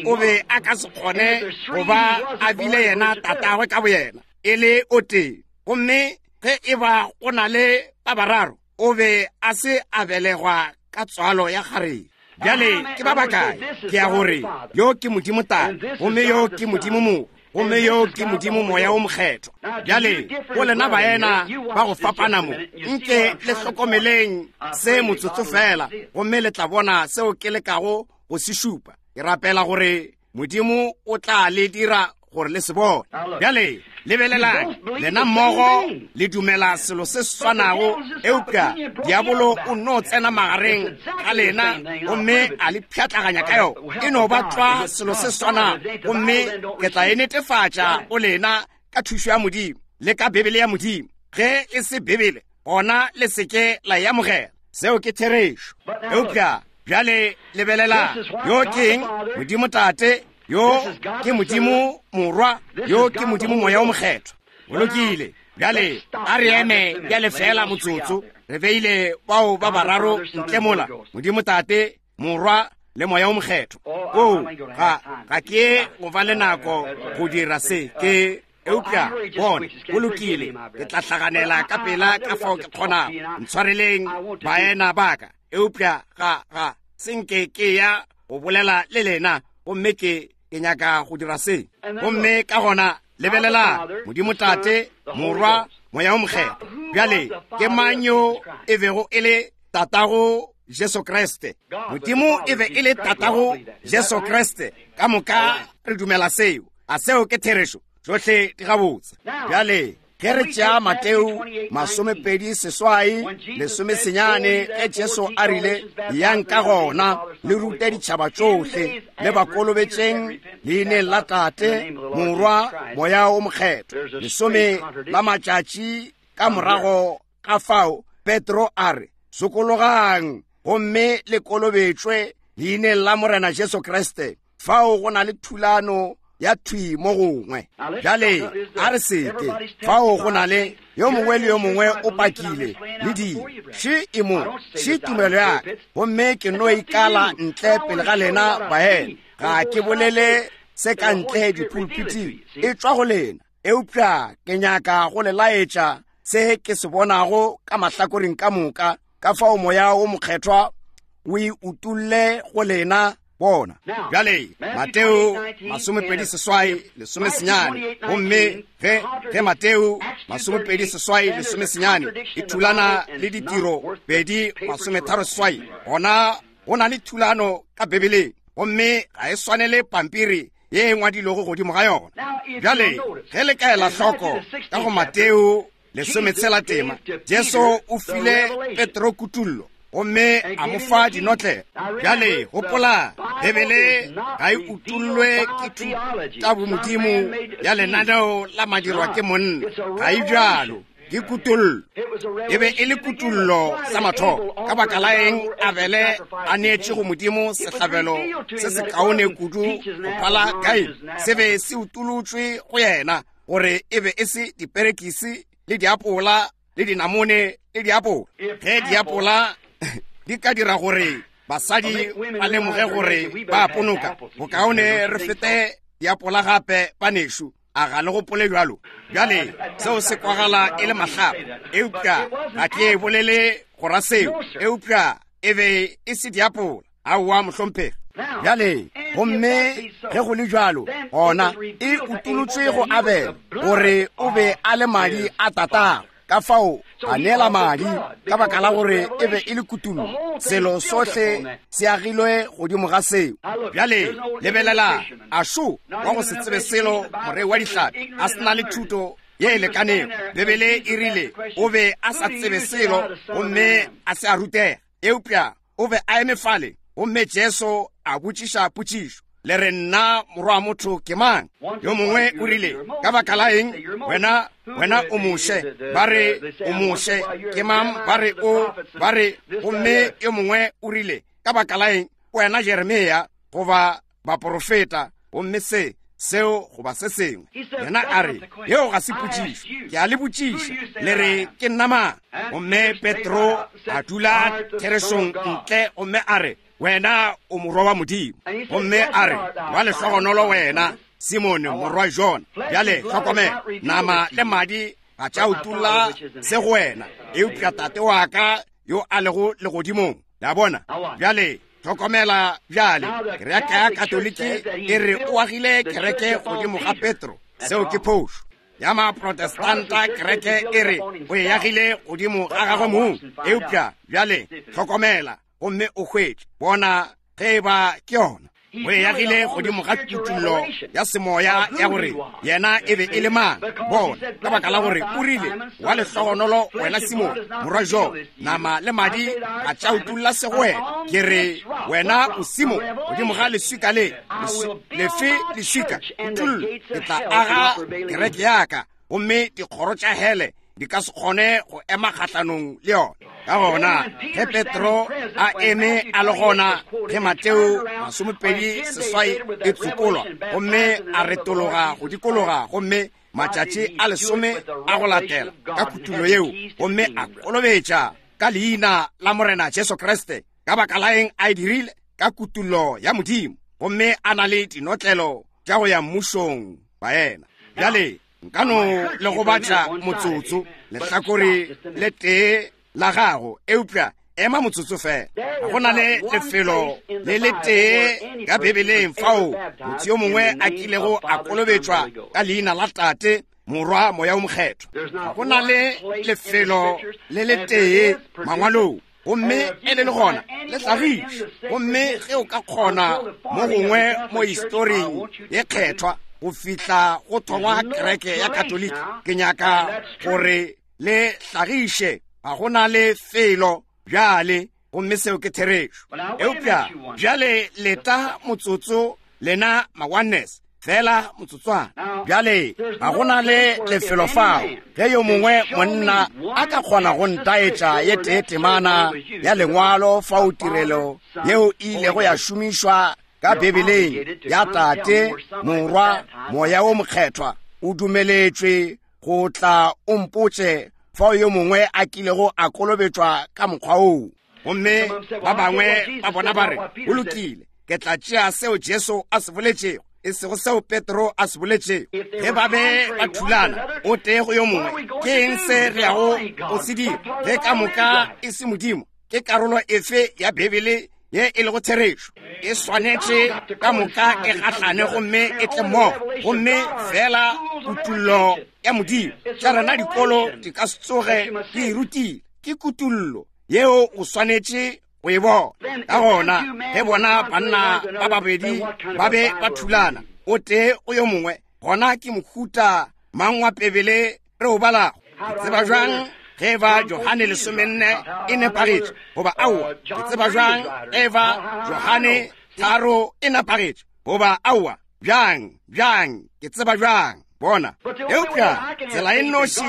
o be a ka se kgone go ba a bile yena Tatagwe ka boyena, e le o tee. Gomme ge e ba go na le ba bararo, o be a se a belegwa ka tswalo ya kgarebe. Bjale ke ba bakae ke ya gore yo ke Modimo Tate, gomme yo ke Modimo Morwa, gomme yo ke Modimo Moya wo Mokgethwa? Bjale go lena baena ba go fapana mo, nke le hlokomeleng se motsotso fela, gomme le tla bona seo ke lekago go se šupa. Ke rapela gore Modimo o tla le dira gore le se bone. Bjale lebelelang, lena mmogo le dumela selo se swanago, eupša diabolo o nno tsena magareng ga lena gomme a le pšhatlaganya ka yona. E no ba tlwa selo se swanago, gomme ke tla e netefatša go lena ka thušo ya Modimo le ka Bibele ya Modimo. Ge e se Bibele, gona le se ke la e amogela. Seo ke therešo. Eupša bjale lebelelang, yo ke eng? Modimo Tate, yo ke Modimo Morwa, yo ke Modimo Moya wo Mokgethwa. Go lokile. Bjale a re eme bjale feela motsotso. Re beile bao ba bararo ntle mola, Modimo Tate, Morwa le Moya wo Mokgethwa. Oo, ga, ga ke go ba le nako go dira se. Ke eupša bona, go lokile, ke tla hlaganela ka pela ka fao ke kgonago. Ntshwareleng baena ba ka, eupša ga, ga se nke ke ya go bolela le lena, gomme ke, ke nyaka go dira se. Gomme ka gona Lebelelang, Modimo Tate, Morwa, Moya wo Mokgethwa. Bjale, ke mang yo e bego e le Tatago Jesu Kriste? Modimo e be e le Tatago Jesu Kriste. Ka moka re dumela seo. A seo ke therešo? Tšohle di gabotse. Bjale, ge re tšea Mateo 28 lesomesenyane, ge Jesu a rile, Yang ka gona le rute ditšhaba tšohle, le ba kolobetšeng leineng la Tate, Morwa, Moya wo Mokgethwa. Lesome la matšatši ka morago ga fao, Petro a re, Sokologang gomme le kolobetšwe leineng la Morena Jesu Kriste. Fao go na le thulano ya thwi mo gongwe. Bjale a re seke. Fao go na le yo mongwe le yo mongwe o pakile le dilo. Še e mo, še tumelo ya ka, gomme ke no ikala ntle pele ga lena baena. Ga ke bolele se ka ntle dipulpiting, e tšwa go lena. Eupša ke nyaka go le laetša se ke se bonago ka mahlakoreng ka moka, ka fao Moya wo Mokgethwa o e utolle go lena bona. Bjale, Mateo 28 lesomesenyane, gomme ge, ge Mateo 28 lesomesenyane e thulana le Ditiro 2 36, gona go na le thulano ka Bibeleng, gomme ga e swanele pampiri ye e ngwadilwego godimo ga yona. Bjale, ge le ka ela hloko ka go Mateo 16 tema, Jesu o file Petro kutullo gomme a mo fa dinotlelo. Bjale gopola, Bibele ga e utollwe ke thutabomodimo ya lenaneo la madirwa ke monna, ga e bjalo. Ke kutollo. E be e le kutollo sa mathomo. Ka baka la eng Abele a neetše go Modimo sehlabelo se sekaone kudu go phala Kaine? Se be se utolotšwe go yena gore e be e se diperekisi le diapola le dinamone le diapola. Ge diapola di ka dira gore basadi ba lemoge gore ba ponoka, bokaone re fete diapola gape, banešu. A ga le gopole bjalo? Bjale, seo se kwagala e le mahlapa, eupša ga ke bolele go ra seo. Eupša e be e se diapola. Aowa, mohlomphegi. Bjale, gomme ge go le bjalo, gona e utolotšwe go Abele gore o be a le madi a tatago. Ka fao a neela madi ka baka la gore e be e le kutullo. Selo sohle se agilwe godimo ga seo. Bjale lebelela, a šo wa go se tsebe selo, morei wa dihlapi, a se na le thuto ye e lekanego. Bibele e rile o be a sa tsebe selo gomme a se a rutega, eupša o be a eme fale, gomme Jesu a botšiša potšišo, Le re nna Morwa wa motho ke mang? Yo mongwe o rile, Ka baka la eng, wena, wena o Moshe. Ba re o Moshe. Ke mang? Ba re o, ba re. Gomme yo mongwe o rile, Ka baka la eng, wena Jeremia, goba baporofeta, gomme se, seo goba se sengwe. Yena a re, Yeo ga se potšišo. Ke a le botšiša, le re ke nna mang? Gomme Petro a dula therešong ntle gomme a re, Wena o Morwa wa Modimo. Gomme a re, Wa lehlogonolo wena, Simone morwa Jona. Bjale hlokomela, nama le madi ga tša utolla se go wena, eupša Tate wa ka yo a lego legodimong. Le a bona? Bjale hlokomela bjale, kereke ya Katoliki e re o agile kereke godimo ga Petro. Seo ke phošo. Ya Maprotestanta kereke e re o e agile godimo ga gagwe mong. Eupša bjale hlokomela gomme o hwetše, bona ge e ba ke yona. O e agile godimo ga kutullo ya semoya ya gore yena e be e le mang. Bona, ka baka la gore o rile, Wa lehlogonolo wena Simone, morwa Jo, nama le madi ga tša utolla se go wena. Ke re wena o Simone, godimo ga leswika le, lefe leswika, kutullo, ke tla aga kereke ya ka, gomme dikgoro tša hele di ka se kgone go ema kgahlanong le yona. Ka gona ge Petro a eme a le gona ge Mateo 28 e tsokolwa, gomme a retologa go dikologa, gomme matšatši a lesome a go latela ka kutullo yeo, gomme a kolobetša ka leina la Morena Jesu Kriste. Ka baka la eng a e dirile? Ka kutullo ya Modimo, gomme a na le dinotlelo tša go ya mmušong baena. Bjale nka no le gobatša motsotso lehlakore le tee la gago, eupša Ema motsotso fela. Ga go na le lefelo le letee ka Bibeleng fao motho yo mongwe a kilego a kolobetšwa ka leina la Tate, Morwa, Moya o Mokgethwa. Ga go na le lefelo le letee Mangwalong. Gomme e le le gona le hlagišwe. Gomme ge o ka kgona mo gongwe mo historing ye kgethwa go fihla go thongwa kereke ya Katoliki, ke nyaka gore le hlagiše ga go na le felo bjale, gomme seo ke therešo. Eupša bjale leta motsotso, lena ma-oneness, fela motsotswana. Bjale ga go na le lefelo fao ge yo mongwe monna a ka kgona go ntaetša ye tee temana ya lengwalo fao tirelo yeo e ilego ya šomišwa ka Bibeleng ya Tate, Morwa, Moya wo Mokgethwa, o dumeletšwe go tla o mpotše fao yo mongwe a kilego a kolobetšwa ka mokgwa woo. Gomme ba bangwe ba bona ba re, go lokile, ke tla tšea seo Jesu a se boletšego, e sego seo Petro a se boletšego. Ge ba be ba thulana o tee go yo mongwe, ke eng se re yago go se dira ge ka moka e se Modimo? Ke karolo efe ya Bibele ye e lego therešo? E swanetše ka moka e gahlane gomme e tle mmogo, gomme fela kutullo ya Modimo. Tša rena dikolo di ka se tsoge di e rutile. Ke kutullo yeo o swanetše go e bona. Ka gona ge bona banna ba babedi ba be ba thulana o tee o yo mongwe, gona ke mohuta mang wa Bibele re o balago? Ke tseba bjang ge eba Johane 14 e nepagetše goba aowa? Ke tseba bjang ge eba Johane 3 e nepagetše goba aowa? Bjang, bjang, ke tseba bjang? Bona. Eupša tsela e nnoši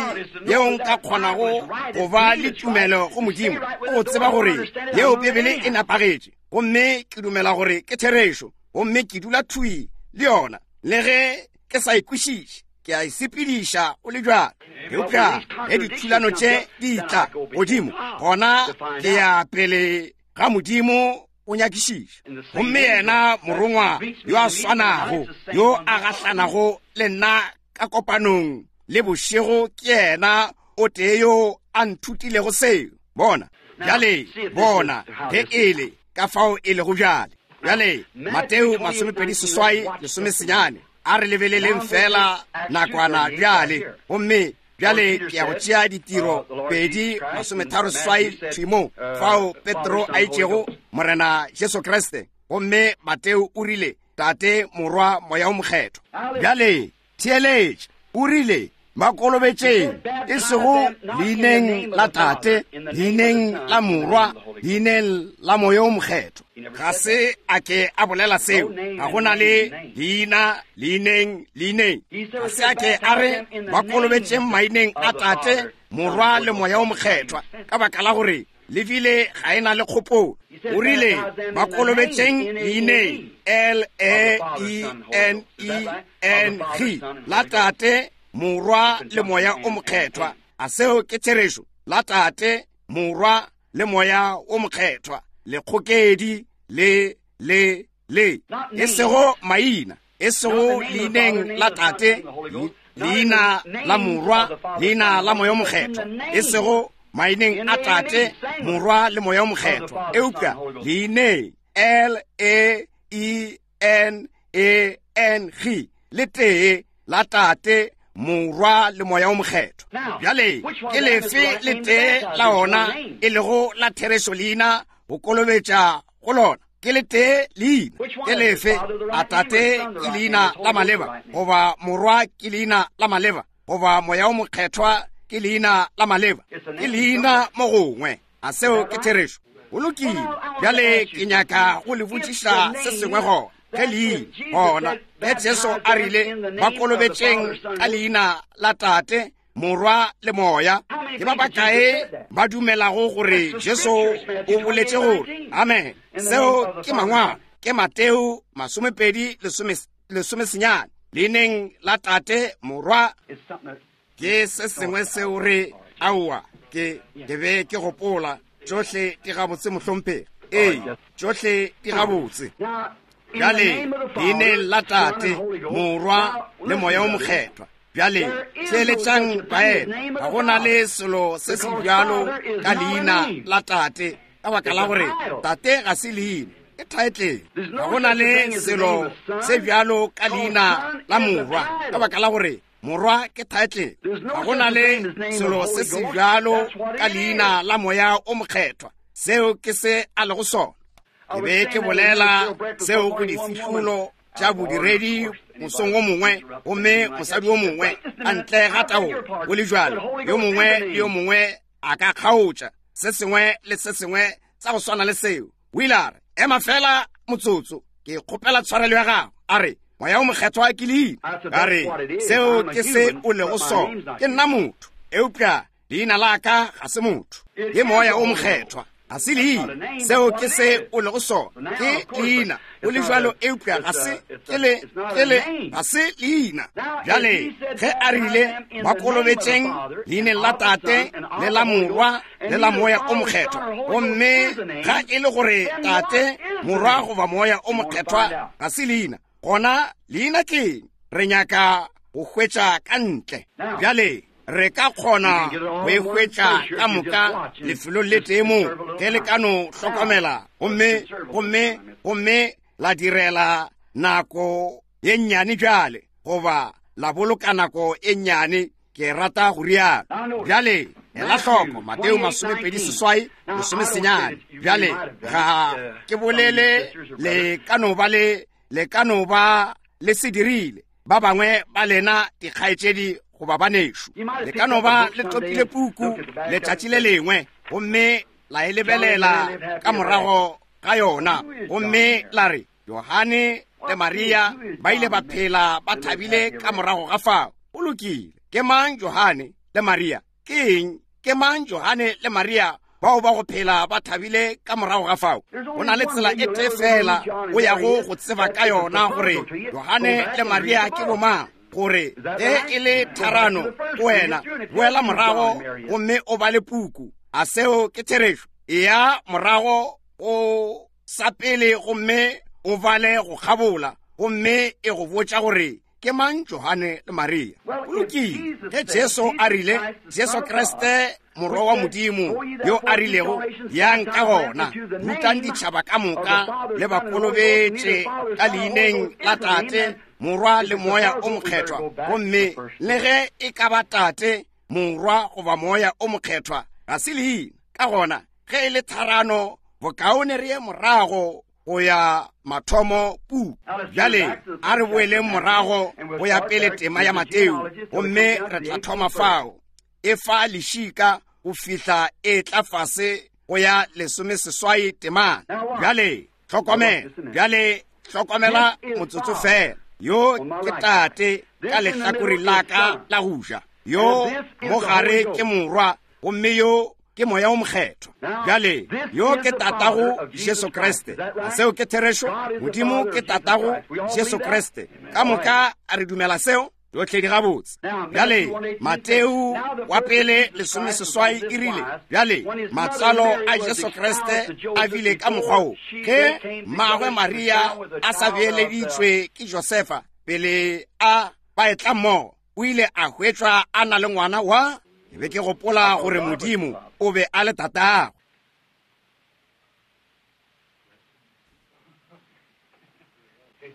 yeo nka kgonago go ba le tumelo go Modimo ke go tseba gore yeo Bibele e nepagetše, gomme ke dumela gore ke therešo, gomme ke dula thwi le yona le ge ke sa e kwešiše. Ke a e sepediša o le bjalo. Eupša ge dithulano tše di tla godimo, gona ke ya pele ga Modimo o nyakišiša. Gomme yena morongwa yo a swanago yo a gahlanago le nna ka kopanong le bošego ke yena o tee yo a nthutilego seo. Bona bjale, bona ge e le ka fao e lego bjale. Bjale Mateo 28 19, a re lebeleleng fela nakwana bjale. Gomme bjale ke ya go tšea Ditiro 2 38 thwi mo, fao Petro a itšego Morena Jesu Kriste, gomme Mateo o rile Tate, Morwa, Moya o Mokgethwa. Bjale theeletša, o rile ba kolobetšeng, e sego leineng la Tate, leineng la Morwa, leineng la Moya o Mokgethwa. Ga se a ke a bolela seo. Ga go na le leina, leineng, leineng. Ga se a ke a re ba kolobetšeng maineng a Tate, Morwa le Moya o Mokgethwa, ka baka la gore le bile ga e na le kgopolo. O rile ba kolobetšeng leineng L A E N E N G la Tate, Morwa le Moya o Mokgethwa. A seo ke therešo? La Tate, Morwa le Moya o Mokgethwa, lekgokedi le le le, e sego maina, e sego leineng la Tate, leina la Morwa, leina la Moya o Mokgethwa, e sego maineng a Tate, Morwa le Moya o Mokgethwa, eupša leineng L A E N A N G le tee la Tate, Morwa le Moya o Mokgethwa. Bjale ke lefe le tee la ona e lego la therešo leina go kolobetša go lona? Ke le tee leina. Ke lefe? A Tate ke leina la maleba, goba Morwa ke leina la maleba, goba Moya o Mokgethwa ke leina la maleba? Ke leina mo gongwe. A seo ke therešo? Go lokile. Bjale ke nyaka go le botšiša se sengwe gona. Ge leina gona, ge Jesu a rile ba kolobetšeng ka leina la Tate, Morwa le Moya, ke ba bakae ba dumelago gore Jesu o boletše gore amen? Seo ke mangwalo, ke Mateo 20 19, leineng la Tate, Morwa. Ke se sengwe seo re, aowa, ke, ke be ke gopola tšohle di gabotse, mohlomphegi. Ee, tšohle di gabotse. Bjale, leineng la Tate, Morwa le Moya o Mokgethwa. Bjale, theeletšang baena, ga go na le selo se se bjalo ka leina la Tate. Ka baka la gore Tate ga se leina, ke thaetlele. Ga go na le selo se bjalo ka leina la Morwa, ka baka la gore Morwa ke thaetlele. Ga go na le selo se se bjalo ka leina la Moya o Mokgethwa. Seo ke se a lego sona. Ke be ke bolela seo go difihlolo tša bodiredi mosong wo mongwe, gomme mosadi wo mongwe a ntle ga taolo, go le bjalo, yo mongwe le yo mongwe a ka kgaotša se sengwe le se sengwe sa go swana le seo. O ile a re, Ema feela motsotso, ke kgopela tshwarelo ya gago. A re, Moya o Mokgethwa ke leina. Ka re, Seo ke se o lego sona. Ke nna motho, eupša leina la ka ga se motho. Ke Moya o Mokgethwa, ga se leina. Seo ke se o lego sona. Ke leina, o le bjalo, eupša ga se, ke le, ke le, ga se leina. Bjale, ge a rile, ba kolobetšeng leineng la Tate, le la Morwa, le la Moya o Mokgethwa, gomme ga e le gore Tate, Morwa, goba Moya o Mokgethwa ga se leina, gona leina ke eng? Re nyaka go hwetša ka ntle. Bjale, re ka kgona go e hwetša ka moka lefelong le tee mo, ge le ka no hlokomela gomme, gomme, gomme la direla nako ye nnyane bjale, goba la boloka nako e nnyane, ke rata go rialo. Bjale, ela hloko, Mateo 28, 19. Bjale, ga ke bolele le ka no ba le, le ka no ba le se dirile, ba bangwe ba lena dikgaetšedi goba banešu. Le ka no ba le topile puku letšatši le lengwe, gomme la e lebelela ka morago ga yona, gomme la re, Johane le Maria ba ile ba phela ba thabile ka morago ga fao. Go lokile. Ke mang Johane le Maria? Ke eng? Ke mang Johane le Maria bao ba go phela ba thabile ka morago ga fao? Go na le tsela e tee fela o yago go tseba ka yona gore Johane le Maria ke bomang, gore ge e le tharano go wena, boela morago gomme o bale puku. A seo ke therešo? Eya morago go sa pele gomme o bale go kgabola, gomme e go botša gore ke mang Johane le Maria. Go lokile, ge Jesu a rile, Jesu Kriste Morwa wa Modimo, yo a rilego, Yang ka gona, rutang ditšhaba ka moka, le ba kolobetše ka leineng la Tate, Morwa le Moya o Mokgethwa, gomme le ge e ka ba Tate, Morwa goba Moya o Mokgethwa, ga se leina. Ka gona, ge e le tharano, bokaone re ye morago go ya mathomo pu. Bjale a re boeleng morago go ya pele tema ya Mateo, gomme re tla thoma fao. E fa lešika go fihla e tla fase go ya 18 temana. Bjale hlokomela, bjale hlokomela motsotso fela. Yo ke Tate ka lehlakoreng la ka la go ja, yo mo gare ke Morwa, gomme yo ke Moya o Mokgethwa. Bjale, yo ke Tatago Jesu Kriste. A seo ke therešo? Modimo ke Tatago Jesu Kriste. Ka moka a re dumela seo? Tšohle di gabotse. Bjale, Mateo wa pele 18 e rile, bjale, matswalo a Jesu Kriste a bile ka mokgwa wo, ge mmagwe Maria a sa beeleditšwe ke Josefa pele a ba etla mmogo, o ile a hwetšwa a na le ngwana wa. Ke be ke gopola gore Modimo o be a le Tatago.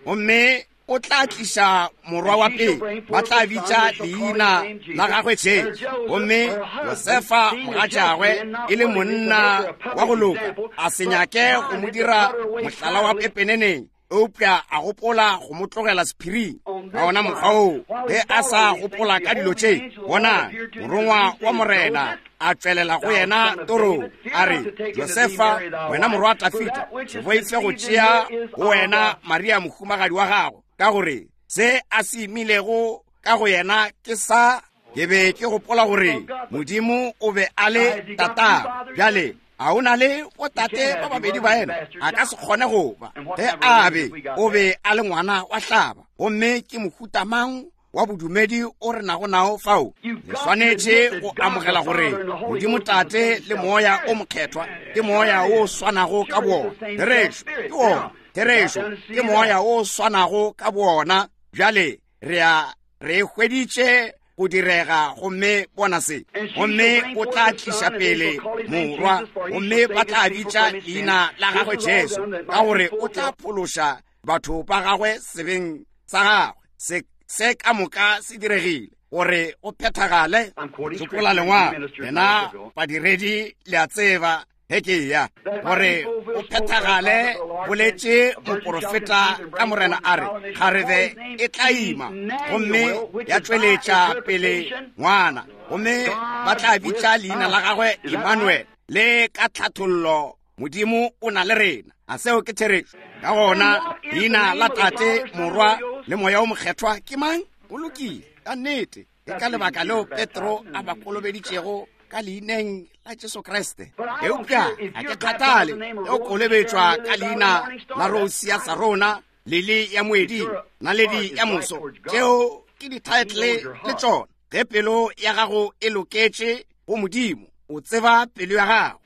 Gomme o tla tliša morwa wa pele, ba tla bitša leina la gagwe Jesu. Gomme Josefa mogatšagwe e le monna wa go loka, a se nyake go mo dira mohlala wa pepeneneng, eupša a gopola go mo tlogela sephiring. Ka ona mokgwa woo, ge a sa gopola ka dilo tše, bona, morongwa wa Morena a tšwelela go yena torong, a re, Josefa, wena morwa wa Dafida, se boife go tšea go wena Maria mohumagadi wa gago, ka gore se a se imilego ka go yena ke sa. Ke be ke gopola gore Modimo o be a le Tatago. Bjale, a o na le botate ba babedi ba yena? A ka se kgone go ba. Ge a be, o be a le ngwana wa hlaba. Gomme ke mohuta mang wa bodumedi o re nago nao fao? Le swanetše go amogela gore Modimo Tate le Moya o Mokgethwa ke Moya o swanago ka boona. Therešo, ke wona. Therešo, ke Moya o swanago ka boona. Bjale, re a, re e hweditše. go direga, gomme bona se. Gomme o tla tliša pele morwa, gomme ba tla bitša leina la gagwe Jesu, ka gore o tla phološa batho ba gagwe sebeng sa gagwe. Se, se ka moka se diregile gore o phethagale. Tsopola lengwalo, lena badiredi le a tseba ge ke ya gore o phethagale. Boletše moporofeta ka Morena a re, kgarebe e tla ima gomme ya tšweletša pele ngwana, gomme ba tla bitša leina la gagwe Emmanuel, le ka tlhathollo Modimo o na le rena. A seo ke therešo? Ka gona leina la Tate, Morwa le Moya o Mokgethwa ke mang? Go lokile, ka nnete. Ke ka lebaka leo Petro a ba kolobeditšego ka leineng la Jesu Kriste. Eupša ga ke kgathale ge o kolobetšwa ka leina la Rose ya Sarona, Lili ya Moeding, Naledi ya Moso, tšeo ke dithaetlele le tšona. Ge pelo ya gago e loketše go Modimo, o tseba pelo ya gago.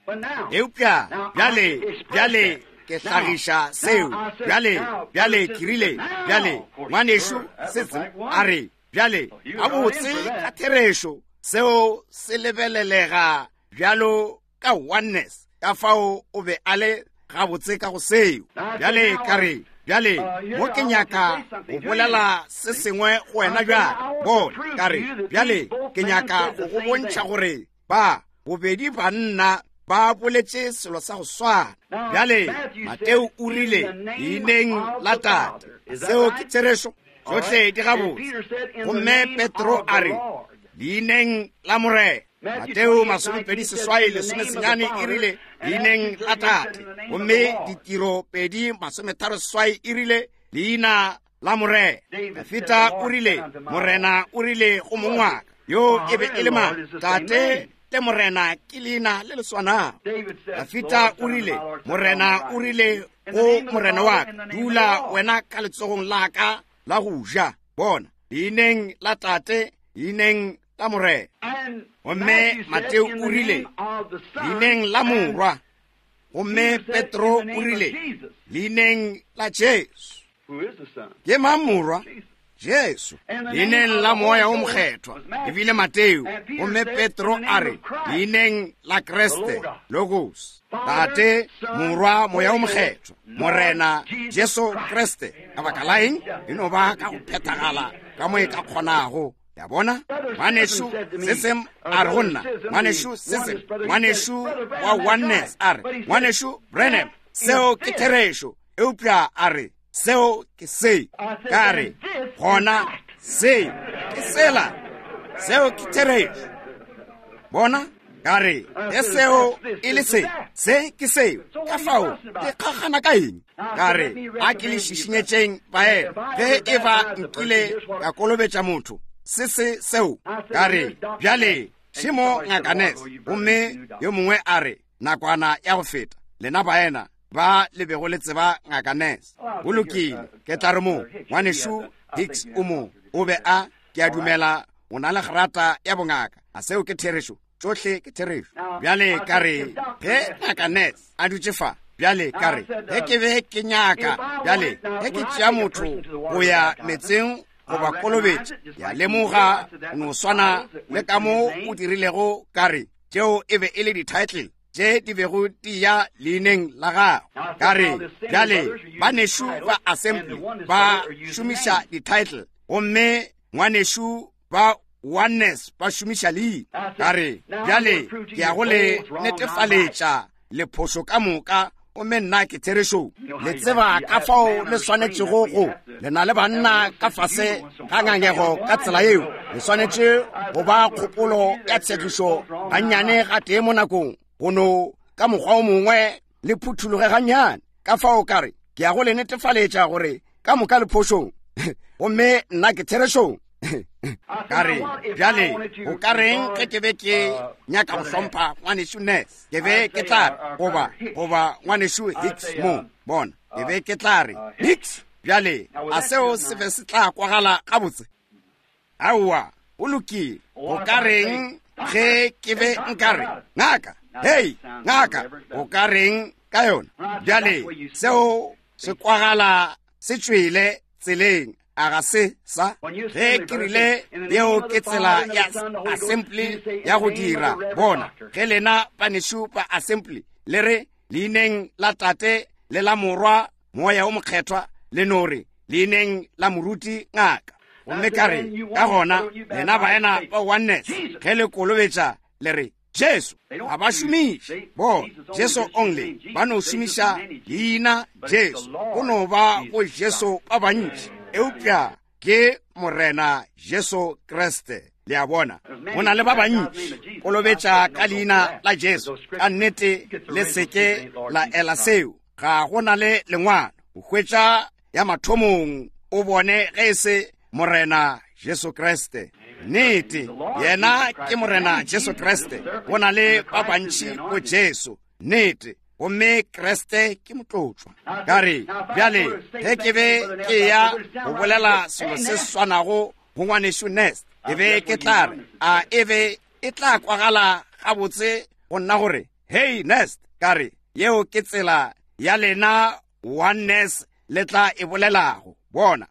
Eupša bjale, bjale ke hlagiša seo. Bjale, bjale ke rile, bjale, ngwanešu Sism a re, bjale, gabotse ka therešo, seo se lebelelega bjalo ka oneness, ka fao o be a le gabotse ka go seo. Bjale ka re, bjale mo ke nyaka go bolela se sengwe go wena bjale. Bona, ka re, bjale ke nyaka go go bontšha gore ba bobedi banna ba boletše selo sa go swana. Bjale Mateo o rile leineng la Tate, seo ke therešo, tšohle di gabotse. Gomme Petro a re leineng la Morena. Mateo 28:19 e rile leineng la Tate, gomme Ditiro 2:38 e rile leina la Morena. Dafita o rile, Morena o rile go mong wa ka, yo e be e le mang? Tate le Morena ke leina le le swanago. Dafita o rile, Morena o rile go Morena wa ka, dula wena ka letsogong la ka la go ja. Bona, leineng la Tate, leineng la Morena. Gomme Mateo o rile, leineng la Morwa. Gomme Petro o rile, leineng la Jesu. Ke mang Morwa? Jesu. Leineng la Moya o Mokgethwa, ebile Mateo. Gomme Petro a re, leineng la Kriste, Logos. Tate, Morwa, Moya o Mokgethwa, Morena Jesu Kriste. Ka baka la eng? E no ba ka go phethagala ka mo e ka kgonago. Ya bona? Ngwanešu Sism a re go nna, Ngwanešu Sism, ngwanešu wa Oneness a re, Ngwanešu Branham, seo ke therešo, eupša a re, seo ke se. Ka re, gona se ke sela, seo ke therešo. Bona? Ka re, ge seo e le se, se ke seo. Ka fao, ke kgakgana ka eng? Ka re, a ke le šišinyetšeng baena, ge e ba nkile ka kolobetša motho, se se seo. Ka re, bjale, šemo Ngaka Ness. Gomme yo mongwe a re, nakwana ya go feta, lena baena ba le bego le tseba Ngaka Ness. Go lokile, ke tla re mo, Ngwanešu Hicks o mo, o be a, ke a dumela o na le grata ya bongaka. A seo ke therešo? Tšohle ke therešo. Bjale ka re, ge Ngaka Ness a dutše fa, bjale ka re, ge ke be ke nyaka, bjale ge ke tšea motho go ya metseng goba kolobetša, ya lemoga o no swana le ka mo o dirilego, ka re, tšeo e be e le di-title tše di bego di ya leineng la gago. Ka re, bjale banešu ba assembly ba šomiša di-title, gomme ngwanešu ba Oneness ba šomiša leina. Ka re, bjale ke ya go le netefaletša lephošo ka moka, gomme nna ke therešong. Le tseba ka fao le swanetšego go, le na le banna ka fase ga ngangego ka tsela yeo. Le swanetše go ba kgopolo ya tshegišo gannyane gatee mo nakong, go no ka mokgwa o mongwe le phuthologe gannyane. Ka fao ka re, ke ya go le netefaletša gore ka moka le phošong, gomme nna ke therešong. Ka re, bjale o ka reng ge ke be ke nyaka go hlompha ngwanešu Ness? Ke be ke tla re, goba, goba ngwanešu Hicks mo, bona, ke be ke tla re, Hicks, bjale a seo se be se tla kwagala gabotse? Aowa, o lokile. O ka reng ge ke be nka re, ngaka, hei, ngaka, o ka reng ka yona? Bjale seo se kwagala se tšwele tseleng. A ga se sa? Ge ke rile yeo ke tsela ya assembly ya go dira, bona, ge lena banešu ba assembly le re leineng la Tate le la Morwa Moya o Mokgethwa, le no re leineng la moruti ngaka. Gomme ka re, ka gona lena baena ba Oneness, ge le kolobetša le re Jesu. Ga ba šomiše bona Jesu only, ba no šomiša leina Jesu. Go no ba go Jesu ba bantši, eupša ke Morena Jesu Kriste. Le a bona, go na le ba bantši kolobetša ka leina la Jesu. Ka nnete le seke la ela seo. Ga go na le lengwalo o hwetša ya mathomong o bone ge e se Morena Jesu Kriste. Nnete, yena ke Morena Jesu Kriste. Go na le ba bantši go Jesu. Nnete, gomme Kriste ke motlotšwa. Ka re, bjale, ge ke be ke ya go bolela selo se swanago go ngwanešu Nest, ke be ke tla re, a e be e tla kwagala gabotse go nna gore, Hei, Nest, ka re, yeo ke tsela ya lena Oneness le tla e bolelago. Bona,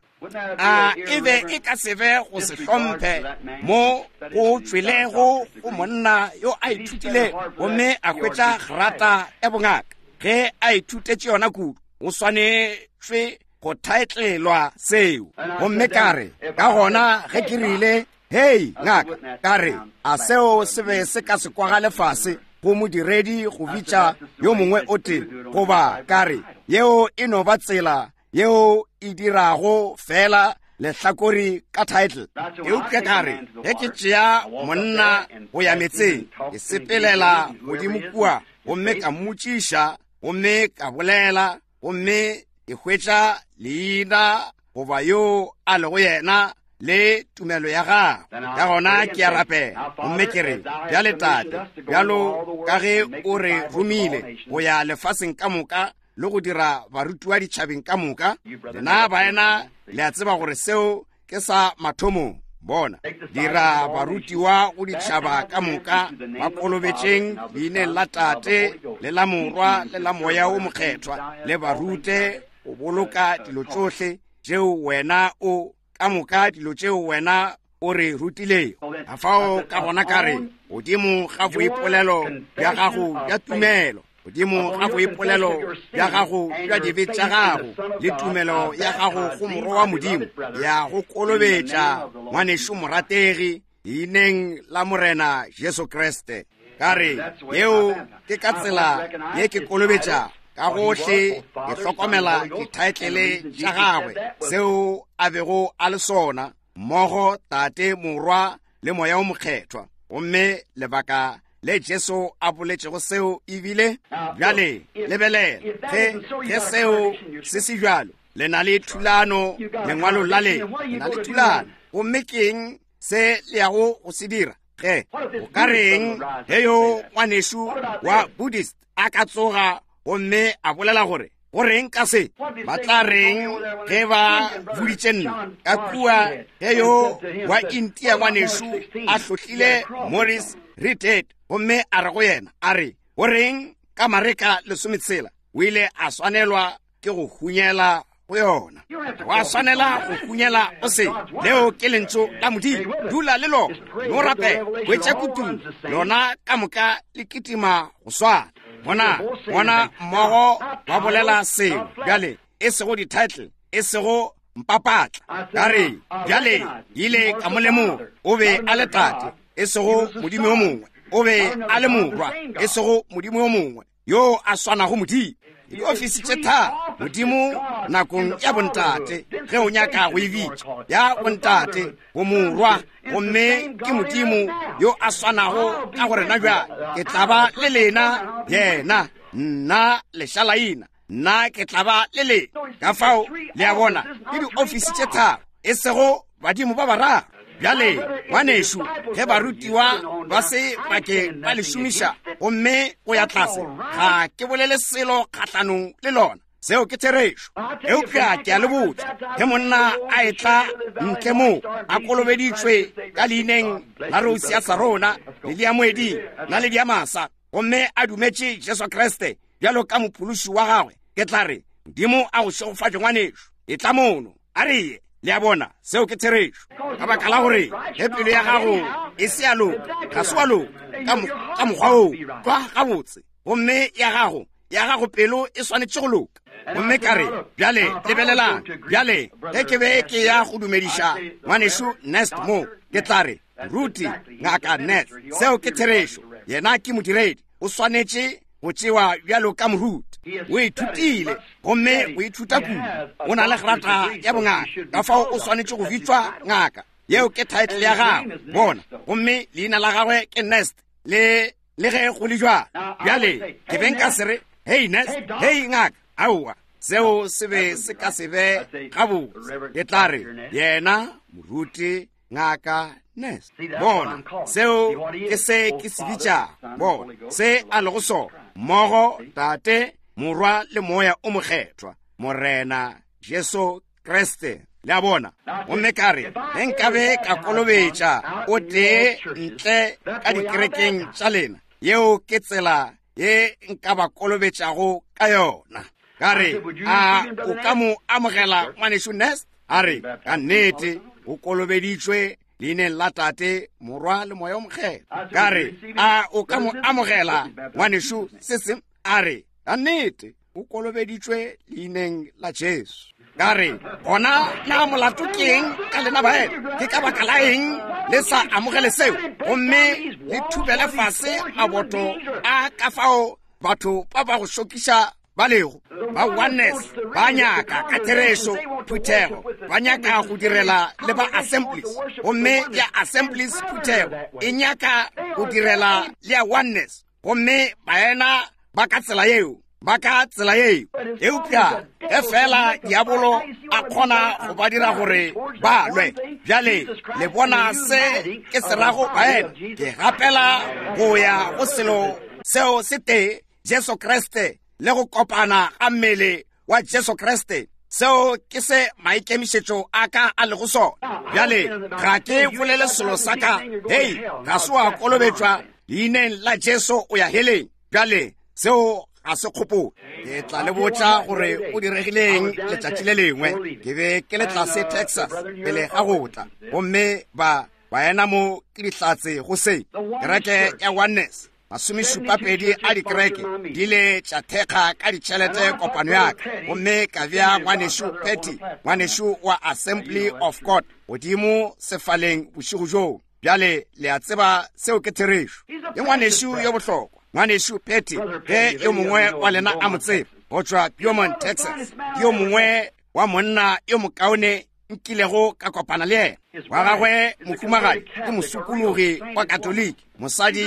a e be e ka se be go se hlomphe mo go tšwelego go monna yo a ithutile gomme a hwetša grata ya bongaka. Ge a ithutetše yona kudu, o swanetšwe go thaetlelwa seo. Gomme ka re, ka gona ge ke rile, Hei, ngaka, ka re, a seo se be se ka se kwagale fase go modiredi go bitša yo mongwe o tee? Goba ka re, yeo e no ba tsela yeo e dirago fela lehlakori ka title. Eupša ka re, ge ke tšea monna go ya metseng, ke sepelela godimo kua gomme ka mmotšiša gomme ka bolela gomme ke hwetša leina goba yo a lego yena le tumelo ya gagwe. Ka gona ke a rapela gomme ke re, bjale Tate, bjalo ka ge o re romile go ya lefaseng ka moka le go dira barutiwa ditšhabeng ka moka, lena baena le a tseba gore seo ke sa mathomong. Bona, dira barutiwa go ditšhaba ka moka, ba kolobetšeng leineng la Tate le la Morwa le la Moya wo Mokgethwa, le ba rute go boloka dilo tšohle tšeo wena o ka moka dilo tšeo wena o re rutilego. Kafao ka gona ka re, godimo ga boipolelo bja gago bja tumelo, godimo ga boipolelo bja gago bja dibe tša gago le tumelo ya gago go Morwa wa Modimo, ya go kolobetša ngwanešu morategi leineng la Morena Jesu Kriste. Ka re, yeo ke ka tsela ye ke kolobetša ka gohle, ke hlokomela dithaetlele tša gagwe, seo a bego a le sona, mmogo Tate, Morwa le Moya wo Mokgethwa. Gomme lebaka le Jesu a boletšego seo ebile, bjale lebelela, ge, ge seo se se bjalo, le na le thulano lengwalong la lena, le na le thulano. Gomme ke eng se le yago go se dira? Ge o ka reng ge yo ngwanešu wa Buddhist a ka tsoga gomme a bolela gore, go reng ka se? Ba tla reng ge ba boditše nna ka kua ge yo wa Intia ngwanešu a hlohlile Morris Reidhead gomme a re go yena, a re, go reng ka Mareka lesometshela? O ile a swanelwa ke go hunyela go yona. Wa swanela go hunyela go se. Leo ke lentšu la Modimo. Dula le lona, no rapela, hwetša kutung, lona ka moka le kitima go swana. Bona, bona mmogo ba bolela selo bjale, e sego di-title, e sego mpapatla. Ka re, bjale, ile ka mo lemoga, o be a le Tate, e sego Modimo yo mongwe. O be a le Morwa, e sego Modimo yo mongwe yo a swanago Modimo. Diofisi tše tharo, Modimo nakong ya bontate, ge o nyaka go e bitša ya bontate, bomorwa, gomme ke Modimo yo a swanago ka go rena bjale. Ke tla ba le lena, yena, nna lešalaina, nna ke tla ba le lena. Ka fao, le a bona, ke diofisi tše tharo, e sego badimo ba bararo. Bjale, ngwanešu, ge barutiwa ba se ba ke ba le šomiša gomme go ya tlase, ga ke bolele selo kgahlanong le lona. Seo ke therešo. Eupša ke a le botša, ge monna a etla ntle mo a kolobeditšwe ka leineng la Rose ya Sarona, lili ya moeding, naledi ya masa, gomme a dumetše Jesu Kriste bjalo ka mophološi wa gagwe, ke tla re, Modimo a go šegofatše, ngwanešu. Etla mono, a re ye. Le a bona, seo ke therešo. Ka baka la gore ge pelo ya gago e se ya loka, ga se wa loka ka mokgwa woo, tlwa gabotse. Gomme ya gago, ya gago pelo e swanetše go loka. Gomme ka re, bjale, lebelelang, bjale, ge ke be ke ya go dumediša Ngwanešu Nest mo, ke tla re, Ruti, Ngaka Nest, seo ke therešo. Yena ke modiredi, o swanetše go tšewa bjalo ka moruti. O ithutile, gomme o ithuta kudu. O na le grata ya bongaka, ka fao o swanetše go bitšwa ngaka. Yeo ke title ya gagwe, bona. Gomme leina la gagwe ke Nest, le le ge go le jwalo. Bjale, ke be nka se re, Hei Nest, hei ngaka, aowa, seo se be se ka se be gabotse. Ke tla re, yena moruti Ngaka Nest. Bona, seo ke se ke se bitšago. Bona, se a lego sona, mmogo Tate, Morwa le Moya o Mokgethwa, Morena Jesu Kriste. Le a bona? Gomme ka re, ge nkabe ka kolobetša o tee ntle ka dikerekeng tša lena, yeo ke tsela ye nka ba kolobetšago ka yona. Ka re, a o ka mo amogela, Ngwanešu Nest? A re, ka nnete, o kolobeditšwe leineng la Tate, Morwa le Moya o Mokgethwa. Ka re, a o ka mo amogela, Ngwanešu Sissim? A re, ka nnete, o kolobeditšwe leineng la Jesu. Ka re, gona na molato ke eng ka lena baena? Ke ka baka la eng le sa amogele seo gomme le thubele fase maboto a ka fao batho ba ba go šokiša ba lego? Ba Oneness ba nyaka ka therešo phuthego, ba nyaka go direla le ba Assemblies, gomme ya Assemblies phuthego e nyaka go direla le ya Oneness, gomme baena ba ka tsela yeo, ba ka tsela yeo. Eupša ge fela diabolo a kgona go ba dira gore ba lwe, bjale le bona se ke se rago, baena? Ke gapela go ya go selo seo se tee, Jesu Kriste, le go kopana ga mmele wa Jesu Kriste. Seo ke se maikemišetšo a ka a lego sona. Bjale ga ke bolele selo sa ka, hei, ga se wa kolobetšwa leineng la Jesu o ya heleng. Bjale seo ga se kgopolo. Ke tla le botša gore o diregileng letšatši le lengwe. Ke be ke le tlase Texas pele ga go tla, gomme ba baena mo ke dihlatse go se. Kereke ya Oneness, masomešupapedi a dikereke di ile tša thekga ka ditšhelete kopano ya ka, gomme ka bea Ngwanešu Petty, ngwanešu wa Assembly of God, godimo sefaleng bošego bjoo. Bjale le a tseba seo ke therešo. Ke ngwanešu yo bohlokwa, Ngwanešu Petty, ge yo mongwe wa lena a mo tseba, go tšwa Beaumont, Texas. Ke yo mongwe wa monna yo mokaone nkilego ka kopana le yena. Wa gagwe mohumagadi ke mosokologi wa Katoliki, mosadi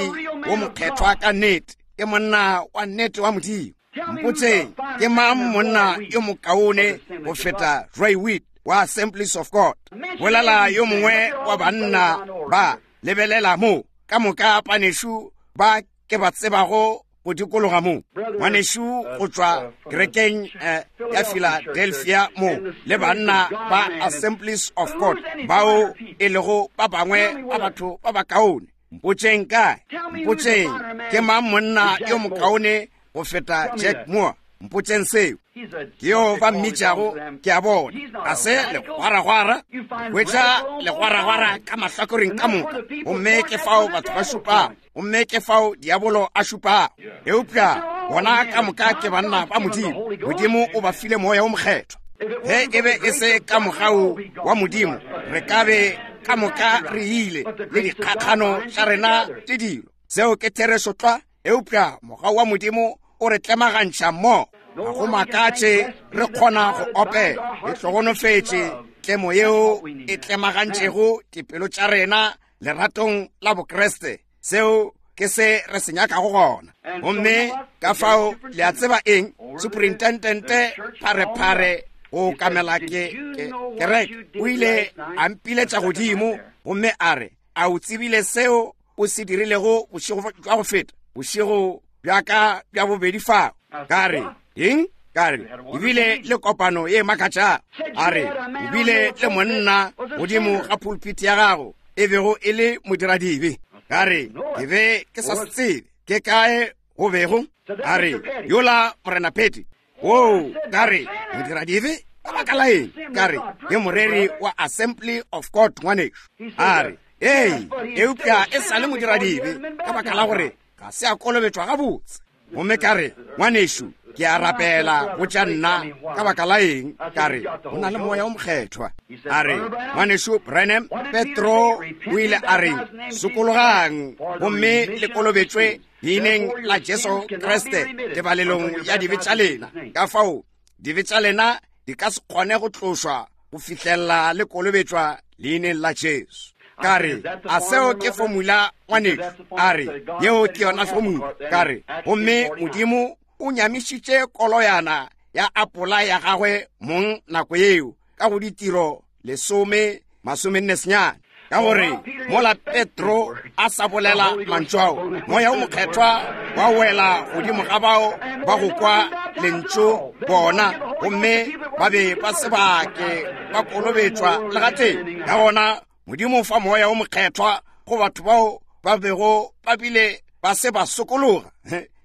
wo mokgethwa ka nnete, ke monna wa nnete wa Modimo. Mpotseng, ke mang monna yo mokaone go feta Roy Weed wa Assemblies of God? Bolela yo mongwe wa banna ba, lebelela mo, ka moka panešu ba ke ba tsebago go dikologa mo, ngwanešu go tšwa kerekeng ya Philadelphia mo, le banna ba Assemblies of God bao e lego ba bangwe ba batho ba bakaone. Mpotseng kae, mpotseng ke mang monna yo mokaone go feta Jack Moore? Mpotseng seo. Ke yo ba mmitšago, ke a bona, ga se legwaragwara. Hwetša legwaragwara ka mahlakoreng ka moka, gomme ke fao batho ba šupago, gomme ke fao diabolo a šupago. Eupša bona ka moka ke banna ba Modimo. Modimo o ba file Moya wo Mokgethwa. Ge e be e se ka mogau wa Modimo, re ka be ka moka re ile le dikgakgano tša rena le dilo. Seo ke therešo tlwa. Eupša mogau wa Modimo o re tlemagantšha mo. Ga go makatše re kgona go opela. E hlogonofetše tlemo yeo e tlemagantšego dipelo tša rena leratong la Bokriste. Seo ke se re se nyakago gona. Gomme ka fao le a tseba eng, superintendente pharephare go okamela ke, ke, kereke o ile a mpiletša godimo gomme a re, a o tsebile seo o se dirilego bošego bja go feta, bošego bja ka bja bobedi fao? Ka re, eng? Ka re, o bile le kopano ye makatšago. A re, o bile le monna godimo ga pulpiti ya gago e bego e le modiradibe. Ka re, ke be ke sa se tsebe ke kae go bego. A re, yola Morena Petty. Oo, ka re, modiradibe? Ka baka la eng? Ka re, Ke moreri wa Assembly of God, ngwanešu. A re, Ee, eupša e sa le modiradibe, ka baka la gore ga se a kolobetšwa gabotse. Gomme ka re, Ngwanešu, ke a rapela go tša nna, ka baka la eng? Ka re, O na le Moya o Mokgethwa. A re, Ngwanešu Branham, Petro o ile a reng? Sokologang gomme le kolobetšwe leineng la Jesu Kriste tebalelong ya dibe tša lena. Ka fao dibe tša lena di ka se kgone go tlošwa go fihlelela le kolobetšwa leineng la Jesu. Ka re, a seo ke formula, ngwanešu? A re, yeo ke yona formula. Ka re, gomme Modimo o nyamišitše koloyana ya apola ya gagwe mong nako yeo ka go ditiro lesome masomenne senyane, ka gore mola Petro a sa bolela mantšu ao, Moya o Mokgethwa wa wela godimo ga bao ba go kwa lentšu bona, gomme ba be ba se ba ke ba kolobetšwa le gatee. Ka gona Modimo o fa Moya o Mokgethwa go batho bao ba bego ba bile ba se ba sokologa.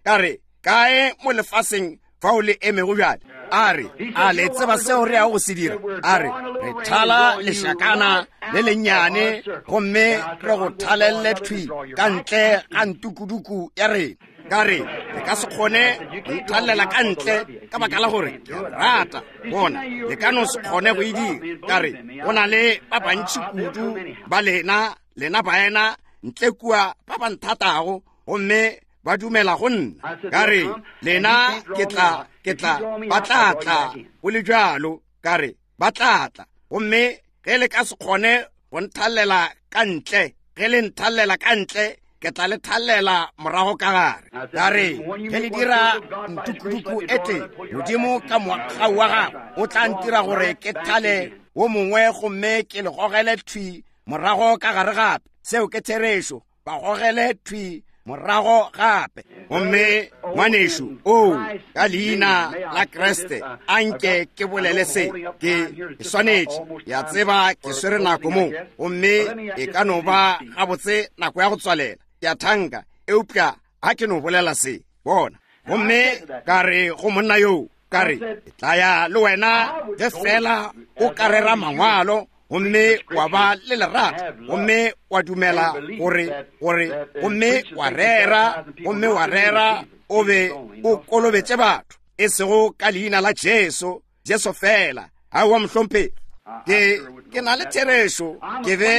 Ka re, kae mo lefaseng fao le emego bjale? A re, a le tseba seo re yago go se dira? A re, re thala lešakana le lennyane gomme re go thalelle thwi ka ntle ga ntukuduku ya rena. Ka re, le ka se kgone go nthalela ka ntle ka baka la gore ke a rata. Bona, le ka no se kgone go e dira. Ka re, go na le ba bantši kudu ba lena, lena baena ntle kua ba ba nthatago, gomme ba dumela go nna. Ka re, lena ke tla, ke tla, ba tla tla go le bjalo. Ka re, ba tla tla, gomme ge le ka se kgone go nthalela ka ntle, ge le nthalela ka ntle, ke tla le thalela morago ka gare. Ka re, ge le dira ntukuduku e tee, Modimo ka mogau wa gagwe o tla ntira gore ke thale wo mongwe gomme ke le gogele thwi morago ka gare gape. Seo ke therešo. Ba gogele thwi morago gape. Gomme ngwanešu, oo, ka leina la Kriste, a nke ke bolele se. Ke swanetše, ke a tseba ke swere nako mo, gomme e ka no ba gabotse nako ya go tswalela, ke a thanka, eupša ga ke no bolela se. Bona. Gomme ka re go monna yoo, ka re, ke tla ya le wena ge fela o ka rera mangwalo gomme wa ba le lerato, gomme wa dumela gore, gore, gomme wa rera, gomme wa rera, o be o kolobetše batho, e sego ka leina la Jesu, Jesu fela. Aowa, mohlomphegi, ke, ke na le therešo, ke be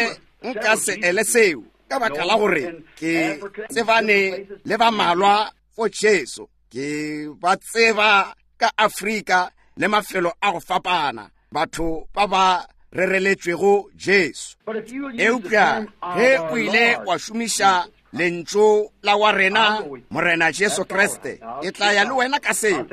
nka se ele seo, ka baka la gore ke tsebane le ba malwa fo Jesu, ke ba tseba ka Afrika le mafelo a go fapana, batho ba ba rereletšwego Jesu. Eupša ge o ile wa šomiša lentšu la wa rena Morena Jesu Kriste, ke tla ya le wena ka seo.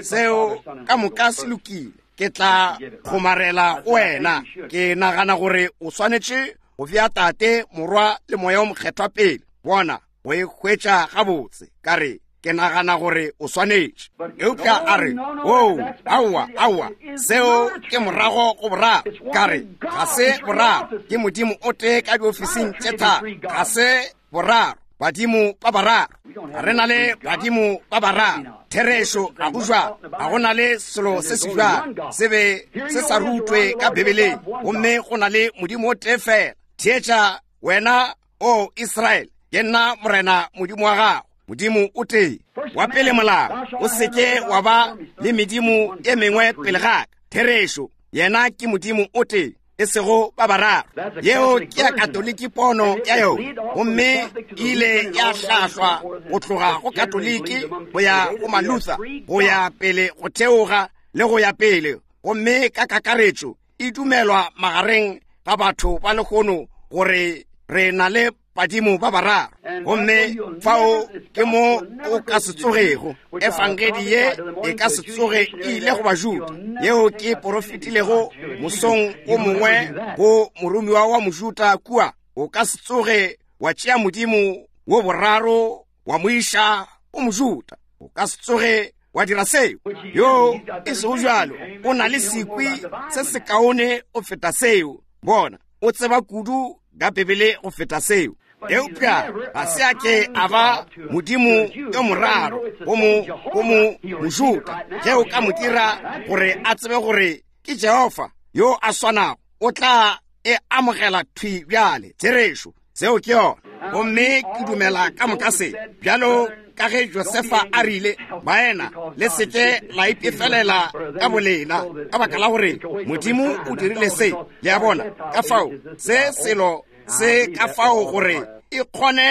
Seo ka moka se lokile. Ke tla kgomarela go wena. Ke nagana gore o swanetše go bea Tate, Morwa le Moya o Mokgethwa pele. Bona, go e hwetša gabotse. Ka re, ke nagana gore o swanetše. Eupša a re, oo, aowa, aowa, seo ke morago go boraro. Ka re, ga se boraro, ke Modimo o tee ka diofising tše tharo. Ga se boraro, badimo ba bararo. Ga re na le badimo ba bararo. Therešo, ga go jwalo. Ga go na le selo se se jwalo. Se be se sa rutwe ka Bibeleng. Gomme go na le Modimo o tee fela. Theetša wena, O Israele, ke nna Morena Modimo wa gago, Modimo o tee. Wa pele molao, o se ke wa ba le medimo e mengwe pele ga ka. Therešo, yena ke Modimo o tee, e sego ba bararo. Yeo ke ya Katoliki pono ya yona, gomme e ile ya hlahlwa go tloga go Katoliki go ya go Maluther, go ya pele go theoga le go ya pele, gomme ka kakaretšo e dumelwa magareng ga batho ba lehono gore re na le badimo ba bararo. Gomme fao ke mo o ka se tsogego. Efangedi ye e ka se tsoge e ile go Bajuda, yeo ke porofetilego mosong o mongwe go moromiwa wa Mojuda kua. O ka se tsoge wa tšea Modimo wo boraro wa mo iša o Mojuda. O ka se tsoge wa dira seo. Yo e sego bjalo, o na le sekwi se sekaone go feta seo. Bona, o tseba kudu ka Bibele go feta seo. Eupša ga se a ke a ba Modimo yo moraro go mo, go mo Mojuda. Ge o ka mo dira gore a tsebe gore Ke Jehofa yo a swanago. O tla e amogela thwi bjale. Therešo. Seo ke yona. Gomme ke dumela ka moka se. Bjalo ka ge Josefa a rile, baena, le se ke la ipefelela ka bolena, ka baka la gore Modimo o dirile se. Le a bona? Ka fao, se selo se ka fao gore e kgone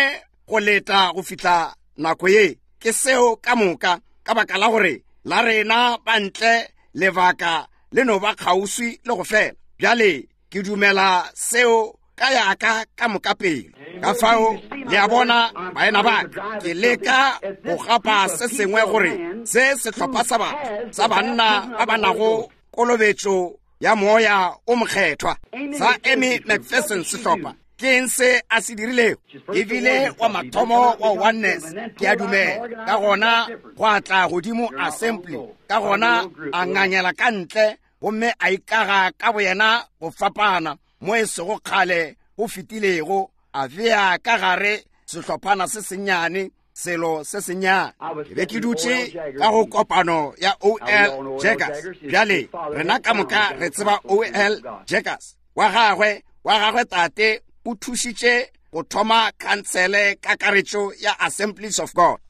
go leta go fihla nako ye. Ke seo ka moka, ka baka la gore la rena ba ntle lebaka le no ba kgauswi le go fela. Bjale ke dumela seo ka yaka ka moka pelo. Ka fao le a bona, baena ba ka, ke leka go gapa se sengwe gore se sehlopha sa batho sa banna ba ba nago kolobetšo ya Moya o Mokgethwa sa Amy McPherson sehlopha. Ke eng se a se dirilego? E bile wa mathomo wa Oneness, ke a dumela. Ka gona gwa tla godimo Assembly, ka gona a ngangela ka ntle gomme a ikaga ka boyena go fapana mo e sego kgale go fetilego, a bea ka gare sehlophana se sennyane, selo se sennyane. Ke be ke dutše ka go kopano ya O.L. Jaggers. Bjale rena ka moka re tseba O.L. Jaggers. Wa gagwe, wa gagwe tate o thušitše go thoma khansele kakaretšo ya Assemblies of God.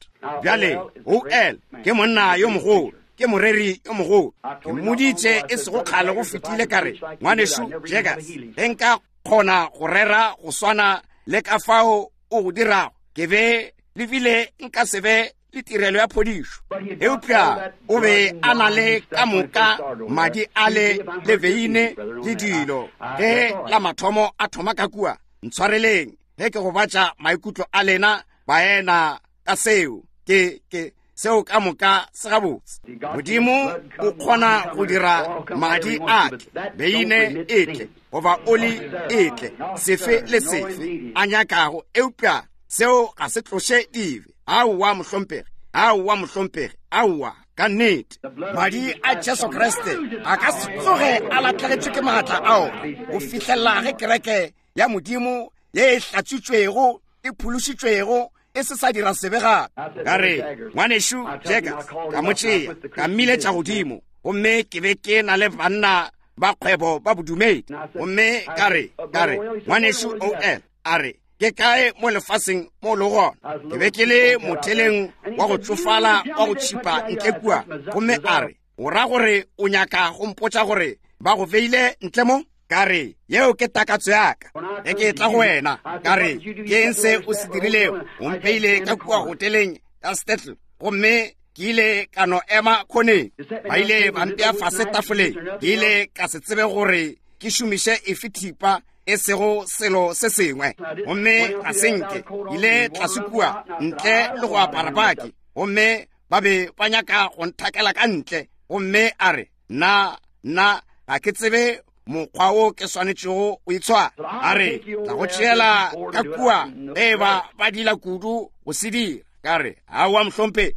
Bjale O.L. ke monna yo mogolo, ke moreri yo mogolo. Ke mmoditše e sego kgale go fetile, ka re, Ngwanešu Jaggers, ge nka kgona go rera go swana le ka fao o go dirago, ke be le bile nka se be le tirelo ya phodišo. Eupša o be a na le ka moka madi ale le veine le dilo ge la mathomo a thoma ka kua. Ntshwareleng ge ke gobatša maikutlo a lena baena ka seo. Ke, ke, seo ka moka se gabotse. Modimo o kgona go dira madi a tle, beine e tle, goba oli e tle, sefe le sefe a nyakago, eupša seo ga se tloše dibe. Aowa, mohlomphegi. Aowa, mohlomphegi. Aowa, ka nnete. Madi a Jesu Kriste a ka se tsoge a lahlegetšwe ke maatla ao go fihlelela ge kereke ya Modimo ye e hlatswitšwego, e phološitšwego, e se sa dira sebe gape. Ka re, Ngwanešu Jaggers, ka mo tšea, ka mmiletša godimo, gomme ke be ke na le banna ba kgwebo ba bodumedi. Gomme ka re, ka re, Ngwanešu O.L., a re, ke kae mo lefaseng mo le gona? Ke be ke le motheleng wa go tšofala wa go tšhipa ntle kua. Gomme a re, o ra gore o nyaka go mpotša gore ba go beile ntle mo? Ka re, yeo ke takatso ya ka. Ge ke etla go wena, ka re, ke eng se o se dirilego? O mpeile ka kua hoteleng ya Stetl, gomme ke ile ka no ema khoneng. Ba ile ba mpea fase tafoleng. Ke ile ka se tsebe gore ke šomiše efe thipa, e sego selo se sengwe. Gomme ga se nke ile tlase kua ntle le go apara baki, gomme ba be ba nyaka go nthakela ka ntle. Gomme a re, nna, nna ga ke tsebe mokgwa wo ke swanetšego o itshwara. A re, tla go tšeela ka kua ge e ba ba dila kudu go se dira. Ka re, aowa, mohlomphegi.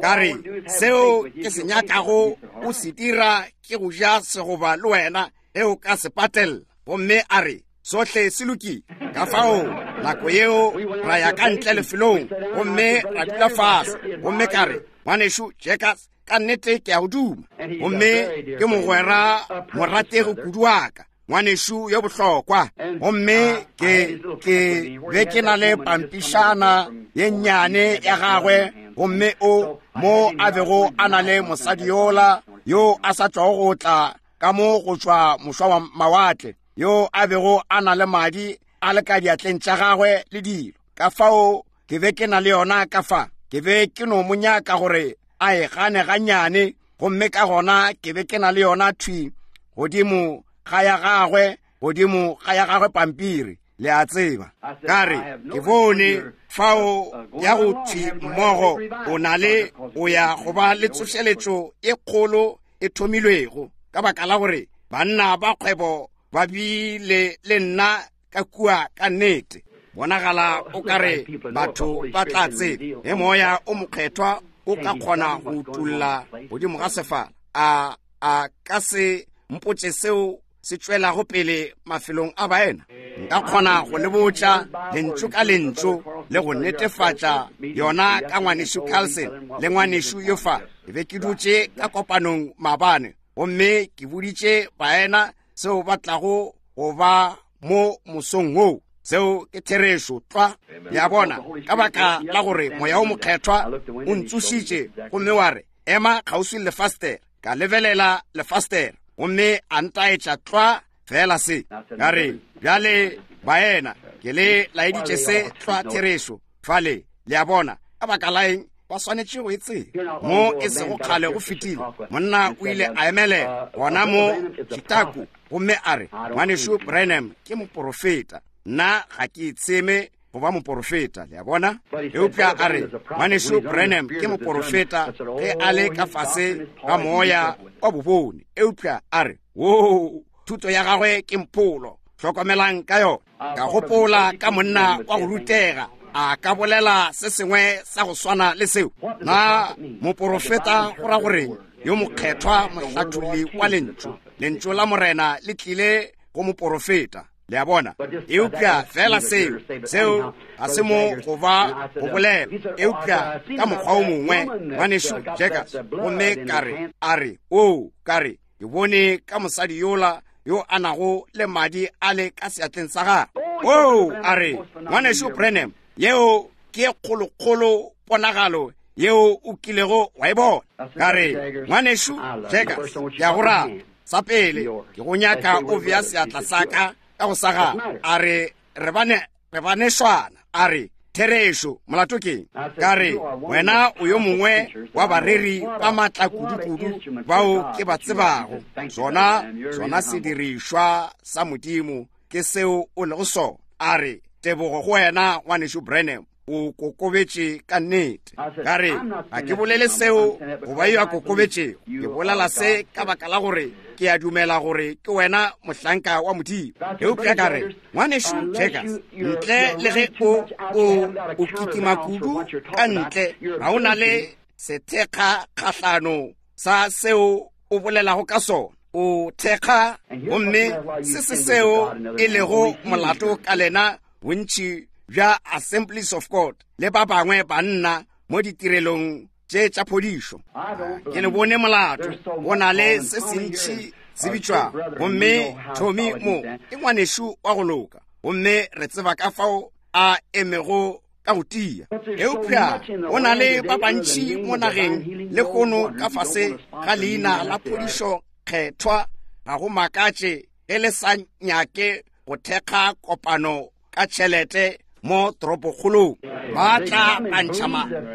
Ka re, seo ke se nyakago o se dira ke go ja segoba le wena ge o ka se patella. Gomme a re, sohle se lokile. Ka fao nako yeo ra ya ka ntle lefelong gomme ra dula fase. Gomme ka re, Ngwanešu Jaggers, ka nnete ke a go duma. Gomme ke mogwera morategi kudu wa ka, ngwanešu yo bohlokwa. Gomme ke, ke be ke na le pampišana ye nnyane ya gagwe, gomme o mo a bego a na le mosadi yola yo a sa tšwago go tla ka mo go tšwa mošwa wa mawatle, yo a bego a na le madi a le ka diatleng tša gagwe le dilo. Ka fao ke be ke na le yona ka fa, ke be ke no mo nyaka gore a e gane gannyane, gomme ka gona ke be ke na le yona thwi godimo ga ya gagwe, godimo ga ya gagwe pampiri, le a tseba. Ka re, ke bone fao ya go thwi mmogo, o na le, o ya go ba le tsošeletšo e kgolo e thomilwego, ka baka la gore banna ba kgwebo ba bile le nna ka kua. Ka nnete bonagala o ka re batho ba tla tseba ge Moya o Mokgethwa o ka kgona go utulla godimo ga sefala, a a ka se mpotše seo se tšwelago pele mafelong a baena. Nka kgona go le botša lentšu ka lentšu le go netefatša yona ka ngwanešu Carlson le ngwanešu yo fa. Ke be ke dutše ka kopanong maabane. Gomme ke boditše baena seo ba tlago go ba mo mosong woo. Seo ke therešo tlwa. Le a bona, ka baka la gore Moya wo Mokgethwa o ntsošitše gomme wa re, Ema kgauswi le lefastere. Ka lebelela lefastere, gomme a ntaetša tlwa feela se. Ka re, Bjale, baena, ke le laeditše se tlwa therešo fale. Le a bona, ka baka la eng ba swanetše go e tseba? Mo e sego kgale go fetile, monna o ile a emelela gona mo Chicago gomme a re, Ngwanešu Branham ke moporofeta. Nna ga ke itsheme go ba moporofeta, le a bona. Eupša a re, Ngwanešu Branham ke moporofeta ge a le ka fase ga moya wa bobone. Eupša a re, Woo, thuto ya gagwe ke mpholo. Hlokomelang ka yona. Ka gopola ka monna wa go rutega a ka bolela se sengwe sa go swana le seo. Na moporofeta go ra goreng? Yo mokgethwa, mohlatholli wa Lentšu. Lentšu la Morena le tlile go moporofeta. Le a bona? Eupša feela seo, seo ga se mo go ba go bolela, eupša ka mokgwa o mongwe, Ngwanešu Jaggers. Gomme ka re, a re, Oo, ka re, ke bone ka mosadi yola yo a nago le madi a le ka seatleng sa gagwe. Oo, a re, Ngwanešu Branham, yeo ke ye kgolokgolo ponagalo yeo o kilego wa e bona. Ka re, Ngwanešu Jaggers, ke a go rata. Sa pele, ke go nyaka o bea seatla sa ka ka go sa gago. A re, re bane, re banešwana. A re, Therešo, molato keng? Ka re, Wena o yo mongwe wa bareri ba maatla kudu-kudu bao ke ba tsebago. Sona, sona sedirišwa sa Modimo ke seo o lego sona. A re, Tebogo go wena, Ngwanešu Branham. O kokobetše ka nnete. Ka re, Ga ke bolele seo go ba yo a kokobetšego. Ke bolela se ka baka la gore ke a dumela gore ke wena mohlanka wa Modimo. Eupša ka re, Ngwanešu Jaggers, ntle le ge o, o, o kitima kudu ka ntle, ga o na le sethekga kgahlano sa seo o bolelago ka sona. O thekga, gomme se se seo e lego molato ka lena bontši bja Assemblies of God le ba bangwe banna mo ditirelong tše tša phodišo. Ke le bone molato, go na le se sentši se bitšwago. Gomme Tommy mo ke ngwanešu wa go loka, gomme re tseba ka fao a emego ka go tia. Eupša go na le ba bantši mo nageng lehono ka fase ga leina la phodišo kgethwa. Ga go makatše ge le sa nyake go thekga kopano ka tšhelete mo toropokgolong. Ba tla ba ntšha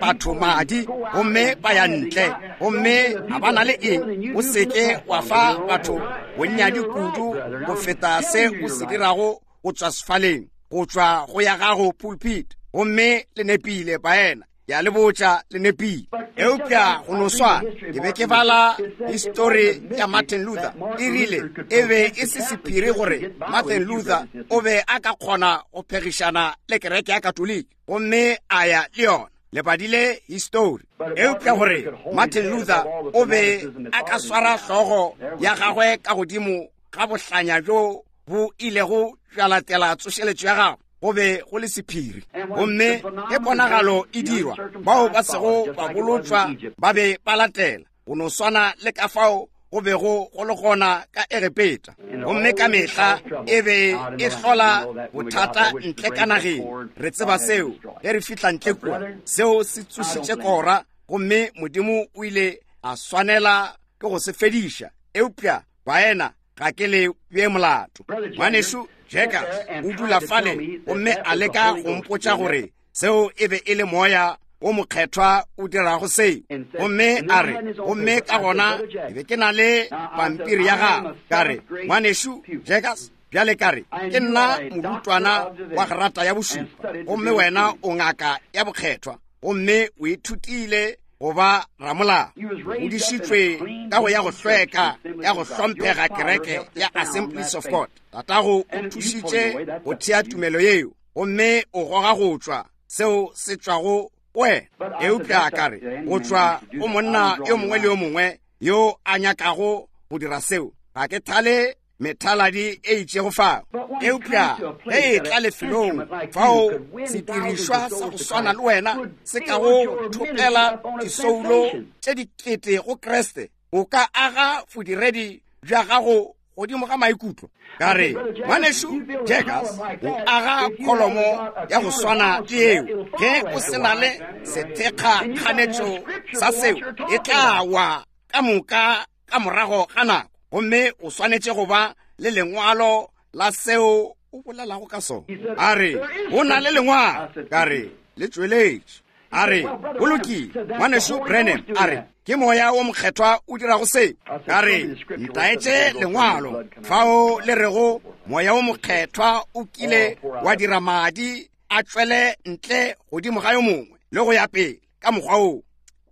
batho madi gomme ba ya ntle, gomme ga ba na le eng. O seke wa fa batho bonnyane kudu go feta se o se dirago go tšwa sefaleng, go tšwa go ya gago pulpit. Gomme le nepile, baena. Ke a le botša, le nepile. Eupša go no swana, ke be ke bala histori ya Martin Luther. E rile e be e se sephiri gore Martin Luther o be a ka kgona go phegišana le kereke ya Katoliki, gomme a ya le yona. Le badile histori. Eupša gore Martin Luther o be a ka swara hlogo ya gagwe ka godimo ga bohlanya bjo bo ilego bja latela tsošeletšo ya gagwe, go be go le sephiri. Gomme ge ponagalo e dirwa, bao ba sego ba bolotšwa ba be ba latela, go no swana le ka fao go bego go le gona ka Egepeta. Gomme ka mehla e be e hlola bothata ntle ka nageng. Re tseba seo ge re fihla ntle kua. Seo se tsošitše Kora, gomme Modimo o ile a swanela ke go se fediša. Eupša baena, ga ke le bee molato. Ngwanešu Jaggers o dula fale gomme a leka go mpotša gore seo e be e le Moya wo Mokgethwa o dirago seo. Gomme a re, gomme ka gona ke be ke na le pampiri ya gagwe. Ka re, Ngwanešu Jaggers, bjale ka re, ke nna morutwana wa grata ya bošupa, gomme wena o ngaka ya bokgethwa, gomme o ithutile go ba ramolao. O godišitšwe ka go ya go hlweka ya go hlomphega kereke ya Assemblies of God. Tatago o thušitše go thea tumelo yeo, gomme o goga go tšwa seo se tšwago go wena. Eupša ka re, go tšwa go monna yo mongwe le yo mongwe yo a nyakago go dira seo, ga ke thale methaladi e itšego fao. Eupša ge e tla lefelong fao sedirišwa sa go swana le wena se ka go thopela disoulo tše dikete go Kriste, O ka aga bodiredi bja gago godimo ga maikutlo. Ka re, Ngwanešu Jaggers, o aga kholomo ya go swana le yeo. Ge o se na le sethekga kganetšo sa seo, e tla wa ka moka ka morago ga nako. Gomme o swanetše go ba le lengwalo la seo o bolelago ka sona. A re, Go na le lengwalo. Ka re, Le tšweletše. A re, Go lokile, Ngwanešu Branham. A re, Ke Moya wo Mokgethwa o dirago se. Ka re, Ntaetše lengwalo fao le rego Moya wo Mokgethwa o kile wa dira madi a tšwele ntle godimo ga yo mongwe le go ya pele ka mokgwa woo.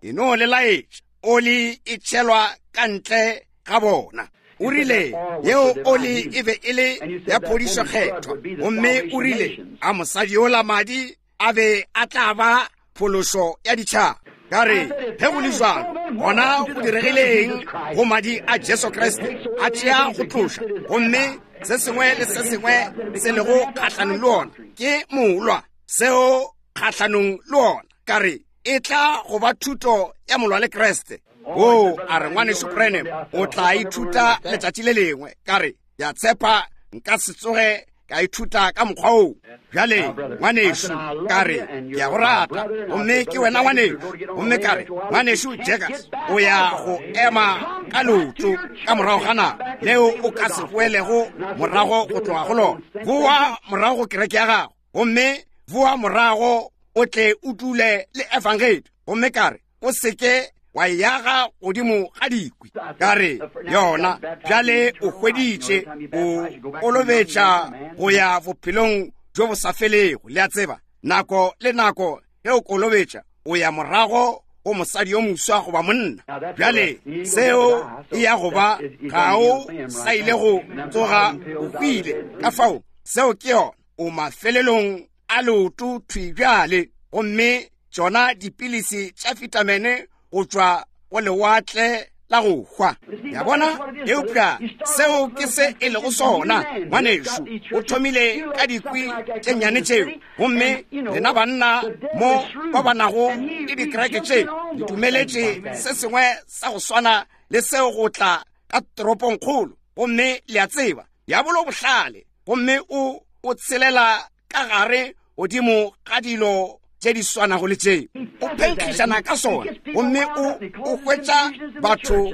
E no le laetša oli e tšhelwa ka ntle ga bona. O rile, Yeo oli e be e le ya phodišo kgethwa. Gomme o rile, A mosadi yola madi a be a tla ba phološo ya ditšhaba. Ka re, ge go le jwalo, gona go diregile eng go madi a Jesu Kriste? A tšea go tloša, gomme se sengwe le se sengwe se lego kgahlanong le ona ke molwa, seo kgahlanong le ona. Ka re, e tla go ba thuto ya molwa le Kriste. O a re, Ngwanešu Branham, o tla ithuta letšatši le lengwe. Ka re, Ke a tshepa nka se tsoge ka ithuta ka mokgwa oo. Bjale, ngwanešu, ka re, ke a go rata, gomme ke wena ngwanešu. Gomme ka re, Ngwanešu Jaggers, o ya go ema ka leoto ka morago ga nako leo o ka se boelego morago go tloga go lona. Boa morago go kereke ya gago, gomme boa morago o tle o dule le Efangedi. Gomme ka re, O se ke wa e aga godimo ga dikwi. Ka re, Yona bjale o hweditše, o kolobetša go ya bophelong bjo bo sa felego. Le a tseba, nako le nako ge o kolobetša, o ya morago go mosadi yo moswa goba monna. Bjale seo e ya go ba, ga o sa ile go tsoga o hwile. Ka fao, seo ke yona. O mafelelong a leoto thwi bjale, gomme tšona dipilisi tša fitamene go tšwa go lewatle la go hwa. Ya bona? Eupša seo ke se e lego sona, ngwanešu. O thomile ka dikwi tše nnyane tšeo, gomme lena banna mo ba ba nago le dikereke tše le dumeletše se sengwe sa go swana le seo go tla ka toropongkgolo. Gomme le a tseba, diabolo o bohlale, gomme o o tshelela ka gare godimo ga dilo tše di swanago le tše. O phenkgišana ka sona, gomme o o hwetša batho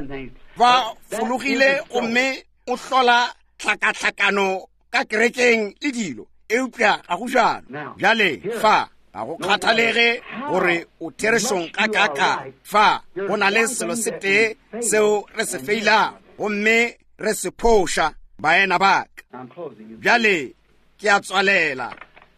ba fologile, gomme o hlola tlhakatlhakano ka kerekeng le dilo. Eupša ga go bjalo. Bjale fa ga go kgathalege gore o therešong ga kaakang, fa go na le selo se tee seo re se feilago, gomme re se phoša, baena ba ka. Bjale ke a tswalela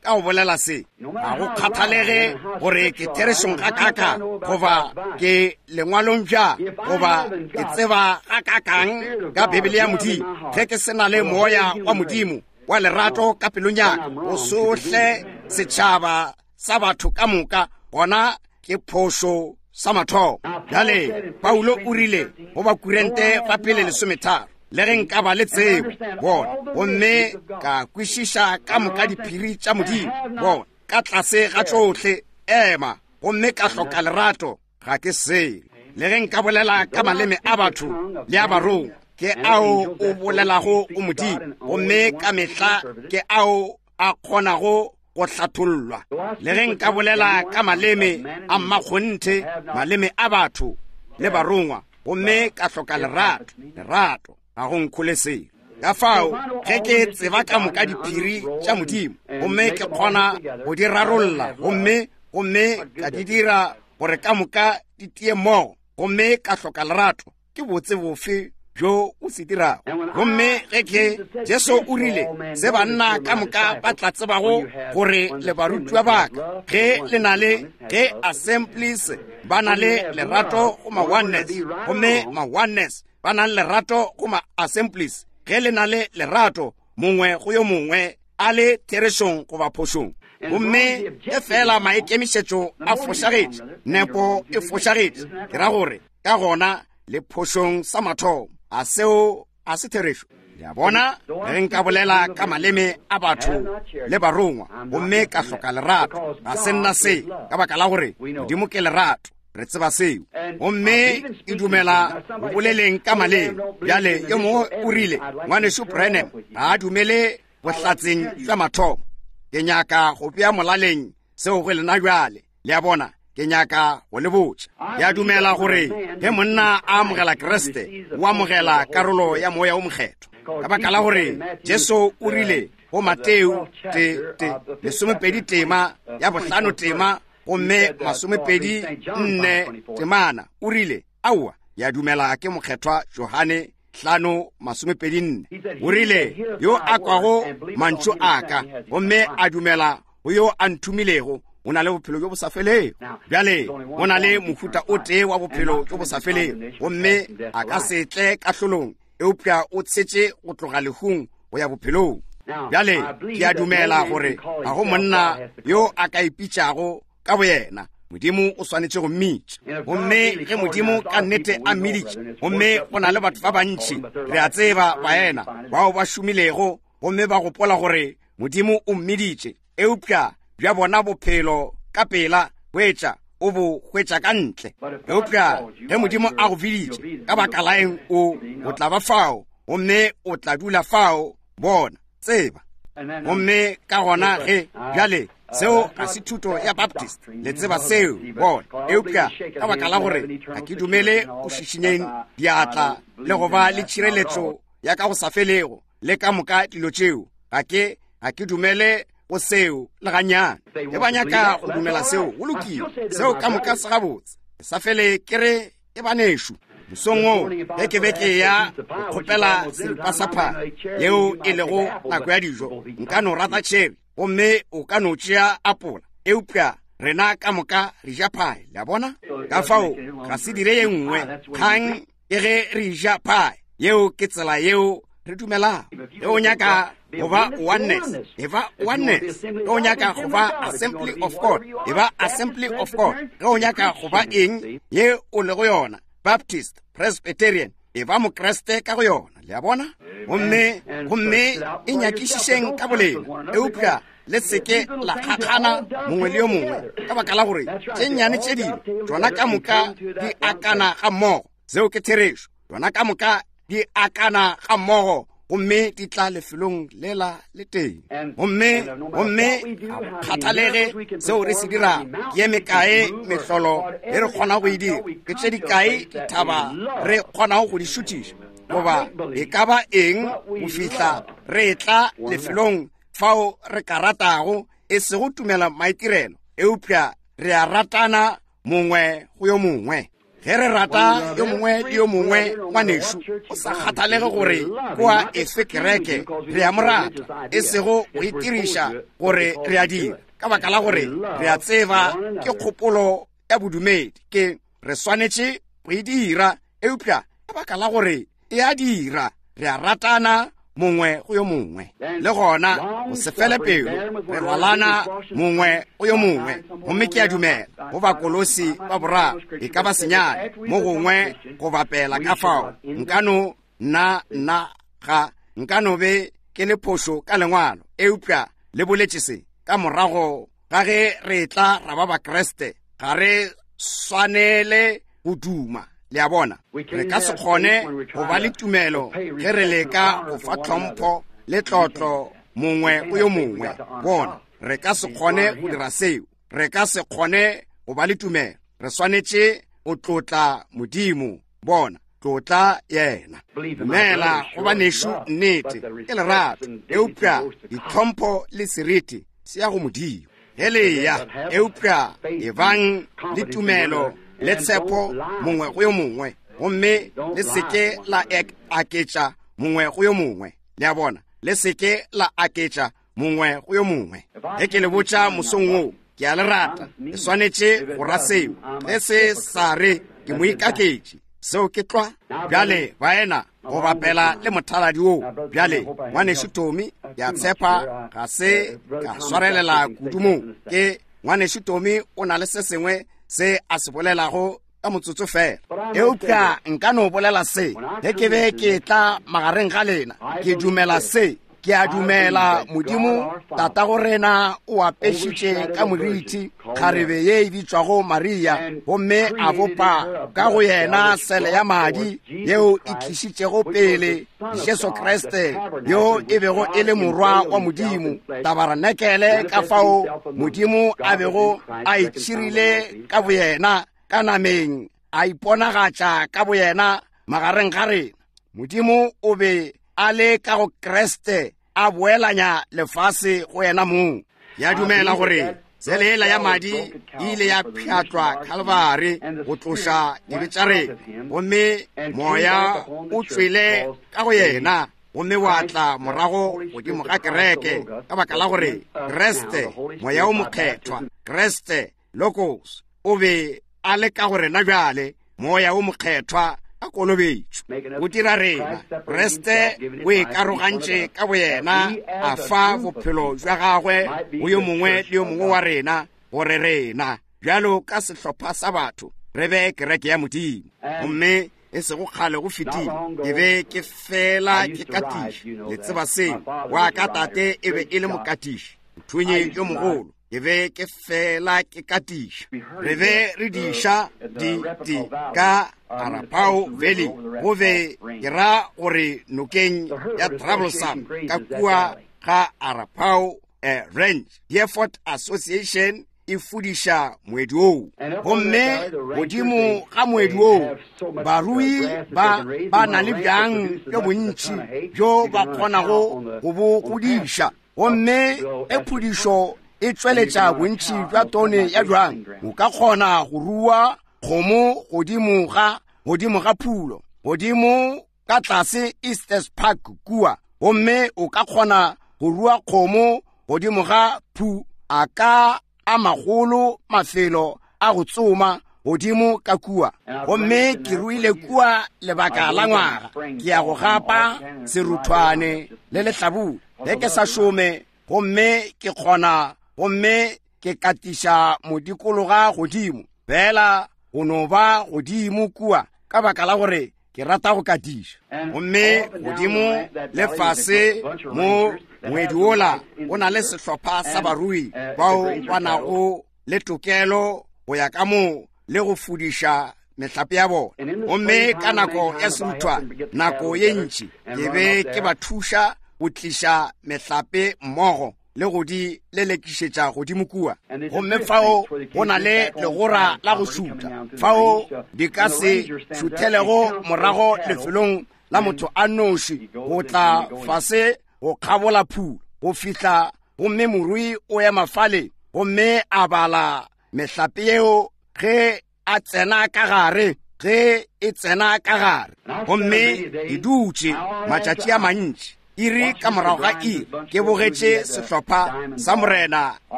ka go bolela se. Ga go kgathalege gore ke therešong ga kaakang, goba ke lengwalong bjang, goba ke tseba ga kaakang ka Bibele ya Modimo, ge ke se na le Moya wa Modimo wa lerato ka pelong ya ka, go sohle setšhaba sa batho ka moka, gona ke phošo sa mathomo. Bjale Paulo o rile go Bakurente ba pele 13, le ge nka ba le tsebo, bona, gomme ka kwešiša ka moka diphiri tša Modimo, bona, ka tlase ga tšohle, ema, gomme ka hloka lerato, ga ke selo. Le ge nka bolela ka maleme a batho le a barongwa, ke ao o bolelago go Modimo, gomme ka mehla ke ao a kgonago go hlathollwa. Le ge nka bolela ka maleme a mmakgonthe, maleme a batho le barongwa, gomme ka hloka lerato, lerato ga go nkhole selo. Ka fao, ge ke tseba ka moka diphiri tša Modimo, gomme ke kgona go di rarolla, gomme, gomme ka di dira gore ka moka di tie mmogo, gomme ka hloka lerato, ke botse bofe bjo o se dirago? Gomme ge ke, Jesu o rile, se banna ka moka ba tla tsebago gore le barutiwa ba ka, ge le na le, ge Assemblies ba na le lerato go ma-Oneness, gomme ma-Oneness ba na le lerato go ma-Assemblies, ge le na le lerato mongwe go yo mongwe, a le therešong goba phošong. Gomme ge feela maikemišetšo a fošagetše, nepo e fošagetše, ke ra gore, ka gona le phošong sa mathomo. A seo a se therešo? Le a bona? Ge nka bolela ka maleme a batho le barongwa, gomme ka hloka lerato, ga se nna se, ka baka la gore Modimo ke lerato. Re tseba seo. Gomme ke dumela go boleleng ka maleme. Bjale, yo mongwe o rile, Ngwanešu Branham ga a dumele bohlatseng bja mathomo. Ke nyaka go bea molaleng seo go lena bjale. Le a bona, ke nyaka go le botša. Ke a dumela gore ge monna a amogela Kriste, o amogela karolo ya Moya wo Mokgethwa. Ka baka la gore Jesu o rile go Mateo te, te, lesomepedi tema ya bohlano tema gomme masomepedi nne temana, o rile, Aowa, ke a dumela ke Mokgethwa Johane hlano masomepedi nne. O rile, Yo a kwago mantšu a ka gomme a dumela go yo a nthomilego, o na le bophelo bjo bo sa felego. Bjale, go na le mohuta o tee wa bophelo bjo bo sa felego, gomme a ka se tle kahlolong, eupša o tshetše go tloga lehung go ya bophelong. Bjale, ke a dumela gore ga go monna yo a ka ipitšago ka boyena. Modimo o swanetše go mmitša. Gomme ge Modimo ka nnete a mmiditše, gomme go na le batho ba bantši, re a tseba, baena, bao ba šomilego gomme ba gopola gore Modimo o mmiditše, eupša bja bona bophelo ka pela hwetša o bo hwetša ka ntle. Eupša ge Modimo a go biditše, ka baka la eng o, o tla ba fao, gomme o tla dula fao, bona, tseba. Gomme ka gona ge, bjale, seo ga se thuto ya Baptist, le tseba seo, bona. Eupša ka baka la gore ga ke dumele go šišinyeng diatla le go ba le tšhireletšo ya ka go sa felego le ka moka dilo tšeo, ga ke, ga ke dumele go seo le gannyane. Ge ba nyaka go dumela seo, go lokile, seo ka moka se gabotse. Ke sa fele ke re ke banešu. Mosong wo, ge ke be ke ya go kgopela seripa sa phae, yeo e lego nako ya dijo, nka no rata tšheri, gomme o ka no tšea apola, eupša rena ka moka re ja phae, le a bona? Ka fao ga se dire ye nngwe kgang ke ge re ja phae. Yeo ke tsela yeo re dumelago. Ge o nyaka go ba oneness, e ba oneness. Ge o nyaka go ba Assembly of God, e ba Assembly of God. Ge o nyaka go ba eng ye o lego yona, Baptist, Presbyterian, e ba Mokriste ka go yona. Le a bona? Gomme, gomme e nyakišišeng ka bolena, eupša le seke la kgakgana mongwe le yo mongwe, ka baka la gore tše nnyane tše dilo tšona ka moka di akana ga mmogo. Seo ke therešo. Tšona ka moka di akana ga mmogo gomme di tla lefelong lela le teng. Gomme, gomme ga go kgathalege seo re se dirago, ke ye mekae mehlolo e re kgonago go e dira, ke tše dikae dithaba re kgonago go di šuthiša, goba e ka ba eng, go fihla re etla lefelong fao re ka ratago, e sego tumela maitirelo, eupša re a ratana mongwe go yo mongwe. Ge re rata yo mongwe le yo mongwe, ngwanešu, o sa kgathalege gore kwa efe kereke, re a mo rata, e sego go itiriša gore re a dira, ka baka la gore re a tseba ke kgopolo ya bodumedi, ke re swanetše go e dira, eupša ka baka la gore e a dira, re a ratana mongwe go yo mongwe. Le gona go se fele pelo, re rwalana mongwe go yo mongwe. Gomme ke a dumela go Bakolosi ba boraro e ka ba senyane mo gongwe go bapela ka fao nka no nna nna ga nka no be ke le phošo ka lengwalo, eupša le boletše se ka morago ga ge re tla ra ba Bakriste, ga re swanele go duma. Le a bona, re ka se kgone go ba le tumelo ge re leka go fa tlhompho le tlotlo mongwe go yo mongwe. Bona, re ka se kgone go dira seo. Re ka se kgone go ba le tumelo. Re swanetše go tlotla Modimo. Bona, tlotla yena. Dumela go banešu, nnete ke lerato, eupša ditlhompho le seriti se ya go Modimo. Ge le ya, eupša ebang le tumelo le tshepo mongwe go yo mongwe, gomme le seke la aketša mongwe go yo mongwe. Le a bona, le seke la aketša mongwe go yo mongwe. Ge ke le botša mosong wo, ke a le rata, le swanetše go ra seo. Ge se sa re ke moikaketši, seo ke tlwa. Bjale, baena, go bapela le mothaladi wo bjale, ngwanešu Tommy, ke a tshepa ga se ka swarelela kudu mo. Ke ngwanešu Tommy o na le se sengwe se a se bolelago ka motsotso fela, eupša nka no bolela se ge ke be ke tla magareng ga lena. Ke dumela se. Ke a dumela Modimo Tatago rena o apešitše ka moriti kgarebe ye e bitšwago Maria, gomme a bopa ka go yena sele ya madi yeo e tlišitšego pele Jesu Kriste, yo e bego e le Morwa wa Modimo, tabarenekele, ka fao Modimo a bego a itšhirile ka boyena ka nameng, a iponagatša ka boyena magareng ga rena. Modimo o be a le ka go Kriste, a boelanya lefase go yena mong. Ya dumela gore sele yela ya madi e ile ya pšhatlwa Kalvari go tloša dibe tša rena, gomme Moya o tšwele ka go yena gomme wa tla morago godimo ga kereke, ka baka la gore Kriste, Moya o Mokgethwa, Kriste Logos, o be a le ka go rena bjale, Moya o Mokgethwa a kolobetšo o dira rena. Kriste o ikarogantše ka boyena, a fa bophelo bja gagwe go yo mongwe le yo mongwe wa rena, gore rena bjalo ka sehlopha sa batho re be kereke ya Modimo. Gomme e sego kgale go fetile ke be ke fela ke katiša, le tseba seo, wa ka tate e be e le mokatiši, mothunyi yo mogolo. Ke be ke fela ke katiša. Re be re diša di, di ka Arapaho Valley, go be ke ra gore nokeng ya Troublesome ka kua ga Arapaho eh, Ranch. Hereford Association e fudiša moedi woo, gomme godimo ga moedi woo barui ba ba na le bjang bjo bontši bjo ba kgonago go bo godiša. Gomme e phudišo e tšweletša bontši bja tone ya bjang, o ka kgona go rua kgomo godimo ga, godimo ga phulo, godimo ka tlase Estes Park kua, gomme o ka kgona go rua kgomo godimo ga phu a ka a magolo mafelo a go tsoma godimo ka kua. Gomme ke ruile kua lebaka la ngwaga, ke ya go gapa seruthwane le lehlabula ge ke sa šome, gomme ke kgona, gomme ke katiša modikologa godimo fela go no ba godimo kua, ka baka la gore ke rata go katiša. Gomme godimo le fase mo ngwedi wola o na le sehlopha sa barui bao ba nago le tokelo go ya ka moo le go fudiša mehlape ya bona. Gomme ka nako ya seruthwa, nako ye ntši ke be ke ba thuša go tliša mehlape mmogo le go di lelekišetša godimo kua. Gomme fao go na le legora la go šutha, fao di ka se šuthelego morago lefelong la motho a noši go tla fase go kgabola phulo go fihla, gomme morui o ema fale gomme a bala mehlape yeo ge a tsena ka gare, ge e tsena ka gare. Gomme ke dutše matšatši a mantši, iri ka morago ga iri, ke bogetše sehlopha sa Morena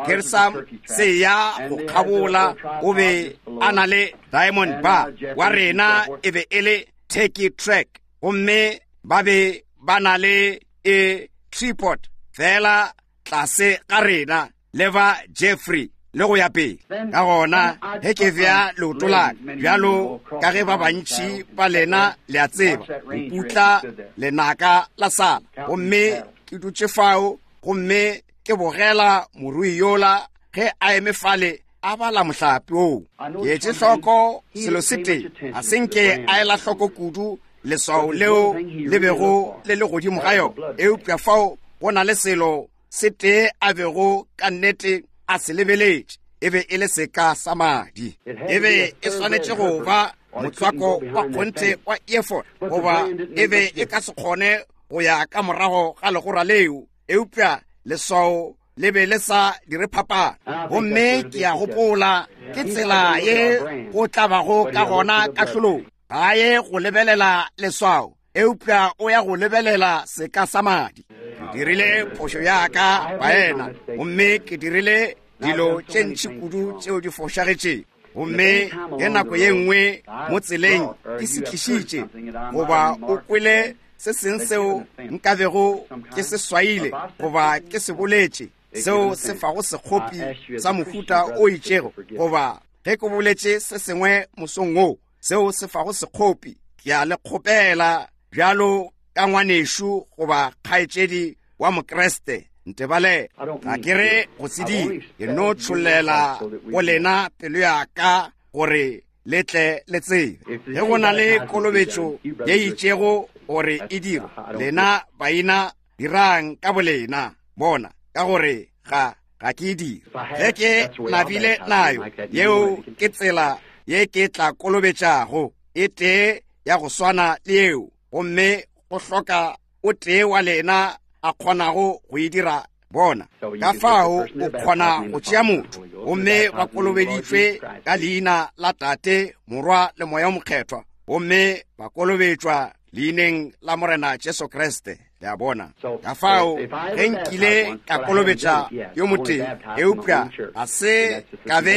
Gersam se ya go kgabola. O be a na le Diamond Bar wa rena, e be e le Turkey Track, gomme ba be ba na le e tripod fela tlase ga rena, le ba Jeffrey le go ya pele. Ka gona ge ke bea leoto la ka, bjalo ka ge ba bantši ba lena le a tseba, go putla lenaka la sala, gomme ke dutše fao gomme ke bogela morui yola ge a eme fale a bala mohlape oo. Ke etše hloko selo se tee, ga se nke a ela hloko kudu leswao leo le bego le le godimo ga yona, eupša fao go na le selo se tee a bego ka nnete a se lebeletše, e be e le seka sa madi. E be e swanetše go ba motswako wa kgonthe wa efod, goba e be e ka se kgone go ya ka morago ga legora leo, eupša leswao le be le sa dire phapano. Gomme ke a gopola ke tsela ye go tla bago ka gona kahlolong. Ga ye go lebelela leswao, eupša o ya go lebelela seka sa madi. Ke dirile phošo ya ka, baena, gomme ke dirile dilo tše ntši kudu tšeo di fošagetšego. Gomme ge nako ye nngwe mo tseleng ke se tlišitše, goba o kwele se seng seo nkabego ke se swaile goba ke se boletše, seo se fago sekgopi sa mohuta o itšego, goba ge ke boletše se sengwe mosong wo seo se fago sekgopi, ke a le kgopela bjalo ka ngwanešu goba kgaetšedi wa Mokriste, ntebalele. Ga ke re go se dire, ke no tšhollela go lena pelo ya ka gore le tle le tsebe. Ge go na le kolobetšo ye itšego gore e dirwe, lena baina dirang ka bolena, bona, ka gore ga ga ke e dire. Ge ke nabile nayo, yeo ke tsela ye ke tla kolobetšago, e tee ya go swana le yeo, gomme go hloka o tee wa lena a kgonago go e dira bona. Ka fao o kgona go tšea motho, gomme ba kolobeditšwe ka leina la Tate, Morwa le Moya o Mokgethwa, gomme ba kolobetšwa leineng la Morena Jesu Kriste. Le a bona? Ka fao ge nkile ka kolobetša yo motee, eupša ga se ka be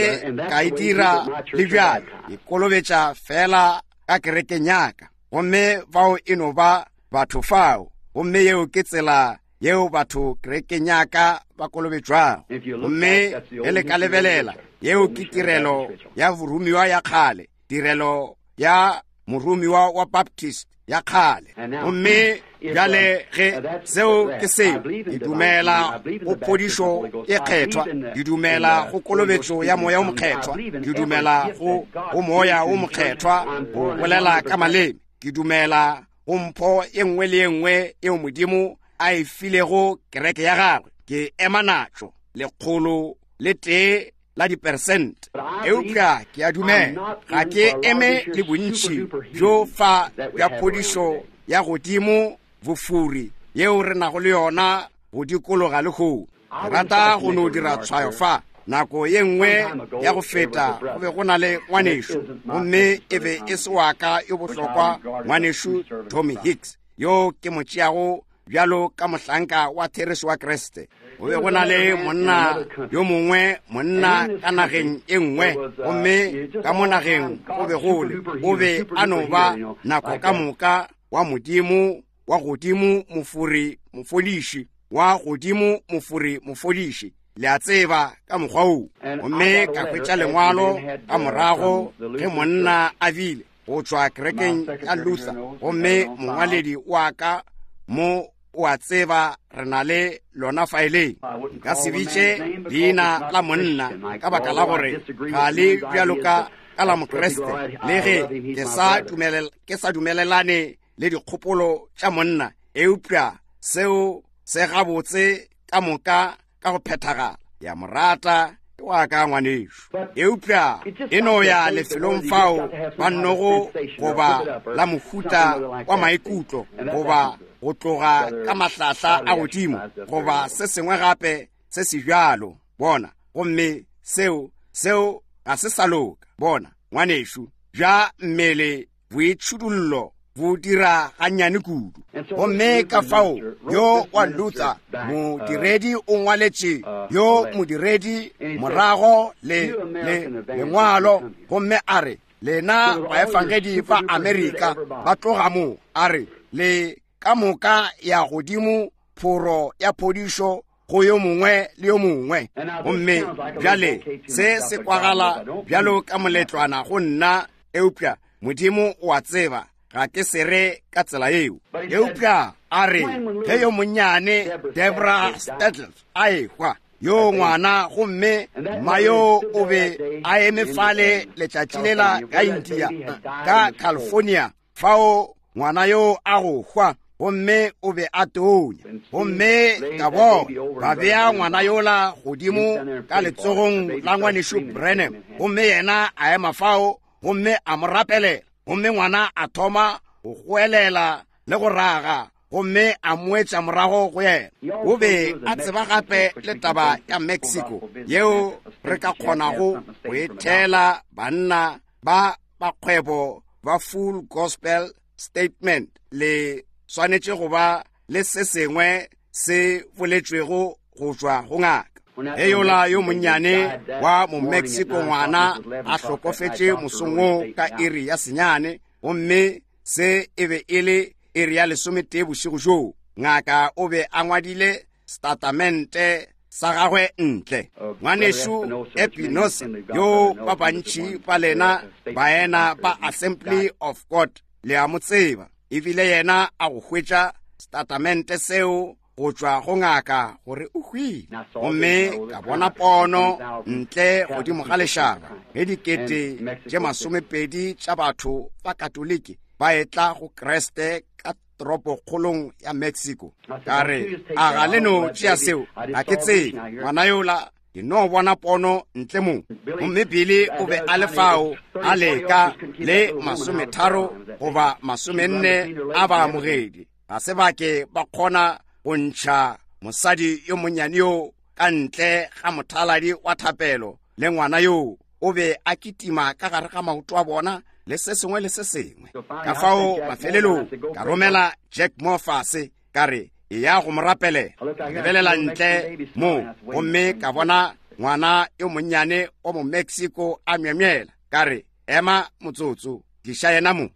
ka e dira le bjale, ke kolobetša fela ka kerekeng ya ka. Gomme bao e no ba batho fao, gomme yeo ke tsela yeo batho kerekeng ya ka ba kolobetšwago. Gomme ge le ka lebelela, yeo ke tirelo ya boromiwa ya kgale, tirelo ya moromiwa wa Baptist ya kgale. Gomme bjale ge seo ke seo, ke dumela go phodišo e kgethwa, ke dumela go kolobetšo ya Moya o Mokgethwa, ke dumela go Moya o Mokgethwa go bolela ka maleme, ke dumela go mpho e nngwe le e nngwe eo Modimo a e filego kereke ya gagwe. Ke ema natšo 101 la diperesente, eupša ke a dumela ga ke eme le bontši bjo fa bja phodišo ya godimo bofuri yeo re nago le yona go dikologa lehono. Ke rata go no dira tshwayo fa. Nako ye nngwe ya go feta go be go na le ngwanešu, gomme e be e se wa ka yo bohlokwa, ngwanešu Tommy Hicks, yo ke mo tšeago bjalo ka mohlanka wa therešo wa Kriste. Go be go na le monna yo mongwe, monna ka nageng e nngwe, gomme ka mo nageng go be go le, o be a no ba nako ka moka wa Modimo wa godimo mofori mofodiši, wa godimo mofori mofodiši, le a tseba, ka mokgwa woo. Gomme ka hwetša lengwalo ka morago ge monna a bile go tšwa kerekeng ya Luther, gomme mongwaledi wa ka mo o a tseba re na le lona faeleng. Nka se bitše leina la monna ka baka la gore ga le bjalo ka ka la Mokriste, le ge ke sa dumelelane le dikgopolo tša monna, eupša seo se gabotse ka moka ka go phethagala. Ke a mo rata, ke wa ka ngwanešu, eupša e no ya lefelong fao ba nnogo goba la mohuta wa maikutlo, goba go tloga ka mahlahla a godimo, goba se sengwe gape se se bjalo, bona, gomme seo, seo ga se sa loka. Bona, ngwanešu, bja mmele boitšhudullo bo dira gannyane kudu. Gomme ka fao yo wa Luther modiredi o ngwaletše yo modiredi morago le, le lengwalo, gomme a re, lena baefangedi ba Amerika ba tloga mo, a re, le ka moka ya godimo phoro ya phodišo go yo mongwe le yo mongwe. Gomme bjale se se kwagala bjalo ka moletlwana go nna, eupša Modimo o a tseba ga ke se re ka tsela yeo. Eupša a re, ge yo monnyane Debra Stadler a ehwa, yo ngwana, gomme mma yo o be a eme fale letšatši lela ka India, ka California, fao ngwana yo a go hwa, gomme o be a tonya. Gomme ka bona ba bea ngwana yola godimo ka letsogong la ngwanešu Branham, gomme yena a ema fao gomme a mo rapelela, gomme ngwana a thoma go goelela le go raga, gomme a moetša morago go yena. O be a tseba gape le taba ya Mexico yeo re ka kgonago go e theela banna ba ba kgwebo ba Full Gospel Statement. Le swanetše go ba le se sengwe se boletšwego go tšwa go ngaka. Ge yola yo monnyane wa Momexico ngwana a hlokofetše mosong wo ka iri ya 9, gomme se e be e le iri ya 11 bošego bjoo, ngaka o be a ngwadile setatamente sa gagwe ntle. Ngwanešu Epinosa, yo ba bantši ba lena baena ba Assembly of God le a mo tseba, ebile yena a go hwetša setatamente seo go tšwa go ngaka gore o hwile. Gomme ka bona pono ntle godimo ga lešaba, ge dikete tše masomepedi tša batho ba Katoliki ba etla go Kriste ka toropokgolong ya Mexico. Ka re, a ga le no tšea seo? Ga ke tsebe. Ngwana yola, ke no bona pono ntle mo. Gomme Billy o be a le fao, a leka le masometharo goba masomenne a baamogedi. Ga se ba ke ba kgona go ntšha mosadi yo monnyane yo ka ntle ga mothaladi wa thapelo, le ngwana yo o be a kitima ka gare ga maoto a bona le se sengwe le se sengwe. Ka fao mafelelong ka romela Jack Moore fase, ka re, eya go mo rapelela. Ka lebelela ntle mo gomme ka bona ngwana yo monnyane wa mo-Mexico a myemyela. Ka re, ema motsotso, tliša yena mo.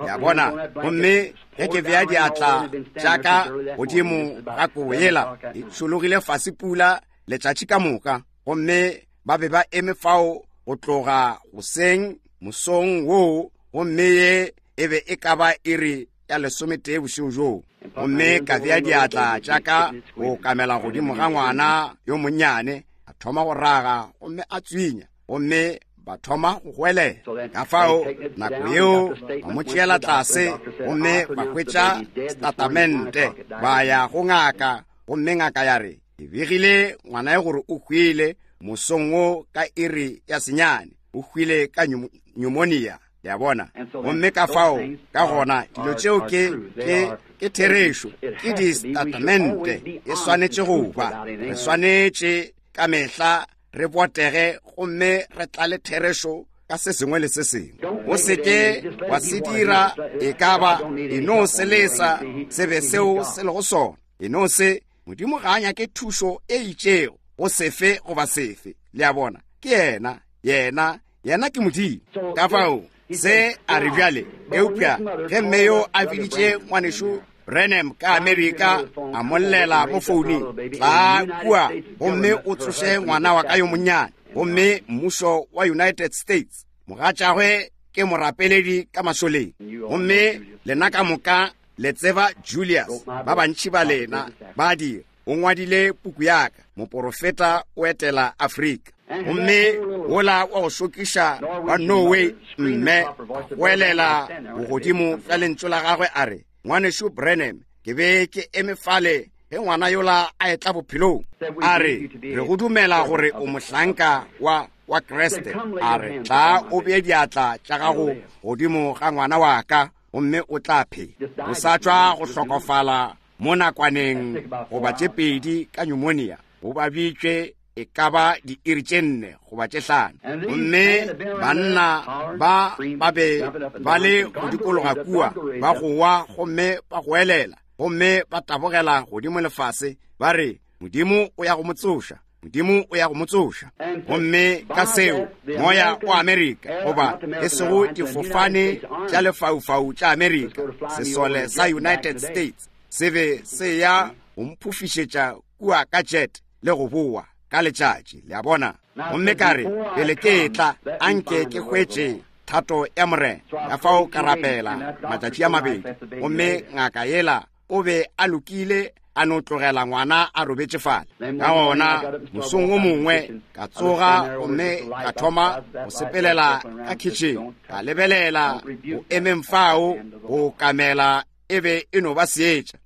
Ya bona, gomme ge ke bea diatla tša ka godimo ga kobo yela, e tšhologile fase pula letšatši ka moka, gomme ba be ba eme fao go tloga goseng mosong woo, gomme ye e be e ka ba iri ya lesometee bošego bjoo. Gomme ka bea diatla tša ka go kamela godimo ga ngwana yo monnyane, a thoma go raga gomme a tswinya, gomme ba thoma go goelela. Ka fao nako yeo ba mo tšeela tlase gomme ba hwetša setatamente, ba ya go ngaka, gomme ngaka ya re, ke begile ngwana yo gore o hwile mosong wo ka iri ya senyane, o hwile ka pneumonia. Le a bona? Gomme ka fao, ka gona, dilo tšeo ke, ke, ke therešo, ke distatamente, e swanetše go ba. Re swanetše ka mehla re botege gomme re tlale therešo ka se sengwe le se sengwe. O se ke wa se dira e ka ba, e no se lesa se be seo se lego sona. E no se, Modimo ga a nyake thušo e itšego go sefe goba sefe. Le a bona? Ke yena, yena, yena ke Modimo. Ka fao, se a re bjale, eupša ge mme yo a biditše ngwanešu Branham ka Amerika, a mo llela mo founung, tlaa kua gomme o tsoše ngwana wa ka yo monnyane. Gomme mmušo wa United States, mogatšagwe ke morapeledi ka mašoleng. Gomme lena ka moka le tseba Julius, ba bantši ba lena ba dira. O ngwadile puku ya ka, Moporofeta o Etela Afrika. Gomme wola wa go šokiša wa Norway, mme, a goelela bogodimo bja lentšu la gagwe a re, Ngwanešu Branham, ke be ke eme fale ge ngwana yola a etla bophelong. A re, Re go dumela gore o mohlanka wa, wa Kriste. A re, Tlaa o bee diatla tša gago godimo ga ngwana wa ka, gomme o tla phela. O sa tšwa go hlokofala mo nakwaneng goba tše pedi ka pneumonia, o babitšwe e ka ba diiri tše nne goba tše hlano. Gomme banna ba ba be ba le go dikologa kua, ba gowa gomme ba goelela, gomme ba tabogela godimo lefase, ba re, Modimo o ya go mo tsoša. Modimo o ya go mo tsoša. Gomme ka seo, moya wa Amerika, goba e sego difofane tša lefaufau tša Amerika, sesole sa United States se be se ya go mphofišetša kua ka jet le go boa ka letšatši, le a bona. Gomme ka re, pele ke etla, anke ke hwetše thato ya Morena. Ka fao ka rapela matšatši a mabedi, gomme ngaka yela o be a lokile, a no tlogela ngwana a robetše fale. Ka gona mosong wo mongwe ka tsoga gomme ka thoma go sepelela ka khitšheng, ka lebelela go emeng fao go kamela e be e no ba seetša,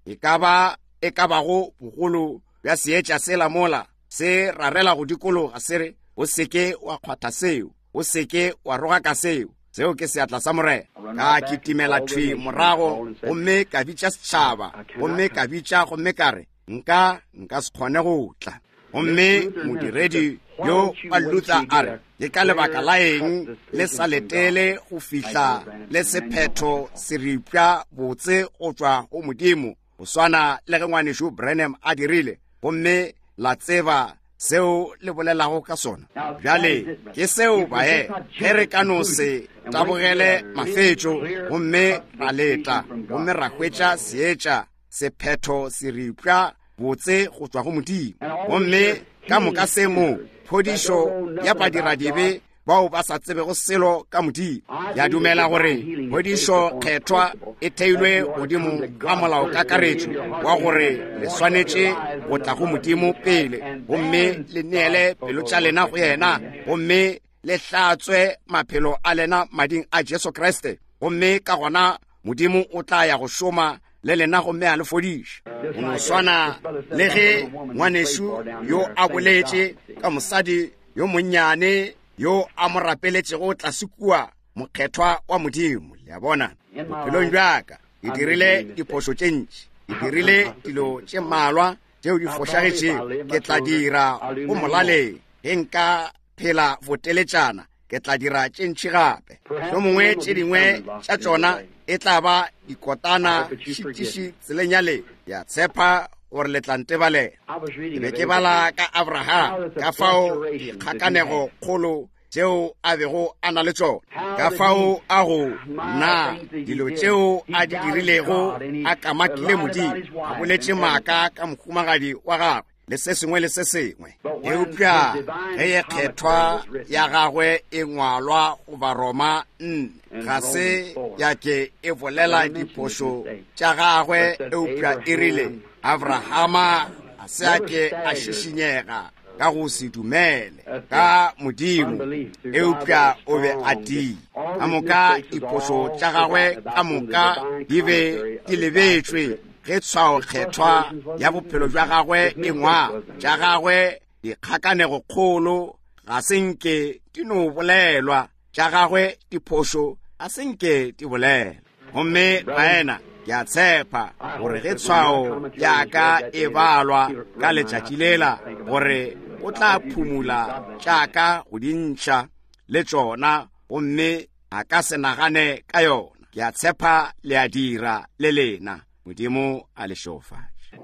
e ka ba e ka bago bogolo bja seetša sela mola se rarela go dikologa, se re, O se ke wa kgwatha seo, o se ke wa rogaka seo, seo ke seatla sa Morena. Ka kitimela thwi morago gomme ka bitša setšhaba, gomme ka bitša gomme ka re, Nka, nka se kgone go tla. Gomme modiredi yo wa Luther a re, Ke ka lebaka la eng le sa letele go fihla le sephetho seripša botse go tšwa go Modimo, go swana le ge ngwanešu Branham a dirile, gomme la tseba seo le bolelago ka sona? Bjale ke seo bae, ge re ka no se tabogele mafetšo gomme ra leta gomme ra hwetša seetša, sephetho seripša botse go tšwa go Modimo, gomme ka moka se mo phodišo ya badiradibe. bao ba sa tsebego selo ka Modimo. Ke a dumela gore phodišo kgethwa e theilwe godimo ga molaokakaretšo wa gore le swanetše go tla go Modimo pele gomme le neele pelo tša lena go yena gomme le hlatswe maphelo a lena mading a Jesu Kriste, gomme ka gona Modimo o tla ya go šoma le lena gomme a le fodiša. Go no swana le ge ngwanešu yo a boletše ka mosadi yo monnyane yo a mo rapeletšego tlase kua, mokgethwa wa Modimo. Le a bona, bophelong bjaka ke dirile diphošo tše ntši, ke dirile dilo tše mmalwa tšeo di fošagetšego. Ke tla dira go molaleng ge nka phela boteletšana, ke tla dira tše ntši gape. Mohlomongwe tše dingwe tša tšona e tla ba dikotana šitiši tseleng ya le. Ke a tshepa gore le tla ntebalela. Ke be ke bala ka Abraham, ka fao dikgakanego kgolo tšeo a bego a na le tšona, ka fao a go na dilo tšeo a di dirilego, a kamakile Modimo, a boletše maaka ka mohumagadi wa gagwe le se sengwe le se sengwe. Eupša ge ye kgethwa ya gagwe e ngwalwa go Baroma 4, ga se ya ke e bolela diphošo tša gagwe, eupša e rile Abrahama ga se a ke a šišinyega ka go se dumele ka Modimo, eupša o be a tiile. Ka moka diphošo tša gagwe ka moka di be di lebetšwe ge tshwaokgethwa ya bophelo bja gagwe e ngwa. Tša gagwe dikgakanego kgolo ga se nke di no bolelwa, tša gagwe diphošo ga se nke di bolelwa. Gomme baena, ke a tshepa gore ge tshwao ya ka e balwa ka letšatši lela, gore o tla phumula tša ka go di ntšha le tšona, gomme a ka se nagane ka yona. Ke a tshepa le a dira le lena. Modimo a le šegofatše.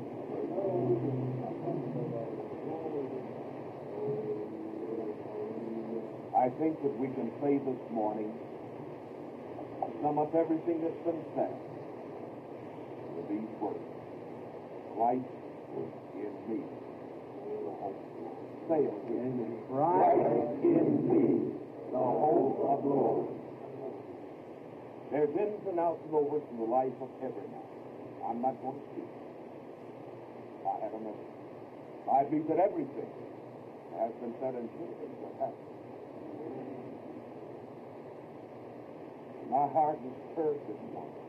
I think that we can say this morning, sum up everything that's been said with these words: Christ in me, the hope of glory. Say it again. Christ in me, the hope of glory. There's ins and outs and overs in the life of every man. I'm not going to speak. I have a message. I believe that everything has been said and should have been said. Has. My heart is stirred this morning.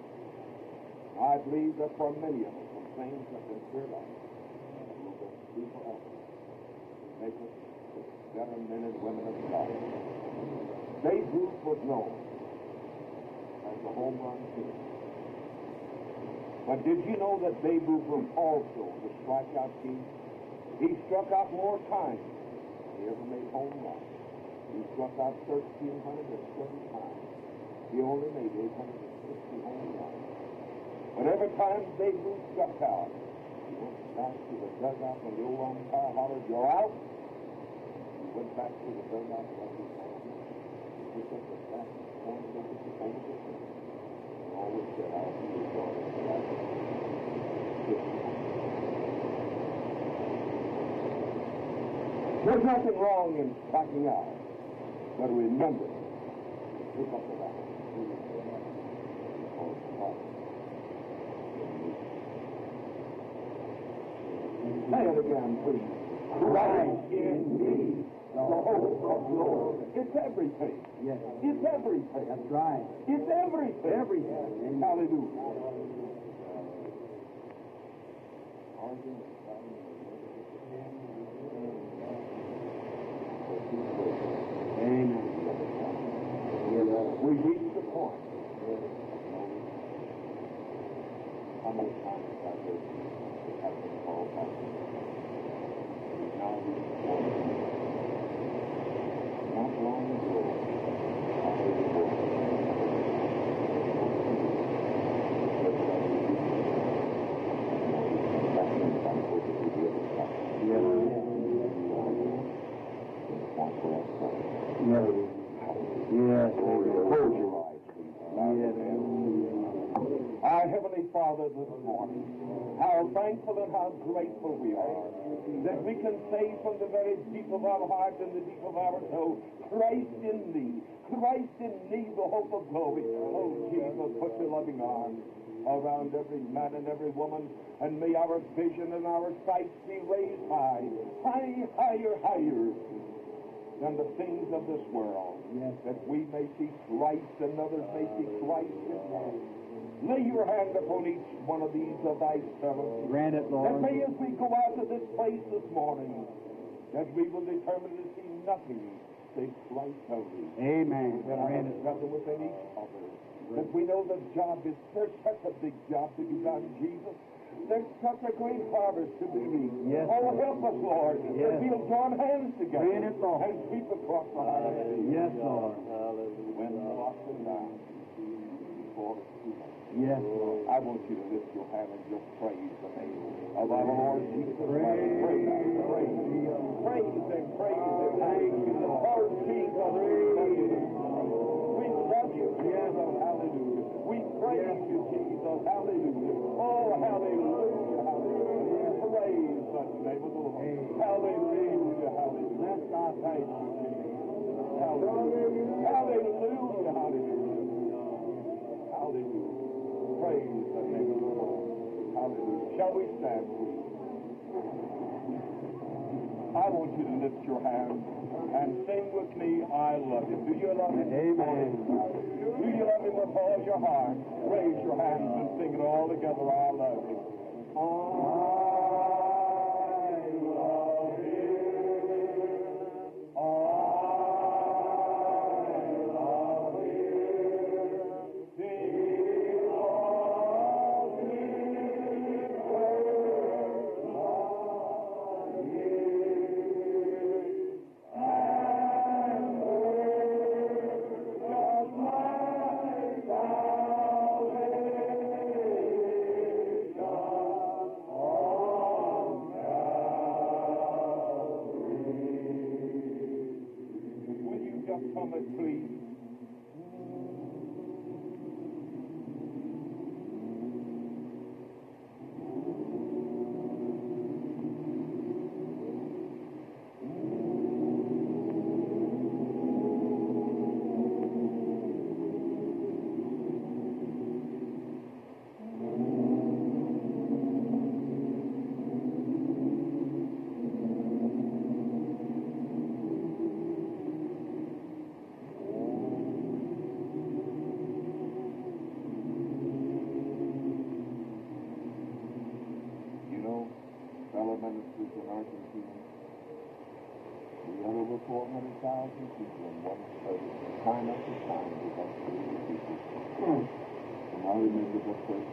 I believe that for many of us, some things have been stirred up that will be forever. Make us better men and women of God. Babe Ruth was known as the home run king. But did you know that Babe Ruth was also the strikeout king? He struck out more times than he ever made home runs. He struck out 1,330 times. He only made 860 home runs. But every time Babe Ruth struck out, he went back to the dugout when the old umpire hollered, "You're out." He went back to the dugout like he had. He picked up the bat and pointed over the over the fence. And always said, "I'll be your daughter." There's nothing wrong in striking out, but remember, pick up the bat. Because God in me. Say it again, please. Christ in me, the hope of glory. It's everything. Yes. It's everything. That's right. It's everything. Everything. Hallelujah. Amen. We reach the point of no return. How many times I've heard it have been called back. We've now reached the point. Not long ago, I heard a voice. It said, "That means I'm over to the other side." Yes. To the point where I started. Yes. Yes. Close your eyes, please. Bow your Yes. heads. I Heavenly Father, this morning, how thankful and how grateful we are that we can say from the very deep of our heart and the deep of our soul, Christ in me, Christ in me, the hope of glory. Oh, Jesus, put your loving arms around every man and every woman, and may our vision and our sight be raised high, high, higher, higher than the things of this world, Yes. that we may see Christ and others may see Christ in us. Lay your hand upon each one of these of thy servants. Grant it, That Lord. may, as we go out of this place this morning, that we will determine to see nothing save Christ only. Amen. That our Grant it. brother within each other. That we know the job is, there's such a big job to be done, Jesus. There's such a great harvest to be reaped. Yes, oh, Lord. help us, Lord, that Yes. we'll join hands together Grant it, Lord. and sweep across the harvest. Yes, Lord. When the lost and down before it's too late. Yes, Lord. I want you to lift your hand and just praise the name of our Lord Jesus Christ. Praise, praise, praise and praise and thank you, Lord Jesus. We love you. We love you, Jesus. Hallelujah. We praise you, Jesus. Hallelujah. Oh, hallelujah, hallelujah. Praise the name of the Lord. Hallelujah, hallelujah. Thank you, Jesus. Hallelujah, hallelujah, hallelujah. Hallelujah. Praise the name of the Lord. Hallelujah. Shall we stand, please? I want you to lift your hands and sing with me, I love him. Do you love him? Amen. Do you love him with all your heart? Raise your hands and sing it all together. I love him. I love him. I love him. He loves me first loved me. And purchased my salvation on Calvary. Will you just come and please? You know, fellow ministers in Argentina, we had over 400,000 people in one service, and time after time we got through the people. And I remember the first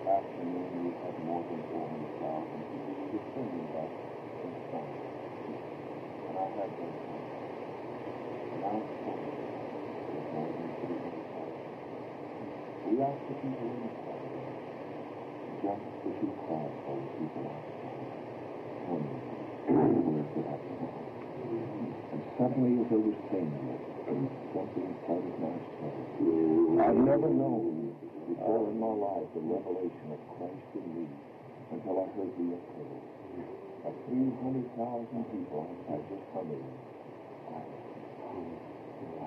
afternoon we had more than 400,000 people. We were singing that in song. And I had them come. And I spoke with more than 300,000. We asked the people inside just as you call for the people outside. Tell me, where could I belong? And suddenly, as I was saying this, something started my soul. I'd never known before in my life the revelation of Christ in me until I heard the echo of 300,000 people outside just humming. I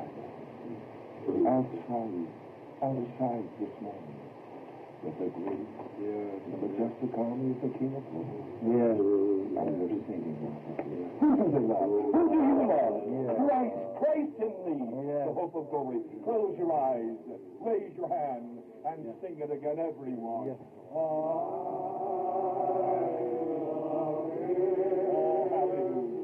love you. Outside, outside this morning, with the great, the majestic army of the King of Glory. Yes. And they're singing. Who do they love? Who do you love? Yeah. Christ, Christ in thee, Yeah. the hope of glory. Close your eyes, raise your hand, and sing it again, everyone. Yes. I love him. Oh, hallelujah.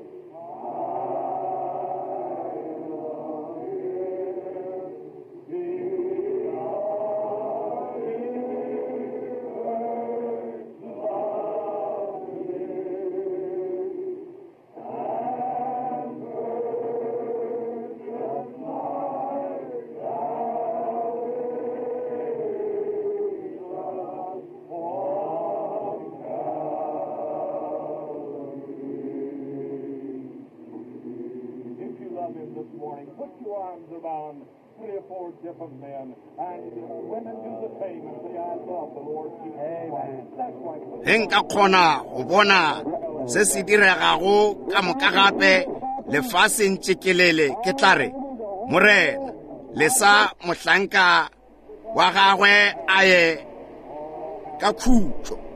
Oh, morning, put your arms around three or four different men, and women do the same and say, I love the Lord Jesus Christ. That's right. Ge nka kgona go bona se se diregago ka moka gape lefaseng tšekelele, ke tla re, Morena, lesa mohlanka wa gagwe a ye ka khutšo.